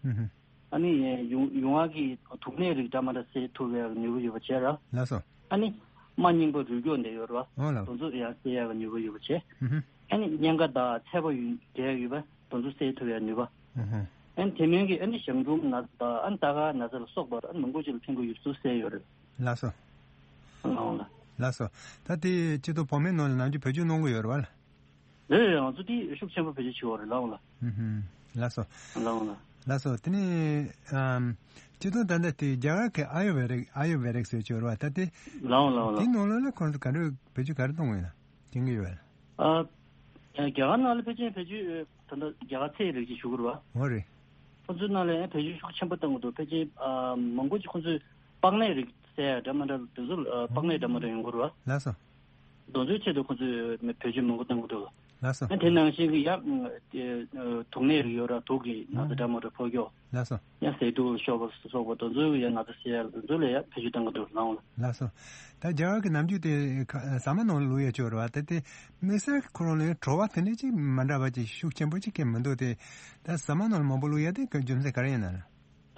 ཧུམ་ཧུམ། ཨ་ནི་ཡུང་ཡུང་བ་གི་དུག་ནད་རིགས་འདྲ་མི་འདྲ་སེལ་ཐུབ་པའི་ནུས་པ་ཡོད་པ་བྱས་ར། ལགས་སོ། ཨ་ནི་རྨ་རྙིང་པ་རུལ་མགྱོགས་འདི་ཡོད་ར། འོ་ལགས། དེ་ཚོ་ཡང་སེལ་ཡག་གི་ནུས་པ་ཡོད་པ་བྱས། ཧུམ་ཧུམ། ཨ་ནི་གཉན་ཁ་དང་ཚད་པ་ཡོད་འབྲས་ཡོད་པ་དེ་ཚོ་སེལ་ཐུབ་པའི་ནུས་པ། ཧུམ་ཧུམ། ཨ་ནི་དེ་མིན་གྱི་ཨ་ནི་གཞང་འབྲུམ་ན་ཚ་དང་ཨ་ནི་རྟ་ཁ་ན་ཚ་ལ་སོགས་པ་ཨ་ནི་མང་པོ་ཅིག་ལ་ཕན་གྱི་ཡོད་པ་ཚོ་སེལ་ཡོད་རེད། ལགས་སོ། ལགས་ལགས། ལགས་སོ། ད་དེ་སྤྱི་ཚོགས་བོད་སྨན་ནང་ལ་ནམ་རྒྱུན་བེད་སྤྱོད་གནང་གི་ཡོད་རེད་བ་ལ། རེད་རེད། ང་ཚོ་དེ་ཤུགས་ཆེན་པོ་བེད་སྤྱོད་བྱེད་ཀྱི་ཡོད་རེད། ལགས་འོང་ལགས། ཧུམ་ཧུམ། ལགས་སོ། ལགས་འོང་ལགས། ལགས་སོ། དེ་ནས་ཨམ། སྤྱི་དོན་ད་ལྟ་དེ་རྒྱ་གར་གྱི་ཨ་ཡུར་ཝེ་རིག་ཨ་ཡུར་ཝེ་རིག་ཟེར་གྱི་ཡོད་རེད་བ། ད་དེ། ལགས་འོང་ལགས་འོང་དེའི་ལགས། ནང་ལོགས་ལ་ཁོང་ཚོ་ག་འདྲ་བེད་སྤྱོད་ག་རེ་གཏོང་གི་ཡོད་ན་མཁྱེན་གྱི་ཡོད་པས། ཨ། རྒྱ་གར་ནང་ལ་ཕལ་ཆེར་བེད་སྤྱོད་ད་ལྟ་རྒྱ་གར་ཚལ་རིགས་ཅིག་ཞུ་གི་རེད་བ། འོ་རེད། ཁོང་ཚོའི་ནང་ལ་ཡང་བེད་སྤྱོད་ཤུགས་ཆེན་པོ་གཏོང་གི་འདུག་ཕལ་ཆེར་ཨ་མང་པོ་ཅིག་ཁོང་ཚོས་པགས་ནད་རིགས་བསལ་ཡ་འདྲ་མི་འདྲ་དེ་ཚོ་ཨ་པགས་ནད་འདྲ་མི་འདྲ་ཡོང་གི་རེད་བ། ལགས་སོ། དེ་ཚོའི་ཆེད་དུ་ཁོང་ཚོས་བེད་སྤྱོད་མང་པོ་གཏོང་གི་འདུག་ལགས་སོ། ཨ་དེ་ནང་བཞིན་གྱི་ཡང་དུག་ནད་རིགས་ཡོད་ར། དུག་གི་ན་ཚ་འདྲ་མི་འདྲ་ཕོག་རྒྱུ། ལགས་སོ། ཡང་ཟས་དུག་ལ་སོགས་པ་སོགས་པ་དེ་ཚོའི་ཡང་ན་ཚ་སེལ་ཡ་དེ་ཚོ་ལ་ཡང་བེད་སྤྱོད་གཏོང་གི་འདུག་ལགས་འོང་ལགས། ལགས་སོ། ད་རྒྱ་གར་གྱི་ནམ་རྒྱུན་དེ་ཁ་ཟ་མ་ནང་ལ་བླུག་ཡ་ཅིག་ཡོད་རེད་བ། ད་དེ་དམིགས་བསལ་ཁོ་རང་ལ་ཡང་བྲོ་བ་དེ་འདྲ་ཅིག་མ་འདྲ་བ་ཅིག་ཤུགས་ཆེན་པོ་ཅིག་གི་མི་འདུག་དེ་ད་ཟ་མ་ནང་ལ་མང་པོ་བླུག་ཡ་དེ་ག་རྒྱུ་མཚན་ག་རེ་ཡིན་ན།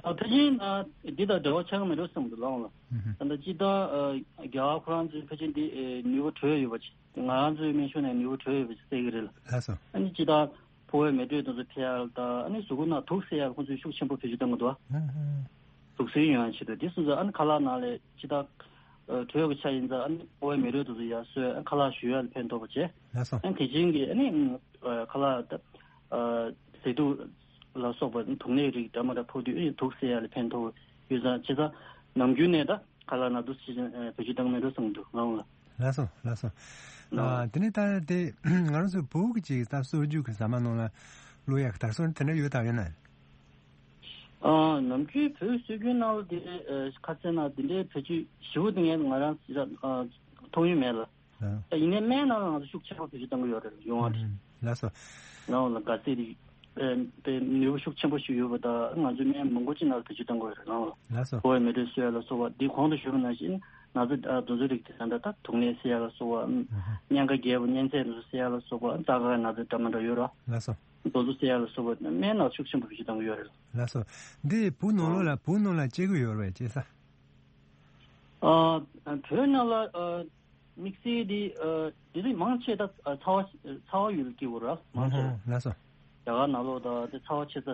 ཨ་ཕལ་ཆེར་ཨ་འདི་དང་འབྲེལ་བ་ཆགས་ཀྱི་མེད་འགྲོ་བསམ་འདུག་ལགས་འོང་ལགས། ཧུམ་ཧུམ། ད་ལྟ་སྤྱིར་བཏང་ཨ་རྒྱ་གར་ཁོ་རང་ཚོའི་ཕལ་ཆེར་འདི་ཨེ་ནུས་པ་བྲོས་ཡོད་པ་ཅིག་ང་རང་ཚོའི་སྨན་གཞུང་ནས་ནུས་པ་བྲོས་ཡོད་པ་ཅིག་གསལ་གྱི་རེད་ལགས། ལགས་སོ། ཨ་ནི་སྤྱིར་བཏང་ཕོ་བའི་མེ་དྲོད་དེ་ཚོ་འཕེལ་ཡག་ལ་དང་ཨ་ནི་གཟུགས་པོ་ནང་དུག་སེལ་ཡག་ལ་ཁོང་ཚོས་ཤུགས་ཆེན་པོ་བེད་སྤྱོད་གཏོང་གི་འདུག་ཧུམ་ཧུམ། དུག་སེལ་ཡོང་ཡག་ཆེད་དུ། དེ་སོང་ཙང་ཨ་ནི་ཁ་ལག་ནང་ལ་སྤྱིར་བཏང་ཨ་དྲོད་ཀྱི་ཆ་ཡིན་ཙང་ཨ་ནི་ཕོ་བའི་མེ་དྲོད་དེ་ཚོ་ཡར་གསོས། ཨ་ཁ་ལག་ཞུ་ཡག་ལ་ཕན་ཐོགས་པ་བྱས། ལགས་སོ། ཨ་ནི་དེ་བཞིན་གྱི་ཨ་ནི་ཨ་ཁ་ལག་ད་ཨ་ཟས་དུག་ལ་སོགས་པ་དུག་ནད་རིགས་འདྲ་མི་འདྲ་ཕོག་དུས་ཨ་ནི་དུག་སེལ་ཡག་ལ་ཕན་ཐོགས་ཡོད་ཙང་། བྱས་ཙང་ནམ་རྒྱུན་ནས་ད་ཁ་ལག་ནང་དུག་སེལ་བྱེད་བེད་སྤྱོད་གཏོང་གི་མེད་འགྲོ་བསམ་གྱི་འདུག་ང་རང་ལ། ལགས་སོ། ལགས་སོ། ལགས། ཨ་དེ་ནས་ད་དེ་ང་རང་ཚོ་བོད་ཀྱི་ཅིག་ད་སྲོལ་རྒྱུན་གྱི་ཟ་མ་ནང་ལ་བླུག་ཡག་གི་དར་སྲོལ་དེ་འདྲ་ཡོད་དམ་ཡོད་ན། ཨ་ནམ་རྒྱུན་བོད་སྲོལ་རྒྱུན་ནང་ལ་དེ་ཨ་ཁ་སང་ན་དེ་འདྲའི་བེད་སྤྱོད་ཞེ་པོ་དེ་ངས་ང་རང་ཨ་མཐོང་ཡུལ་མེད་ལ། ལགས། ད་ཡིན་ནའི་སྨན་ནང་ལ་ང་ཚོ་ཤུགས་ཆེན་པོ་བེད་སྤྱོད་གཏོང་གི་ཡོད་རེད། ཡོང་བ་རེད། ཨུམ། ལགས་སོ། ནང་ལ་ག་ཚད་རིགས་ཨེ་དེ་ནུས་པ་ཤུགས་ཆེན་པོ་ཞིག་ཡོད་པ་དང་ང་ཚོའི་སྨན་མང་པོ་ཅིག་ནང་ལ་བེད་སྤྱོད་གཏོང་གི་ཡོད་རེད། ནང་ལ་ལགས་སོ། ཕོ་བའི་མེ་དྲོད་གསོ་ཡག་ལ་སོགས་པ་འདི་གོང་དུ་ཞུས་པ་ནང་བཞིན་ན་ཚ་ཨ་དེ་ཚོ་རིགས་དེ་ད་ལྟ་དུག་ནད་སེལ་ཡག་ལ་སོགས་པ། ཨུམ། གཉན་ཁ་རྒྱས་པ་གཉན་ཚད་དེ་ཚོ་སེལ་ཡག་ལ་སོགས་པ། རྩ་ཁ་ན་ཚ་འདྲ་མི་འདྲ་ཡོད་ར། ལགས་སོ། དེ་ཚོ་སེལ་ཡག་ལ་སོགས་པ་སྨན་ནང་ཤུགས་ཆེན་པོ་བེད་སྤྱོད་གཏོང་གི་ཡོད་རེད། ལགས་སོ། འདི་བོད་ནང་ལ་བོད་ནང་ལ་སྐྱེ་གི་ཡོད་རེད་པས། སྐྱེ་ས། ཨ་བོད་ནང་ལ་ཨ་དམིགས་བསལ་འདི་ཨ་དེ་རིགས་མང་ཆེ་ད་ཨ་ཚ་བ་ཚ་བ་ཡུལ་སྐྱེ་གི་རེད། མང་ཆེ་ལགས་སོ། རྒྱ་གར་ནང་ལོགས་ད་དེ་ཚ་བ་ཆེ་ས་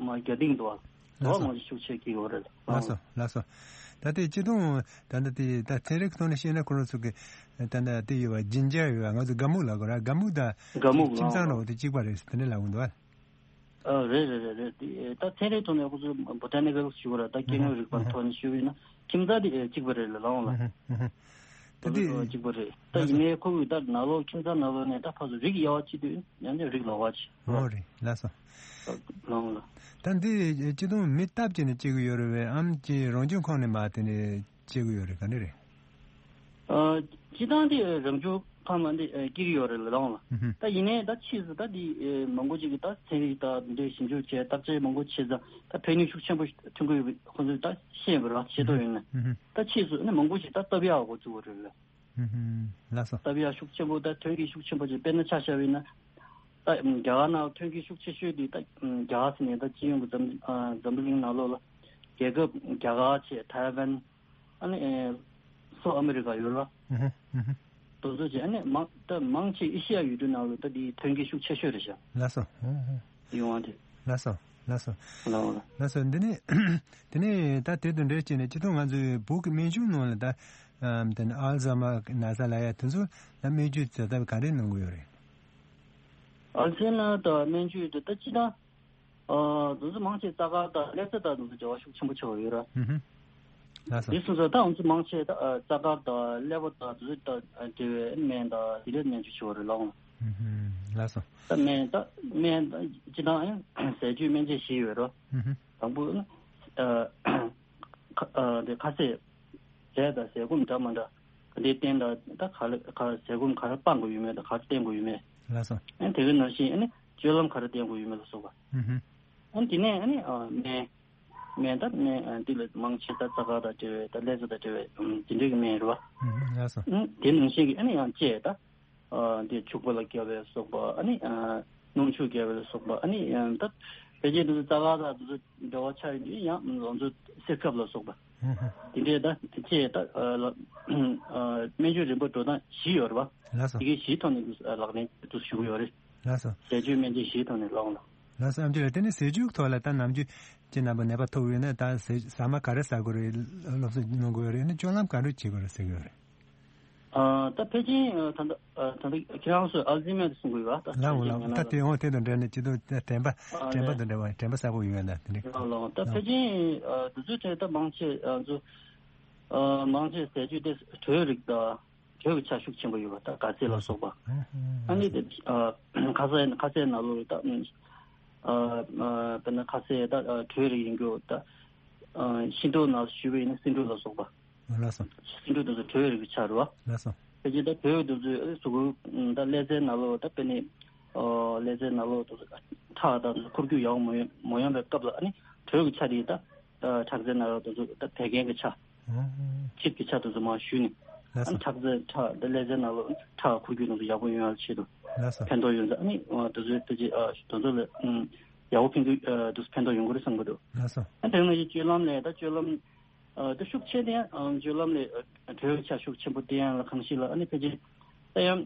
མ་རྒྱ་སྟེང་དུ་བ། ལགས་སོ། དེ་བ་མང་ཆེ་ཤུགས་ཆེ་སྐྱེ་གི་རེད། ལགས་སོ། ལགས་སོ། ད་དེ་སྤྱི་དོན་ད་ལྟ་དེ་ད་ཚན་རིག་ཐོག་ནས་བཤད་ན་ཁོ་རང་ཚོ་གི་ད་ལྟ་དེ་ཡོད་པ་ཇིན་ཇར་ཡོད་པ། ང་ཚོ་ག་མུག་ལབ་དགོས་ར། ག་མུག་དང་། ག་མུག་ཁྱིམ་ཚང་ལབ་འོ་དེ་གཅིག་པ་རེད་དེ་འདྲ་ལབ་འོང་འདུག་ཨ། ཨ་རེད་རེད་རེད་རེད། དེ་ད་ཚན་རིག་ཐོག་ནས་ཁོ་ཚོ་བོ་ཊ་ནི་ཀལ་ཞུ་བ་ར། ད་སྐྱེ་དངོས་རིག་པ་ཐོག་ནས་ཞུ་བས་ན་ཁྱིམ་ཚང་དེ་གཅིག་པ་རེད་ལ་ལའང་ལ། ད་དེ་གཅིག་པ་རེད། ད་ཡིན་ནའི་ཁོ་གི་ད་ནང་ལོགས་ཁྱིམ་ཚང་ནང་ལོགས་ནས་ད་ཕར་ཚུར་རིགས་དབྱེ་བ་ཕྱེ་དུས་ཡང་ནས་རིགས་ལོགས་ཀ་ཅིག་ཨོ་རེད། ལགས་སོ། ལའང་ལ། ད་འདི་སྤྱི་དོན་མི་སྟབས་ཀྱིས་ནས་སྐྱེ་གི་ཡོད་རེད་པས། ཨམ་ཅི་རང་བྱུང་ཁོངས་ནས་མ་དེ་ནས་སྐྱེ་གི་ཡོད་རེད། ག་འདྲ་རེད། ཨ་སྤྱིར་བཏང་དེ་རང་བྱུང་ཁམས་ལ་འདི་ཨ་སྐྱེ་གི་ཡོད་རེད་ལ་ལའང་ལ། ཨུ་ཧུ། ད་ཡིན་ནའི་ད་ཕྱིས་སུ་ད་འདི་ཨ་མང་པོ་ཅིག་གིས་ད་ཚན་རིག་ད་འདི་ཞིབ་འཇུག་བྱས་བརྟག་དཔྱད་མང་པོ་བྱས་ཙང་ད་ཕན་ནུས་ཤུགས་ཆེན་པོ་ཐོན་གྱི་ཡོད་པ་ཁོང་ཚོས་ད་ཤེས་པ་རེད་བ། ཤེས་རྟོགས་ཡོད་ན། ཨུ་ཧུ། ད་ཕྱིས་སུ་ནི་མང་པོ་ཞིག་ད་བཏབ་ཡག་འགོ་བཙུགས་པ་རེད་ལ། ཨུ་ཧུ། ལགས་སོ། བཏབ་ཡག་ཤུགས་ཆེན་པོ་ད་ཐོན་གྱི་ཤུགས་ཆེན་པོ་ཅིག་དཔེར་ན་ཆ་བཞག་པ་ཡིན་ན། ད་རྒྱ་གར་ནང་ཐོན་གྱི་ཤུགས་ཆེ་ཤོས་དེ་ད་རྒྱ་གར་ཟེར་ནས་ད་སྤྱི་ཡོངས་ཀྱི་འཛམ་ཨ་འཛམ་བུ་གླིང་ནང་ལོགས་ལ་རྒྱལ་ཁབ་རྒྱ་གར་བྱས། ཐའེ་ཝན། ཨ་ནི་ཨེ་སོག་ཨ་མི་རི་ཀ་ཡོད་རེད་བ། ཨུ་ཧུ། ཨུ་ཧུ། དེ་ཚོ་བྱས། ཨ་ནི་མང་ད་མང་ཆེ་ཨེ་ཤི་ཡ་ཡུལ་གྲུ་ནང་ལ་ད་དེ་ཐོན་གྱི་ཤུགས་ཆེ་ཤོས་རེད་ཤག་ལགས་སོ། ཨུ་ཧུ། ཡོང་བ་དེ། ལགས་སོ། ལགས་སོ། ལགས་སོ། འདི་ནི་དེ་ནས་ད་དེ་དང་འབྲེལ་བྱས་ནས་སྤྱི་ཚོགས་ང་ཚོའི་བོད་ཀྱི་སྨན་གཞུང་ནང་ལ་ད་ཨམ་དེ་ནི་ཨལ་ཛ་མ་ན་ཚ་ལབ་ཡ་དེ་ཚོ་ལ་སྨན་བཅོས་བྱེད་ཐབས་ག་རེ་གནང་གི་ཡོད་རེད། ཨལ་ཛ་མ་དང་སྨན་བཅོས་དེ་ད་སྤྱི་དང་ཨ་དེ་ཚོ་མང་ཆེ་རྩ་དཀར་དང་ཀླད་རྩ་དང་དེ་ཚོ་འབྲེལ་བ་ཤུགས་ཆེན་པོ་ཆགས་ཡོད་ར། ཧུམ་ཧུམ། ལགས་སོ། འདི་སོང་ཙང་ད་ང་ཚོ་མང་ཆེ་ད་ཨ་རྩ་དཀར་དང་ཀླད་པ་དང་དེ་ཚོ་དང་འབྲེལ་བའི་སྨན་དང་དེ་འདྲའི་སྨན་བཅོས་བྱེད་པ་རེད་ལགས། ཧུམ་ཧུམ། ལགས་སོ། ད་སྨན་ད་སྨན་ད་སྤྱི་དང་ཨ་ཟས་བཅུད་སྨན་དཔྱད་བཞི་ཡོད་ར། ཧུམ་ཧུམ། དང་པོ་ཨ་ཁ་ཨ་དེ་ཁ་ཟས། ཟས་དང་ཟས་སྐོམ་འདྲ་མི་འདྲ་ག་འདྲའི་བསྟེན་དང་ད་ག་ལ་ག་ཟས་སྐོམ་ག་རེ་སྤང་དགོས་ཡོད་མེད་དང་ག་རེ་བསྟེན་དགོས་ཡོད་མེད། ལགས་སོ། ཨ་དེ་ག་ནང་བཞིན་ཨ་ནི་སྤྱོད་ལམ་ག་རེ་བསྟེན་དགོས་ཡོད་མེད་ལ་སོགས་པ། ཧུམ་ཧུམ། ཨ་དེ་ནས་ཨ་ནི་ཨ་སྨན། སྨན་ད་སྨན་ཨ་འདི་ལ་མང་ཆེ་ད་རྩ་དཀར་དང་འབྲེལ་བའི་ད་ཀླད་རྩ་དང་འབྲེལ་བའི་ཨམ་དེ་འདྲའི་གི་སྨན་རེད་བ། ཧུམ་ཧུམ། ལགས་སོ། ཨ་དེ་ནང་བཞིན་གི་ཨ་ནི་ཡང་དཔྱད་ད། ཨ་དེ་བྱུག་པ་ལ་རྒྱབ་པའི་སོགས་པ་ཨ་ནི་ཨ་སྣུམ་བྱུག་རྒྱབ་པ་ལ་སོགས་པ་ཨ་ནི་ཨ་ད་ཕལ་ཆེར་དེ་ཚོ་རྩ་དཀར་དང་དེ་ཚོ་འབྲེལ་བ་ཆགས་ཡོད་དུས་ཡང་ང་ཚོ་གསེར་ཁབ་ལ་སོགས་པ། ཧུམ་ཧུམ། དེ་འདྲའི་ད་དཔྱད་ད་ཨ་ལ་ཨ་སྨན་བཅོས་རིམ་པ་འགྲོ་སྟངས་བཞི་ཡོད་རེད་བ། ལགས་སོ། དེ་གའི་བཞིའི་ཐོག་ནས་དུ་ལག་ལེན་དུ་ཞུ་གི་ཡོད་རེད། ལགས་སོ། ཟས་བཅུད་སྨན་དཔྱད་བཞིའི་ཐོག་ནས་ལག་ལེན། ལགས་སོ། ཨ་མཆོག་ལགས། དེ་ནས་ཟས་བཅུད་ཐོག་ལ་ད་ནམ་རྒྱུན་ཅི་རྣམ་པ་ནད་པ་ཐུག་ཡོད་ན་ད་ཟས་ཟ་མ་ག་རེ་ཟ་དགོས་རེད་སློབ་གསོ་གནང་དགོས་ཡོད་རེད་ན་སྤྱོད་ལམ་ག་འདྲ་བྱེད་དགོས་རེད་ཟེར་གྱི་ཡོད་རེད། ཨ་ད་ཕལ་ཆེར་ཨ་ད་ལྟ་ཨ་ད་ལྟ་ཁྱེད་རང་ཚོས་ཨལ་ཛི་མེར་དེ་གསུང་གི་ཡོད་པ། ད་ལགས་འོ་ལགས་འོ། ད་དེ་འོ་དེ་དང་འབྲེལ་ནས་སྤྱི་ཚོགས་ད་དྲན་པ་ཨ་དྲན་པ་ལས་དང་འབྲེལ་བ་དྲན་པ་གསར་པ་ཡོད་ན་དེ་འདྲ། ལགས་ལགས། ད་ཕལ་ཆེར་ཨ་དུས་ཚོད་དེ་ད་མང་ཆེ་ཨ་ཚོ་ཨ་མང་ཆེ་ཟས་བཅུད་དེ་དྲོད་རིགས་དང་དྲོད་ཀྱི་ཆ་ཤུགས་ཆེན་པོ་ཡོད་པ་ད་ག་ཚད་ལ་སོགས་པ། ཨ་ནི་དེ་ཨ་ཁ་ཟས་ཁ་ཟས་ནང་ལོགས་ད་ཨ་ཨ་དཔེར་ན་ཁ་ཟས་ད་ཨ་དྲོད་རིགས་ཡིན་རྒྱུ་ད་ཨ་ཤིང་ཏོག་ནང་ཞུས་པ་ཡིན་ན་སེ་འབྲུ་ལ་སོགས་པ། ལགས་སོ། སེ་འབྲུ་དེ་ཚོ་དྲོད་རིགས་ཆགས་རེད་བ། ལགས་སོ། ཕལ་ཆེར་ད་དྲོད་དེ་ཚོས་གཟུགས་པོ་ད་ཀླད་རྩའི་ནང་ལོགས་ད་དཔེར་ན་ཨོ་ཀླད་རྩའི་ནང་ལོགས་དེ་ཚོ་ཁྲག་དང་འཁོར་རྒྱུག་ཡག་པོ་མ་ཡོང་མ་ཡོང་པའི་སྐབས་ལ་ཨ་ནི་དྲོད་ཀྱི་ཆ་དེ་ད་ཁྲག་རྩའི་ནང་ལོགས་དེ་ཚོ་ད་བད་ཀན་གྱི་ཆ། ཨོ། ཆིབས་ཀྱི་ཆ་དེ་ཚོ་མར་ཞུས་ནས། ལགས་ཨ་ནི་སོ། ཁྲག་རྩའི་ཁྲག་ད་ཀླད་རྩའི་ནང་ལོགས་ཁྲག་འཁོར་རྒྱུག་དེ་ཚོ་ཡག་པོ་ཡོང་ཡག་ཆེད་དུ། ལགས་སོ། ཕན་ཐོགས་ཡོད་ས་ཨ་ནི་དེ་ཚོའི་ཕལ་ཆེར་དེ་ཚོ་ལ་ཡག་པོ་ཕན་ཐོགས་དེ་ཚོ་ཕན་ཐོགས་ཡོང་གི་རེད་བསམ་གྱི་འདུག་ལགས་སོ། ཨ་དེ་ནང་བཞིན་སྤྱོད་ལམ་ལས་ད་སྤྱོད་ལམ། ཨ་ད་ཤུགས་ཆེ་དེ་ཨ་སྤྱོད་ལམ་ལས་ཨ་དྲོད་ཆ་ཤུགས་ཆེན་པོ་བསྟེན་ཡག་ལ་གང་ཞིག་ལ་ཨ་ནི་ཕལ་ཆེར་ད་ཡང་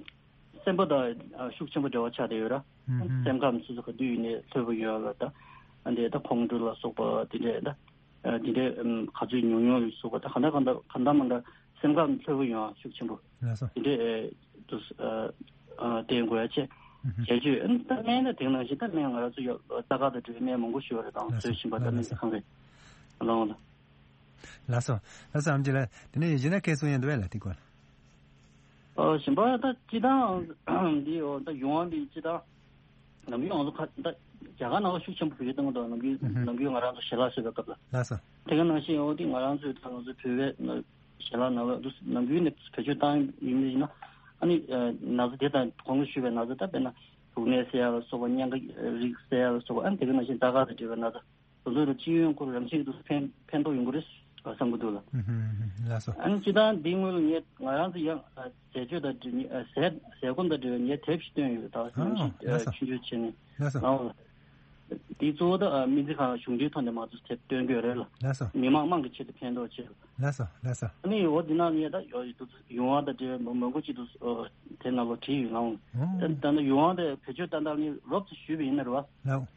སེམས་པ་དང་ཨ་ཤུགས་ཆེན་པོ་འབྲེལ་བ་ཆགས་བསྡད་ཡོད་ར། ཨ་ཨུམ་ཧུམ། སེམས་ཁམས་སོ་སོ་ག་དུས་ཡིན་ནའི་ལྷོད་པོ་ཡོད་ལ་ད་ཨ་འདྲའི་ད་ཁོང་ཁྲོ་ལ་སོགས་པ་དེ་འདྲའི་ད་ཨ་དེ་འདྲའི་ཨམ་ག་ཚོད་ཉུང་ཉུང་ལ་སོགས་པ་ད་ག་འདྲ་ག་འདྲ་ག་འདྲ་མ་འདྲ་སེམས་ཁམས་ལྷོད་པོ་ཡོང་ཡག་ཤུགས་ཆེན་པོ་ལགས་སོ། དེ་འདྲའི་ཨ་དུ་ཨ་ཨ་བསྟེན་དགོས་ཡག་བྱས། ཨུམ་ཧུམ། བྱས་བྱས་ཨ་ནི་ད་སྨན་ད་དེ་ནང་བཞིན་ད་སྨན་ང་རང་ཚོ་ཡོད་རྩ་ཁ་དང་འབྲེལ་བའི་སྨན་མང་པོ་ཞུ་བ་རེད་དང་ལགས་སོ། བཟོས་བཞིན་པ་ད་ལགས་སྨན་ལགས་སོ། གང་རེད་ལོང་ལ། ལགས་སོ། ལགས་སོ། ཨམ་ཆི་ལགས། དེ་ནས་གཞན་དག་སྐད་གསུང་ཡ་འདུག་བས་ལ་དེ་སྐོར། ཨོ་གཞན་པ་ད་སྤྱི་བཏང་འདི་ཨོ་ད་ཡོང་བ་འདི་སྤྱི་བཏང་ནམ་རྒྱུན་ང་ཚོ་ཁ་ད་རྒྱ་གར་ནང་ལ་ཤུགས་ཆེན་པོ་བེད་སྤྱོད་གཏོང་གི་འདུག་ནམ་རྒྱུན་ནམ་རྒྱུན་ང་རང་ཚོ་ཞལ་ལག་བཟོས་པའི་སྐབས་ལ། ལགས་སོ། དེ་ག་ནང་བཞིན་ཨོ་དེ་ང་རང་ཚོའི་ད་ང་ཚོའི་བོད་པའི་ཞལ་ལག་ནང་ལ་འདུག་ནམ་རྒྱུན་ནས་བེད་སྤྱོད་བཏང་ཡོད་མེད་ཡིན་ན་ཨ་ནི་ན་ཚ་དེ་དང་གོང་དུ་ཞུས་པའི་ན་ཚ་ད་དཔེར་ན་བུག་ནད་སེལ་ཡག་ལ་སོགས་པ་གཉན་ཁ་རིགས་སེལ་ཡག་ལ་སོགས་པ་ཨ་ནི་དེ་ག་ནང་བཞིན་རྟ་ཁ་དང་འབྲེལ་བའི་ན་ཚ། དེ་ཚོ་ལ་སྤྱི་ཡོངས་སྐོར་རང་བཞིན་དུ་ཕན་ཕན་ཐོགས་ཡོང་གི་རེད་བསམ་གྱི་འདུག་ལ། ཨུ་ཧུམ་ཧུམ་ཧུམ། ལགས་སོ། ཨ་ནི་སྤྱི་བཏང་འདིའི་སྔོན་ལ་ངས་ང་རང་ཚོ་ཡང་ཟས་སྤྱོད་དང་འབྲེལ་ནས་ཟས་ཟས་སྐོམ་དང་འབྲེལ་བའི་ངས་དེབ་ཞིག་བཏོན་ཡོད་ད་ཨ་ནི་ཨ་ལགས་སོ། ཆུང་ཆུང་བྱས་ནས་ལགས་སོ། ནང་ལ། འདི་གཙོ་བོ་ད་སྨན་རྩིས་ཁང་གཞུང་འབྲེལ་ཐོག་ནས་མ་གཏོགས་དེབ་བཏོན་གྱི་ཡོད་རེད་ལ། ལགས་སོ། མི་མང་དམངས་ཀྱི་ཆེད་དུ་ཕན་ཐོགས་ཆེད་དུ། ལགས་སོ་ལགས་སོ། ཨ་ནི་འོ་འདི་ནང་ངས་ད་ཡོད་ཡོད་འདུག་ཡོང་བ་དང་འབྲེལ་བའི་མང་པོ་ཅིག་འདུག་དེ་ནང་ལ་བྲིས་ཡོད་ལ། ཨོ། ད་ད་ནི་ཡོང་བ་དེ་བེད་སྤྱོད་ཏན་ཏན་ནི་རོབ་ཙམ་ཞུས་པ་ཡིན་ན་རེད་བ། ལགས།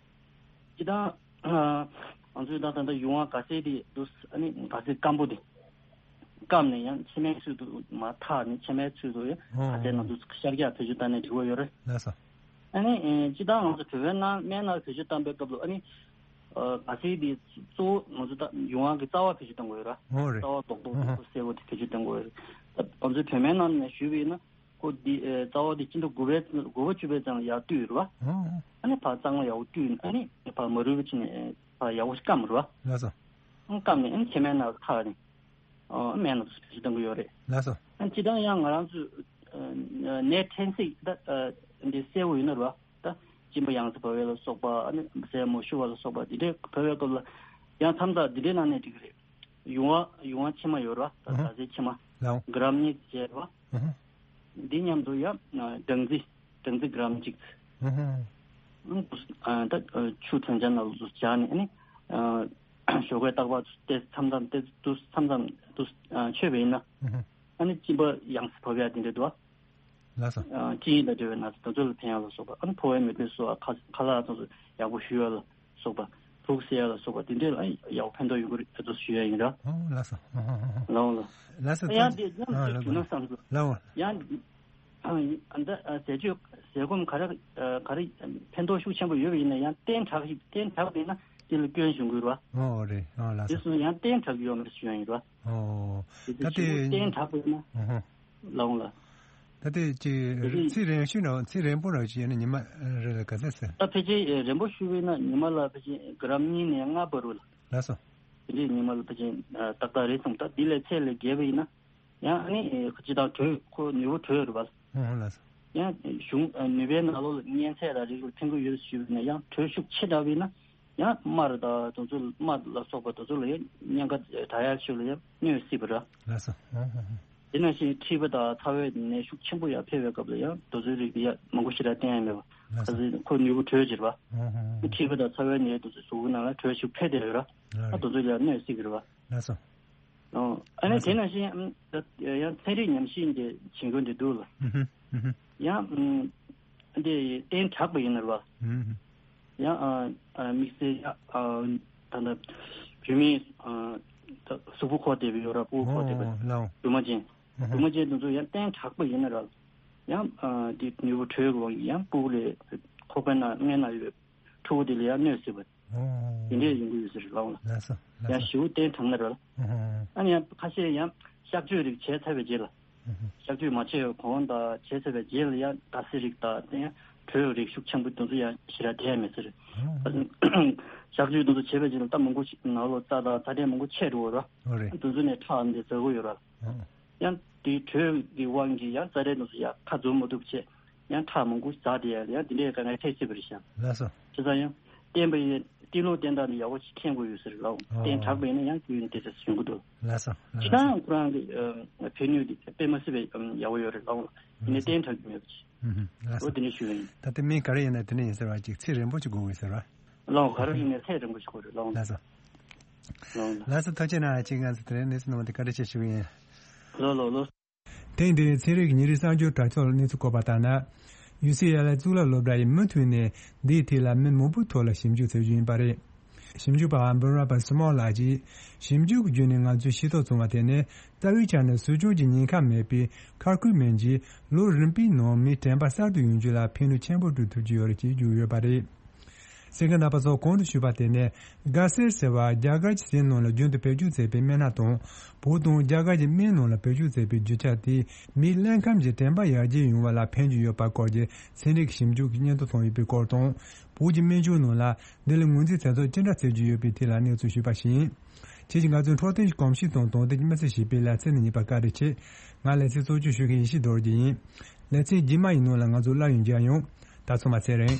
སྤྱིར་བཏང་ང་ཚོས་ད་ད་ལྟ་ཡུང་བ་ག་ཟེ་དེ་འདུག་ཨ་ནི་ག་ཟེ་སྐམ་པོ་དེ། སྐམ་ནས་ཡང་ཕྱེ་མའི་ཚུལ་དུ་མར་འཐག་ནས་ཕྱེ་མའི་ཚུལ་དུ་ཡང་ཨོ་ག་ཟེ་ནང་དུ་ཤར་རྒྱག་བེད་སྤྱོད་བཏང་ནས་འགྲིག་པ་ཡོད་རེད། ལགས་སོ། ཨ་ནི་སྤྱིར་བཏང་ང་ཚོ་བོད་པའི་ནང་སྨན་ནང་བེད་སྤྱོད་བཏང་པའི་སྐབས་ལ་ཨ་ནི་ག་ཟེ་དེ་གཙོ་བོ་ང་ཚོ་ད་ཡུང་བ་གི་རྩ་བ་བེད་སྤྱོད་བཏང་དགོས་ཡོད་ར། ཨོ་རེད། རྩ་བ་རྡོག་རྡོག་རྡོག་རྡོག་སེར་པོ་དེ་བེད་སྤྱོད་བཏང་དགོས་ཡོད་རེད། ད་ང་ཚོའི་བོད་སྨན་ནང་ནས་ཞུས་པ་ཡིན་ན། ཁོ་འདི་ཨེ་རྩ་བ་འདི་སྤྱི་ཟླ་དགུ་པའི་དགུ་པ་བཅུ་པའི་ཙམ་ལ་ཡར་བཏུས་རེད་བ། ཨོ། ཨ་ནི་ཕར་གཙང་མ་ཡག་པོ་བཏུས་ཨ་ནི་ཕར་མ་རུལ་བ་བྱས་ནས་ཕར་ཡག་པོ་ཞིག་སྐམ་རེད་བ། ལགས་སོ། ཨ་སྐམ་ནས་ཨ་ནི་ཕྱེ་མའི་ནང་ལ་འཐག་ནས་ཨ་སྨན་ལ་བེད་སྤྱོད་གཏོང་གི་ཡོད་རེད། ལགས་སོ། ཨ་ནི་སྤྱིར་བཏང་ཡང་ང་རང་ཚོས་ཨ་ནད་ཕྲན་ཚེགས་ད་ཨ་འདི་གསལ་པོ་ཡོད་ན་རེད་བ། ད་གཅིན་པ་ཡང་སེ་བབས་པ་ལ་སོགས་པ་ཨ་ནི་ཟས་མ་ཞུ་བ་ལ་སོགས་པ་འདི་འདྲའི་བབས་པའི་སྐབས་ལ་ཡང་མཚམས་མཚམས་འདི་འདྲའི་ནང་ནས་འགྲིག་གི་རེད། ཡུང་བ་ཡུང་བ་ཕྱེ་མ་ཡོད་རེད་བ། ད་ཨ་ཧ། ག་ཟེ་ཕྱེ་མ། ལའོ། གྲམ་གཉིས་བྱས་རེད་བ། ཨ་ཧ། འདི་མཉམ་དུ་ཡང་སྦྲང་རྩི་སྦྲང་རྩི་གྲམ་གཅིག་ཨ་ཧ། ཨ་ད་ཆུ་གྲང་ཆ་ནང་ལ་སྦྱར་ནས་ཨ་ནི་ཞོགས་ཀས་རྟག་པར་ཏོག་ཙམ་མཚམས་མཚམས་ཏོག་ཙམ་མཚམས་མཚམས་ཏོག་ཙམ་མཆོད་པ་ཡིན་ན་ཨ་ཧ། ཨ་ནི་གཅིན་པ་ཡང་སེ་བབས་ཡ་དེ་འདྲ་འདུག་བ། ལགས་སོ། ཨ་གཅིན་སྙི་དང་འབྲེལ་བའི་ན་ཚ་དེ་ཚོ་ལ་ཕན་ཡག་ལ་སོགས་པ་ཨ་ནི་ཕོ་བའི་མེ་དྲོད་གསོ་བ་ཁ་ཁ་ལག་དེ་ཚོ་ཡག་པོ་ཞུ་ཡག་ལ་སོགས་པ་ དུག་སེལ་ཡ་ལ་སོགས་པ་དེ་འདྲས་ལ་ཡག་པོ་ཕན་ཐོགས་ཡོང་གི་རེད་ཟེར་ཞུ་ཡ་ཡིན་ར། ཨོ་ལགས་སོ། ཨོ་ཨོ་ཨོ། ལའོ་ལ། ལགས་སོ། ཡང་དེ་ཡང་ཨ་དེ་ལགས་རྒྱུ་ན་སོ། བསམ་ཚུལ། ལའོ། ཡང་ཨ་ད་ཟས་སྤྱོད་ཟས་སྐོམ་ག་རེ་ག་རེ་ཕན་ཐོགས་ཤུགས་ཆེན་པོ་ཡོད་པ་ཡིན་ན་ཡང་བསྟེན་དྲགས་ཤིག་བསྟེན་དྲགས་པ་ཡིན་ན་དེ་ལ་སྐྱོན་བྱུང་གི་རེད་བ། ཨོ་རེད། ཨོ་ལགས་དེ་སོ། སོང་ཡང་བསྟེན་དྲགས་ཀྱི་ཡོད་མ་རེད་ཞུ་ཡ་ཡིན་ར། ཨོ། དེ་ད་དེ་དེ་བསྟེན་དྲགས་པ་ཡིན་ན། ཨོ་ཧོ། ལའོ་ལ། ད་ལྟའི་ཅིག་དེ་ཚེ་རིང་ཤོས་ན་ཚེ་རིང་པོ་ར་ཅིག་ཡིན་ན་ཉི་མ་རེ་ལ་ག་ཚད་ཟེར། ད་ཕལ་ཆེར་རིང་པོ་ཞུ་བས་ན་ཉི་མ་ལ་ཕལ་ཆེར་གི་རམ་གཉིས་ནས་ལྔ་བར་རུ་ལ། ལགས་སོ། དེ་འདྲའི་ཉི་མ་ལ་ཕལ་ཆེར་ཏག་ཏག་རེད་སོང་། ད་འདི་ལས་ཚད་ལས་བརྒལ་བ་ཡིན་ན་ཡང་ཨ་ནི་ཅི་དང་དྲོད་ཁོ་ནུས་པ་དྲོད་རུ་བ། ཨོ་ལགས་སོ། ཡང་གཞུང་ནུས་པའི་ནང་ལོགས་ལ་གཉན་ཚད་ལ་རིགས་ལ་ཕན་གི་ཡོད་ཞུ་བས་ན་ཡང་དྲོད་ཤུགས་ཆེ་དྲགས་བས་ན། ཡང་དམར་དང་དེ་ཚོ་དམར་ལ་སོགས་པ་དེ་ཚོ་ལ་ཡང་གཉན་ཁ་དྲག་ཡག་ཤོས་ལ་ཡང་གནོད་སྲིད་པ་ར། ལགས་སོ། ཧོ་ཧོ་ཧོ། དེ་ནང་བཞིན་མཁྲིས་པ་དང་ཚ་བའི་ནད་ཤུགས་ཆེན་པོ་ཡར་འཕེལ་བའི་སྐབས་ལ་ཡང་དེ་ཚོའི་རིགས་ཡ་མང་པོ་ཞེ་དྲག་བསྟེན་ཡ་མེད་པ། ལགས་སོ། ཁ་སང་ཁོ་ནུས་པ་དྲོད་ཆེར་བ། ཧོ་ཧོ་ཧོ། མཁྲིས་པ་དང་ཚ་བའི་ནད་དེ་ཚོ་གཟུགས་པོ་ནང་ལ་དྲོད་ཤུགས་འཕེལ་བསྡད་ཡོད་ར། ཨ་རེད། དེ་ཚོ་ལ་ཡང་གནོད་སྲིད་ཀྱི་རེད་བ། ལགས་སོ། ཨོ། ཨ་ནི་ལགས་སོ། དེ་ནང་བཞིན་ཡང་ཚན་རིག་ཉམས་ཞིབ་འདི་བྱེད་མཁན་དེ་འདུག་ལ། ཧུ་ཧུ་ཧུ་ཧུ། ཡང་ཨམ། འདི་བསྟེན་དྲགས་པ་ཡིན་ན་རེད་བ། ཧུ་ཧུ། ཡང་ཨ་ཨ་དམིགས་བསལ་ཡང་ཨ་ད་ལྟ་བུད་མེད་ཨ་ད་གཟུགས་པོ་འཁོར་བསྡད་པའི་ཡོད་ར། ཕྲུ་གུ་འཁོར་བསྡད་པའི་ཨོ་ལའོ། སྦྲུམ་མ་ཅན། ཧུ་ཧུ། སྦྲུམ་མ་ཅན་དེ་ཚོ་ཡང་བསྟེན་དྲགས་པ་ཡིན་ན་ར། ཡང་ཨ་འདི་ནུས་པ་དྲོད་ཀྱི་དབང་གིས་ཡང་ཕྲུ་གུ་ལས་ཁོག་པའི་ནང་སྔས་ན་ཡོད། ཕྲུ་གུ་དེ་ལ་ཡང་གནོད་སྲིད་པ། ཨོ། དེ་འདྲས་ཡོང་གི་ཡོད་ཟེར་ལའོ་ལ། ལགས་སོ། ལགས་ཡང་སོ། ཞེ་པོ་བསྟེན་དྲགས་ན་ར། ཨོ། ཨ་ནི་ཡང་ཁ་ཤས་ཡང་གཤག་བཅོས་རིགས་བྱས་ཚར་བའི་རྗེས་ལ། ཨོ། གཤག་བཅོས་མ་བྱས་པའི་གོང་དང་བྱས་ཚར་བའི་རྗེས་ལ་ཡང་སྡ་སེ་རིགས་དང་དེ་ཡང་དྲོད་རིགས་ཤུགས་ཆེན་པོ་དེ་ཚོ་ཡང་ཞེ་དྲག་བསྟེན་ཡ་མེད་ཟེར། ཨོ། གཤག་བཅོས་དེ་ཚོ་བྱས་པའི་རྗེས་ལ་ད་མང་པོ་ཞིག་ནང་ལོགས་རྩ་དང་ཚ་དྲོད་མང་པོ་ཆད་འགྲོ་གི་ར། ཨོ་རེད། དེ་ཚོ་ནས་ཁྲག་འདི་འཛག་གི་ཡོད་ར། ཨོ། ཡང་དེའི་དྲོད་ཀྱི་དབང་གིས་ཡང་རྩ་དྲོད་དེ་ཚོ་ཡང་ཁ་འཛུམ་མ་ཐུབ་བྱས། ཡང་ཁྲག་མང་པོ་འཛག་དེ་ཡང་ཡང་དེ་འདྲའི་དཀའ་ངལ་འཕྲད་སྲིད་པ་རེད་ཤག་ལགས་སོ། བྱས་ཙང་ཡང་བསྟེན་པ་ཡིན་བསྟེན་ལུགས་བསྟེན་སྟངས་དེ་ཡག་པོ་ཞིག་མཁྱེན་དགོས་ཡོད་ཟེར་ལའོ། ཨོ། བསྟེན་དྲགས་པ་ཡིན་ན་ཡང་རྒྱུན་དེ་འདྲ་ཞིག་ཡོང་གི་འདུག་ལགས་སོ། ལགས་སོ། སྤྱིར་བཏང་ཁོ་རང་གི་ཨ་ཕན་ནུས་དེ་དཔེ་མ་སྲིད་པའི་ཨ་ཡག་པོ་ཡོད་རེད་ལའོ། ཡིན་ནའི་ལགས་སོ། བསྟེན་དྲགས་ཀྱི་མེད་པ་ཅིག་ཨུ་ཧུམ། ལགས་སོ། འོ་དེ་འདྲ་ཞུ་ཡ་ཡིན། ད་ལྟ་མི་ག་རེ་ཡིན་ན་དེ་འདྲ་ཡིན་ཟེར་བ་ཅིག་ཚེ་རིང་པོ་ཅིག་དགོས་ཀྱི་ཟེར་བ། ལའོ། ག་རེ་ཡིན་ནའི་ཚེ་རིང་པོ་ཞིག་དགོས་རེད་ལའོ། ལགས་སོ། ལའོ་ལ། ལགས་སོ། ཐུགས་རྗེ་གནང་། ཅིག་ང་ཚོ་དེ་རིང་གནས་ཚུལ་གནང་བ་དེ་བཀའ་དྲིན་ཆེ་ཞུ་གི་ཡིན། ལོ་ལོ་ལོ། ཐེངས་འདིའི་ཚན་རིག་ཉིན་རེའི་གསར་འགྱུར་དྲ་ཐོག་ལ་གནས་ཚུལ་བཀོད་པ་ལྟར་ན། ཡུ་སི་ཨེལ་ཨེ་གཙུག་ལག་སློབ་གྲྭ་ཡིས་མུ་མཐུད་ནས་འདིའི་ཐད་ལ་མི་མང་པོའི་ཐོག་ལ་ཞིབ་འཇུག་བྱེད་རྒྱུ་ཡིན་པ་རེད། ཞིབ་འཇུག་པ་འབུམ་རམས་པ་སི་མོལ་ལགས་ཀྱིས། ཞིབ་འཇུག་གི་བརྒྱུད་ནས་ང་ཚོས་ཤེས་རྟོགས་བྱུང་བ་དེ་ནི། རྩ་བའི་ཆ་ནས་ཟུག་གཅོག་གི་ཉེན་ཁ་མེད་པའི་ཁར་ཁུ་མིན་གྱིས་ལོ་རིམ་པའི་ནང་མིའི་དྲན་པ་གསར་དུ་ཡོང་རྒྱུ་ལ་ཕན་ནུས་ཆེན་པོ་སྒྲུབ་ཐུབ་ཀྱི་ཡོད་རེད་ཅེས་བརྗོད་ཡོད་པ་རེད། གསན་མཁན་རྣམ་པ་ཚོ་གོང་དུ་ཞུས་པ་དེ་ནི་གྷ་སེར་ཟེར་བ་རྒྱ་གར་གྱི་ཟས་ནང་ལ་རྒྱུན་དུ་བེད་སྤྱོད་མཛད་པའི་སྨན་སྣ་དང་། བོད་དང་རྒྱ་གར་གྱི་སྨན་ནང་ལ་བེད་སྤྱོད་མཛད་པའི་རྒྱུ་ཆ་དེས་མིའི་རླུང་ཁམས་ཀྱི་དྲན་པ་ཡར་རྒྱས་ཡོང་བ་ལ་ཕན་གྱི་ཡོད་པ་སྐོར་གྱི་ཚན་རིག་ཞིབ་འཇུག་གི་སྙན་ཐོ་བྱུང་ཡོད་པའི་སྐོར་དང་། བོད་ཀྱི་སྨན་སྦྱོར་ནང་ལ་འདི་ལ་ངོས་འཛིན་བྱེད་ཐབས་ཅི་འདྲ་བྱེད་ཀྱི་ཡོད་པའི་ཐད་ལ་གནས་ཚུལ་ཞུས་པ་ཞིག་ཡིན། ཁྱེད་ཀྱིས་ང་ཚོའི་འཕྲོད་བསྟེན་གྱི་གོམས་གཤིས་དང་དོན་ལྡན་གྱི་མི་ཚེ་ཞེས་པའི་ལེ་ཚན་ནི་གཉིས་པ་བཀའ་དྲིན་ཆེ། ང་ལེ་ཚན་གཙོ་སྐྱོང་ཞུ་མཁན་ཡེ་ཤེས་རྡོ་རྗེ་ཡིན། ལེ་ཚན་རྗེས་མ་ཡི་ནང་ལ་ང་ཚོ་སླར་ཡང་མཇལ་ཡོང་། ད་ཚང་མ་ཚེ་རིང་།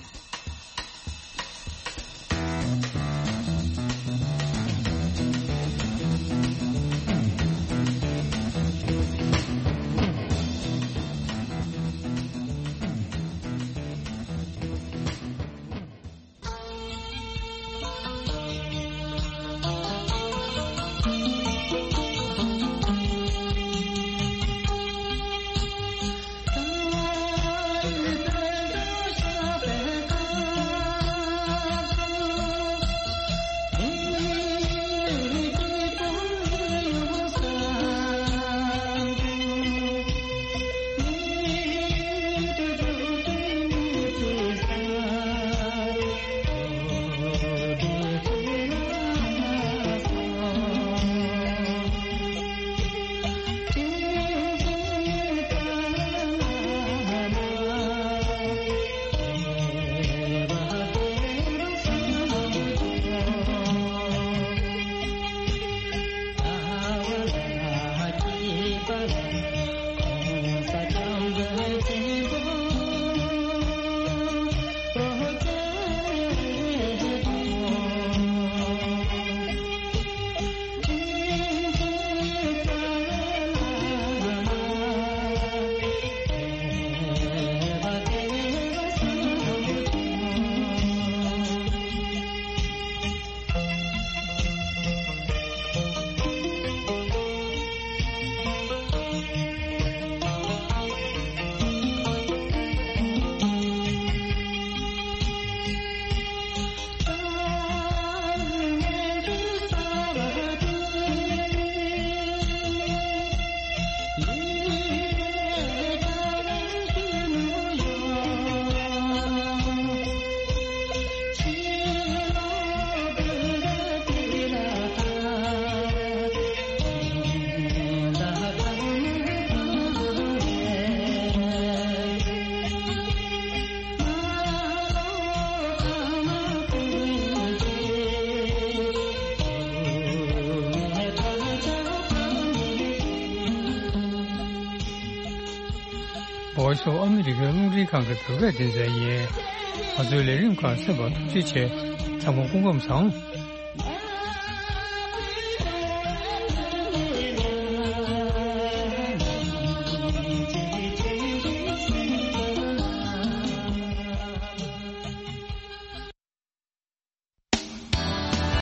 Voice of America རླུང་འཕྲིན་ཁང་གི་བོད་སྐད་སྡེ་ཚན་ཡིན། ང་ཚོའི་ལས་རིམ་ཁག་གསན་པར་ཐུགས་རྗེ་ཆེ། ཚང་མ་སྐུ་ཁམས་བཟང་།